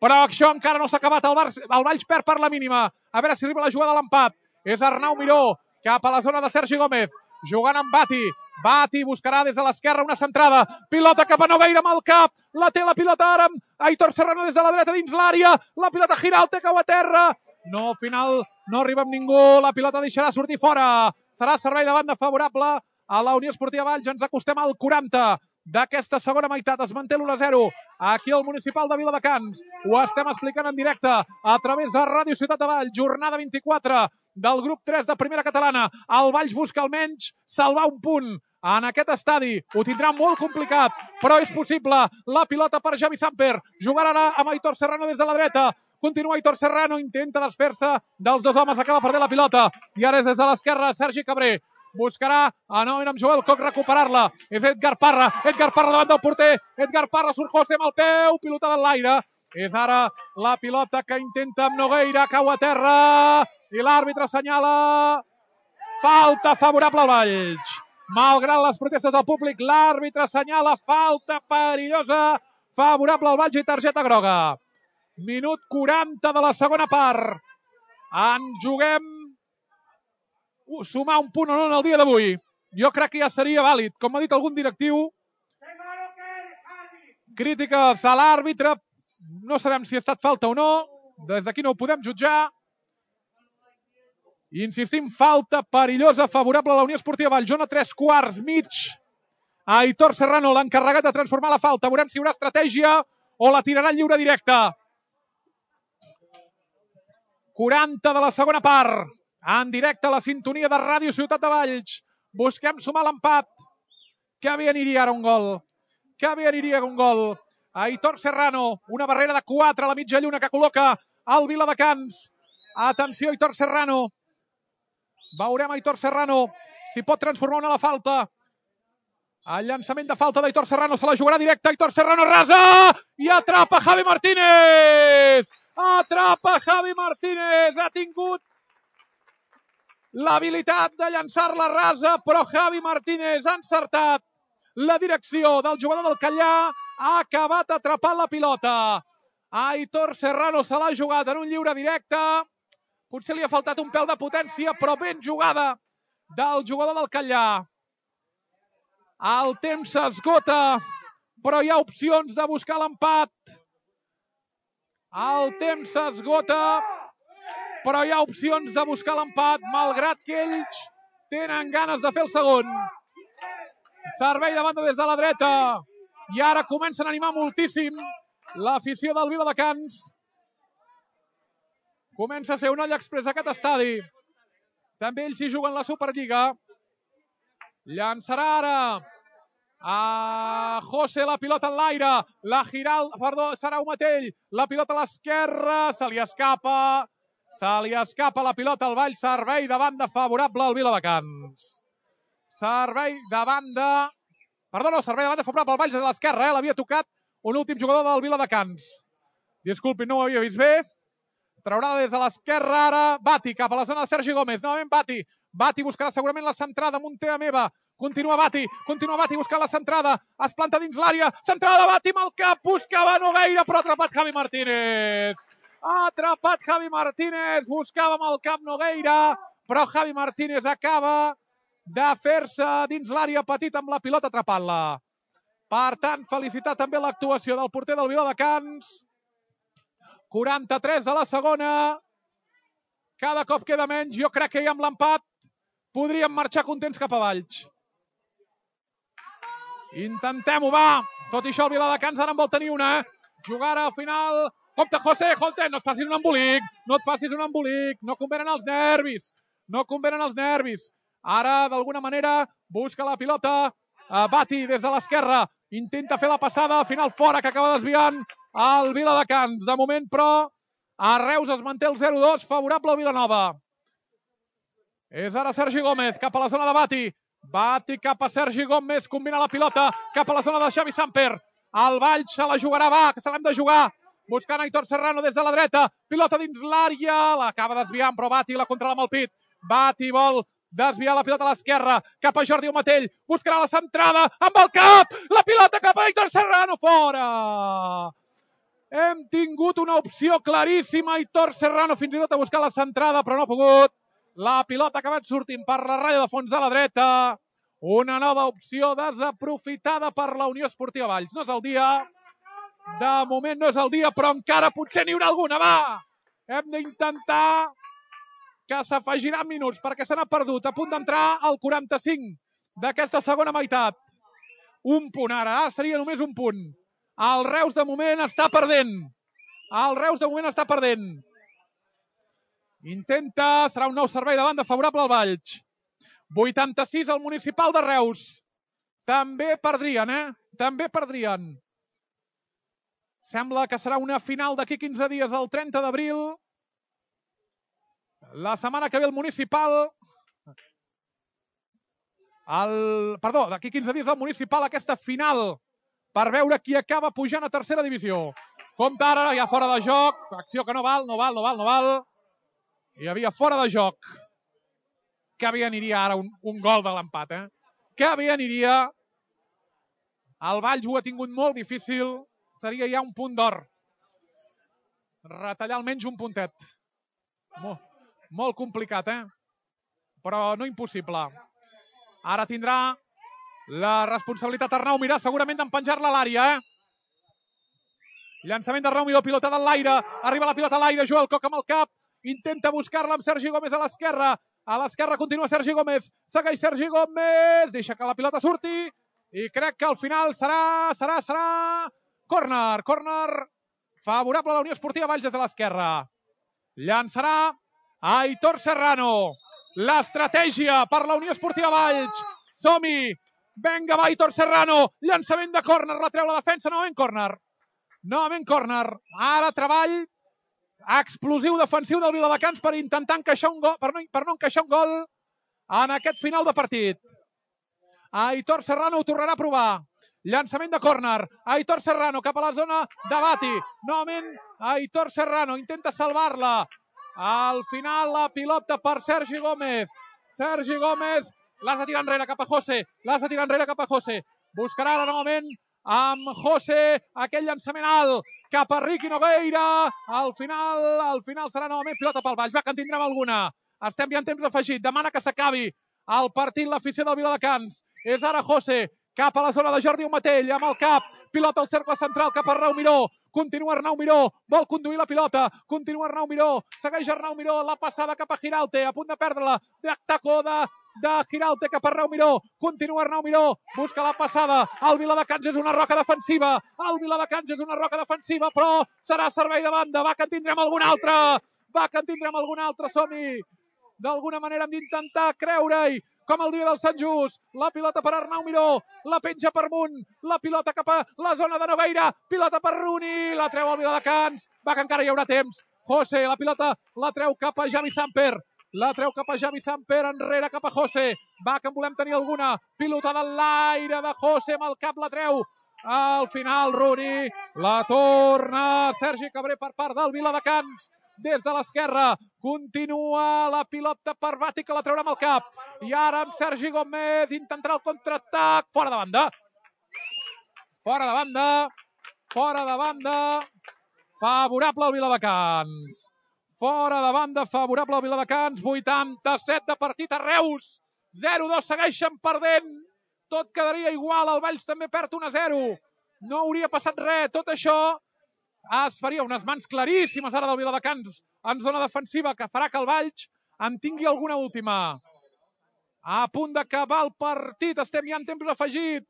Però això encara no s'ha acabat. El Valls perd per la mínima. A veure si arriba la jugada a l'empat. És Arnau Miró cap a la zona de Sergi Gómez. Jugant amb Bati. Bati buscarà des de l'esquerra una centrada. Pilota cap a Nogueira amb el cap. La té la pilota ara amb Aitor Serrano des de la dreta dins l'àrea. La pilota Giralt cau a terra. No, al final no arriba amb ningú. La pilota deixarà sortir fora. Serà servei de banda favorable a la Unió Esportiva Valls. Ens acostem al 40 d'aquesta segona meitat. Es manté l'1-0 aquí al Municipal de Viladecans. Ho estem explicant en directe a través de Ràdio Ciutat de Valls. Jornada 24 del grup 3 de Primera Catalana. El Valls busca almenys salvar un punt en aquest estadi. Ho tindrà molt complicat, però és possible. La pilota per Javi Samper. Jugarà amb Aitor Serrano des de la dreta. Continua Aitor Serrano, intenta desfer-se dels dos homes, acaba perdent la pilota. I ara és des de l'esquerra Sergi Cabré. Buscarà novament amb Joel Coc recuperar-la. És Edgar Parra. Edgar Parra davant del porter. Edgar Parra surt José amb el peu. Pilotada en l'aire. És ara la pilota que intenta amb Nogueira. Cau a terra. I l'àrbitre assenyala falta favorable al Valls. Malgrat les protestes del públic, l'àrbitre assenyala falta perillosa favorable al Valls i targeta groga. Minut 40 de la segona part. En juguem sumar un punt o no en el dia d'avui. Jo crec que ja seria vàlid. Com ha dit algun directiu, crítiques a l'àrbitre. No sabem si ha estat falta o no. Des d'aquí no ho podem jutjar. Insistim, falta perillosa favorable a la Unió Esportiva Valls. Zona 3/4, mig. Aitor Serrano, l'encarregat de transformar la falta. Veurem si hi haurà estratègia o la tirarà lliure directa. 40 de la segona part. En directe a la sintonia de Ràdio Ciutat de Valls. Busquem sumar l'empat. Que bé aniria ara un gol. Que bé aniria un gol. Aitor Serrano, una barrera de 4 a la mitja lluna que col·loca el Viladecans. Atenció, Aitor Serrano. Veurem Aitor Serrano si pot transformar una la falta. El llançament de falta d'Aitor Serrano se la jugarà directa. Aitor Serrano rasa i atrapa Javi Martínez. Atrapa Javi Martínez. Ha tingut l'habilitat de llançar-la rasa, però Javi Martínez ha encertat la direcció del jugador del Callà. Ha acabat atrapant la pilota. Aitor Serrano se l'ha jugat en un lliure directe. Potser li ha faltat un pèl de potència, però ben jugada del jugador del Callà. El temps s'esgota, però hi ha opcions de buscar l'empat. El temps s'esgota, però hi ha opcions de buscar l'empat, malgrat que ells tenen ganes de fer el segon. Servei de banda des de la dreta. I ara comencen a animar moltíssim l'afició del Viladecans. Comença a ser un all express aquest estadi. També ells hi juguen la Superliga. Llançarà ara a José la pilota en l'aire. La Giralt, perdó, serà Aumatell. La pilota a l'esquerra. Se li escapa la pilota al Valls. Servei de banda favorable al Viladecans. Servei de banda favorable al Valls des de l'esquerra. L'havia tocat un últim jugador del Viladecans. Disculpin, no ho havia vist bé. Traurà des de l'esquerra ara Bati cap a la zona de Sergi Gómez. Novament Bati. Bati buscarà segurament la centrada. Muntea Meva. Continua Bati buscant la centrada. Es planta dins l'àrea. Centrada de Bati amb el cap. Buscava Nogueira, però ha atrapat Javi Martínez. Ha atrapat Javi Martínez. Buscava amb el cap Nogueira, però Javi Martínez acaba de fer-se dins l'àrea petita amb la pilota atrapant-la. Per tant, felicitar també l'actuació del porter del Viladecans. 43 a la segona. Cada cop queda menys. Jo crec que ja amb l'empat podríem marxar contents cap a Valls. Intentem-ho, va. Tot i això, el Viladecans ara en vol tenir una. Jugar al final. Compte, José, Holte, no et facis un embolic. No et facis un embolic. No convenen els nervis. No convenen els nervis. Ara, d'alguna manera, busca la pilota. Bati des de l'esquerra. Intenta fer la passada. Al final fora, que acaba desviant el Viladecans. De moment, però, a Reus es manté el 0-2, favorable al Vilanova. És ara Sergi Gómez, cap a la zona de Bati. Bati cap a Sergi Gómez, combina la pilota, cap a la zona de Xavi Samper. El Valls se la jugarà, va, que se l'hem de jugar. Buscant Aitor Serrano des de la dreta. Pilota dins l'àrea, l'acaba desviant, però Bati la controla amb el pit. Bati vol desviar la pilota a l'esquerra, cap a Jordi Omatell. Buscarà la centrada, amb el cap. La pilota cap a Aitor Serrano, fora. Hem tingut una opció claríssima. Aitor Serrano fins i tot a buscar la centrada, però no ha pogut. La pilota ha acabat sortint per la ratlla de fons a la dreta. Una nova opció desaprofitada per la Unió Esportiva Valls. No és el dia. De moment no és el dia, però encara potser n'hi haurà alguna. Va! Hem d'intentar que s'afegiran minuts perquè se n'ha perdut. A punt d'entrar al 45 d'aquesta segona meitat. Un punt ara. Ara seria només un punt. El Reus de moment està perdent. El Reus de moment està perdent. Intenta, serà un nou servei de banda favorable al Valls. 86 al Municipal de Reus. També perdrien, També perdrien. Sembla que serà una final d'aquí 15 dies, el 30 d'abril. La setmana que ve el Municipal... Perdó, d'aquí 15 dies el Municipal, aquesta final, per veure qui acaba pujant a tercera divisió. Compte ara, ja fora de joc. Acció que no val. Hi havia fora de joc. Que bé aniria ara un gol de l'empat, Que bé aniria. El Valls ho ha tingut molt difícil. Seria ja un punt d'or. Retallar almenys un puntet. Molt complicat, Però no impossible. Ara tindrà la responsabilitat Arnau Mirà, segurament d'empenjar-la a l'àrea, Llançament d'Arnau Miró, pilota de l'aire. Arriba la pilota a l'aire, Joel Coc amb el cap. Intenta buscar-la amb Sergi Gómez a l'esquerra. A l'esquerra continua Sergi Gómez. Segueix Sergi Gómez. Deixa que la pilota surti. I crec que al final serà córner. Córner favorable a la Unió Esportiva Valls des de l'esquerra. Llançarà Aitor Serrano. L'estratègia per la Unió Esportiva Valls. Som-hi. Vinga, va, Aitor Serrano. Llançament de córner. La treu la defensa. Novament córner. Ara treball explosiu defensiu del Viladecans per intentar encaixar un gol, per no encaixar un gol en aquest final de partit. Aitor Serrano ho tornarà a provar. Llançament de córner. Aitor Serrano cap a la zona de Bati. Novament Aitor Serrano intenta salvar-la. Al final la pilota per Sergi Gómez. Sergi Gómez l'has de tirar enrere cap a José. Buscarà ara novament amb José aquell llançament alt cap a Riqui Nogueira. Al final serà novament pilota pel Valls. Va, que en tindrem alguna. Estem ja en temps afegit. Demana que s'acabi el partit l'afició del Viladecans. És ara José cap a la zona de Jordi Omatell amb el cap. Pilota al cercle central cap a Arnau Miró. Continua Arnau Miró. Vol conduir la pilota. Continua Arnau Miró. Segueix Arnau Miró. La passada cap a Giralte. A punt de perdre-la. Tacó de Giralte cap a Arnau Miró. Continua Arnau Miró. Busca la passada. El Viladecans és una roca defensiva. Però serà servei de banda. Va, que en tindrem alguna altra. Som-hi. D'alguna manera hem d'intentar creure-hi. Com el dia del Sant Just. La pilota per Arnau Miró. La penja per Munt. La pilota cap a la zona de Nogueira. Pilota per Runi. La treu el Viladecans. Va, que encara hi haurà temps. José, la pilota la treu cap a Xavi Samper. Enrere cap a José. Va, que en volem tenir alguna. Pilota de l'aire de José amb el cap la treu. Al final Runi la torna Sergi Cabré per part del Viladecans. Des de l'esquerra continua la pilota per Bati, que la traurà amb el cap. I ara amb Sergi Gómez intentarà el contraatac. Fora de banda. Favorable al Viladecans. 87 de partit a Reus. 0-2, segueixen perdent. Tot quedaria igual. El Valls també perd 1-0. No hauria passat res. Tot això es faria unes mans claríssimes ara del Viladecans en zona defensiva que farà que el Valls en tingui alguna última. A punt d'acabar el partit, estem ja en temps afegit.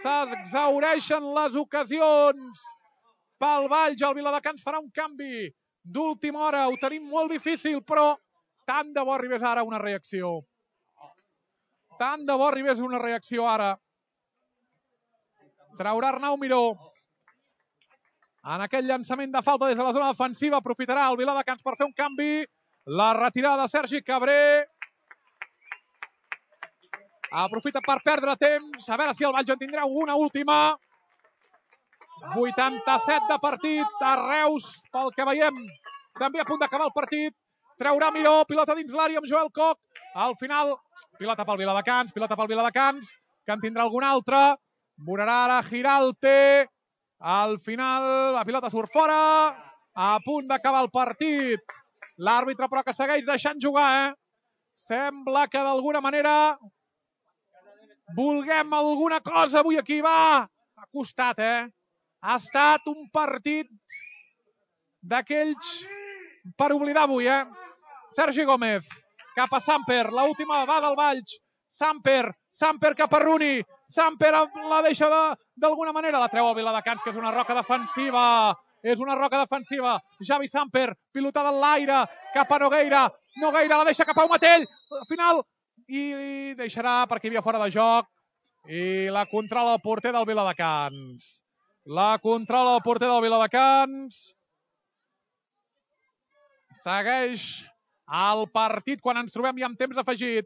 S'exhaureixen les ocasions pel Valls. El Viladecans farà un canvi d'última hora. Ho tenim molt difícil, però tant de bo arribés ara una reacció. Tant de bo arribés una reacció ara. Traurà Arnau Miró. En aquell llançament de falta des de la zona defensiva aprofitarà el Viladecans per fer un canvi. La retirada de Sergi Cabré. Aprofita per perdre temps. A veure si el Valls en tindrà una última. 87 de partit a Reus, pel que veiem. També a punt d'acabar el partit. Traurà Miró, pilota dins l'àrea amb Joel Koch. Al final, pilota pel Viladecans, que en tindrà algun altre. Vorarà ara Giralte. Al final, la pilota surt fora. A punt d'acabar el partit. L'àrbitre, però, que segueix deixant jugar, Sembla que d'alguna manera vulguem alguna cosa avui aquí. Va, ha costat, Ha estat un partit d'aquells per oblidar avui, Sergi Gómez, cap a Samper. L'última va del Valls. Samper cap a Rooney. Samper la deixa d'alguna manera. La treu a Viladecans, que és una roca defensiva. Javi Samper, pilotada en l'aire, cap a Nogueira. Nogueira la deixa cap a Umatell. Al final, i deixarà perquè hi havia fora de joc. I la controla el porter del Viladecans. Segueix el partit quan ens trobem ja en temps afegit.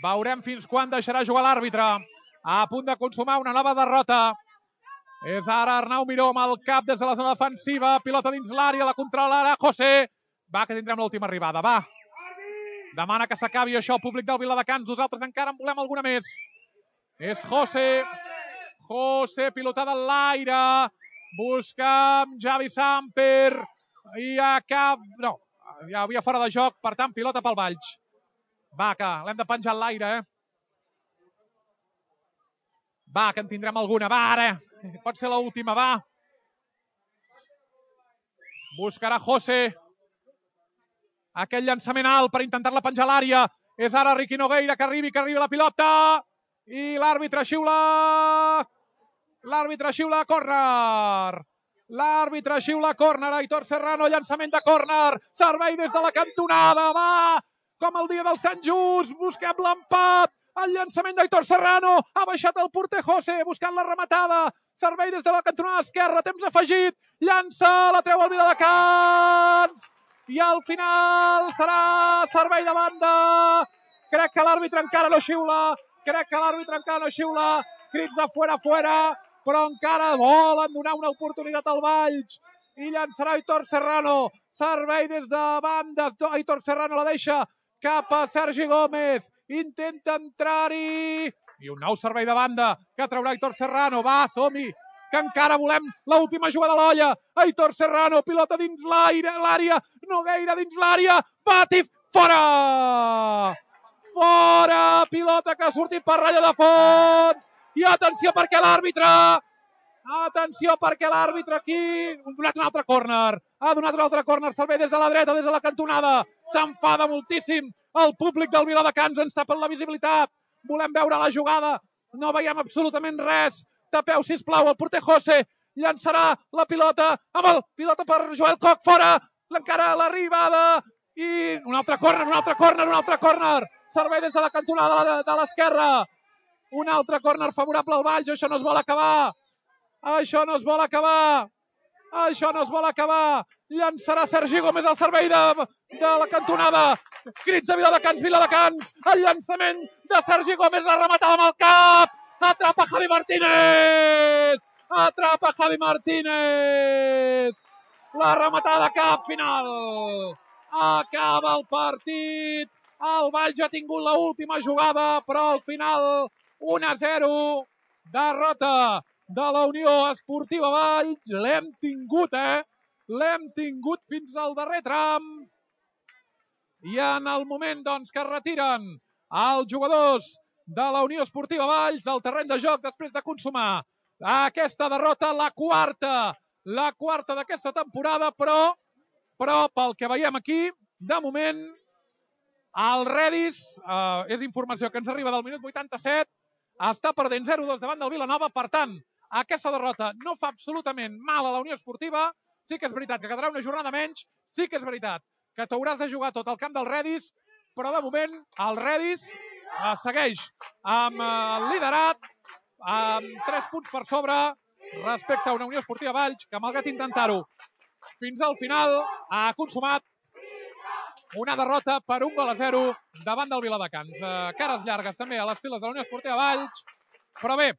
Veurem fins quan deixarà jugar l'àrbitre. A punt de consumar una nova derrota. És ara Arnau Miró amb el cap des de la zona defensiva. Pilota dins l'àrea, la controla ara José. Va, que tindrem l'última arribada, va. Demana que s'acabi això, públic del Viladecans. Nosaltres encara en volem alguna més. És José, pilotada en l'aire. Busca Javi Samper. I no, ja havia fora de joc, per tant, pilota pel Valls. Va, que l'hem de penjar en l'aire, Va, que en tindrem alguna. Va, ara. Pot ser l'última, va. Buscarà José. Aquell llançament alt per intentar-la penjar a l'àrea. És ara Riqui Nogueira que arribi la pilota. I l'àrbitre xiula. Córner. Aitor Serrano, llançament de córner. Servei des de la cantonada. Va, com el dia del Sant Just. Busquem l'empat. El llançament d'Aitor Serrano. Ha baixat el porter José buscant la rematada. Servei des de la cantonada esquerra. Temps afegit. Llança, la treu al Viladecans. I al final serà servei de banda. Crec que l'àrbitre encara no xiula. Crits de fora, però encara volen donar una oportunitat al Valls. I llançarà Aitor Serrano. Servei des de banda. Aitor Serrano la deixa cap a Sergi Gómez. Intenta entrar-hi. I un nou servei de banda que traurà Aitor Serrano. Va, som-hi, que encara volem l'última jugada a l'olla. Aitor Serrano, pilota dins l'àrea. Nogueira dins l'àrea. Batif, fora! Pilota que ha sortit per ratlla de fons. I atenció perquè l'àrbitre aquí ha donat un altre córner. Servei des de la dreta, des de la cantonada. S'enfada moltíssim el públic del Viladecans. Ens tapen la visibilitat. Volem veure la jugada. No veiem absolutament res. Tapeu, sisplau, el porter José. Llançarà la pilota amb el pilota per Joel Koch, fora. Encara l'arribada. I un altre córner. Servei des de la cantonada de l'esquerra. Un altre córner favorable al Valls. Això no es vol acabar. Llançarà Sergi Gómez al servei de la cantonada. Crits de Viladecans. El llançament de Sergi Gómez, la rematada amb el cap. Atrapa Javi Martínez. La rematada de cap final. Acaba el partit. El Valls ha tingut l'última jugada, però al final 1-0. Derrota de la Unió Esportiva Valls. L'hem tingut fins al darrer tram. I en el moment que es retiren els jugadors de la Unió Esportiva Valls del terreny de joc després de consumar aquesta derrota, la quarta la quarta d'aquesta temporada, però pel que veiem aquí, de moment, el Redis, és informació que ens arriba del minut 87, està perdent 0-2 davant del Vilanova, per tant, aquesta derrota no fa absolutament mal a la Unió Esportiva, sí que és veritat que quedarà una jornada menys, sí que és veritat que t'hauràs de jugar tot el camp del Redis, però de moment el Redis segueix amb el liderat, amb 3 punts per sobre respecte a una Unió Esportiva Valls, que malgrat intentar-ho fins al final ha consumat una derrota per 1-0 davant del Viladecans. Cares llargues també a les files de la Unió Esportiva Valls, però bé,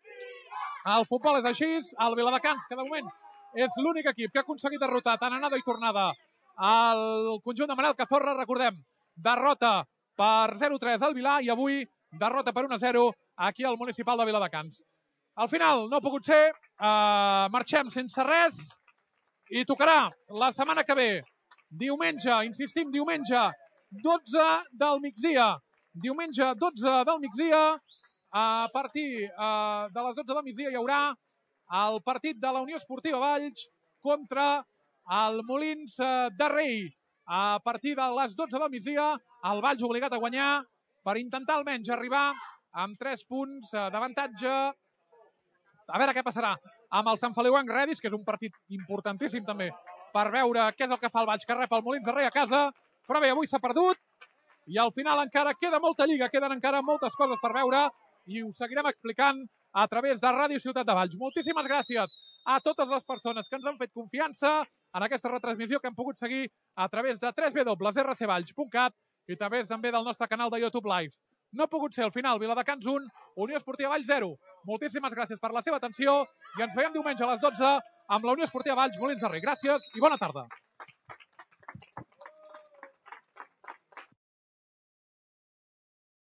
el futbol és així, el Viladecans, que de moment és l'únic equip que ha aconseguit derrotar tant anada i tornada al conjunt de Manel Cazorra, recordem, derrota per 0-3 al Vilà i avui derrota per 1-0 aquí al Municipal de Viladecans. Al final no ha pogut ser, marxem sense res i tocarà la setmana que ve, diumenge, insistim, diumenge 12 del migdia. Diumenge 12 del migdia, a partir de les 12 del migdia hi haurà el partit de la Unió Esportiva Valls contra el Molins de Rei. A partir de les 12 del migdia, el Valls obligat a guanyar per intentar almenys arribar amb 3 punts d'avantatge. A veure què passarà amb el Sant Feliuenc Redis, que és un partit importantíssim també per veure què és el que fa el Valls, que rep el Molins de Rei a casa. Però bé, avui s'ha perdut i al final encara queda molta lliga, queden encara moltes coses per veure i ho seguirem explicant a través de Ràdio Ciutat de Valls. Moltíssimes gràcies a totes les persones que ens han fet confiança en aquesta retransmissió que hem pogut seguir a través de www.rcvalls.cat i també del nostre canal de YouTube Live. No ha pogut ser al final Viladecans 1, Unió Esportiva Valls 0. Moltíssimes gràcies per la seva atenció i ens veiem diumenge a les 12 amb la Unió Esportiva Valls Molins de Rei. Gràcies i bona tarda.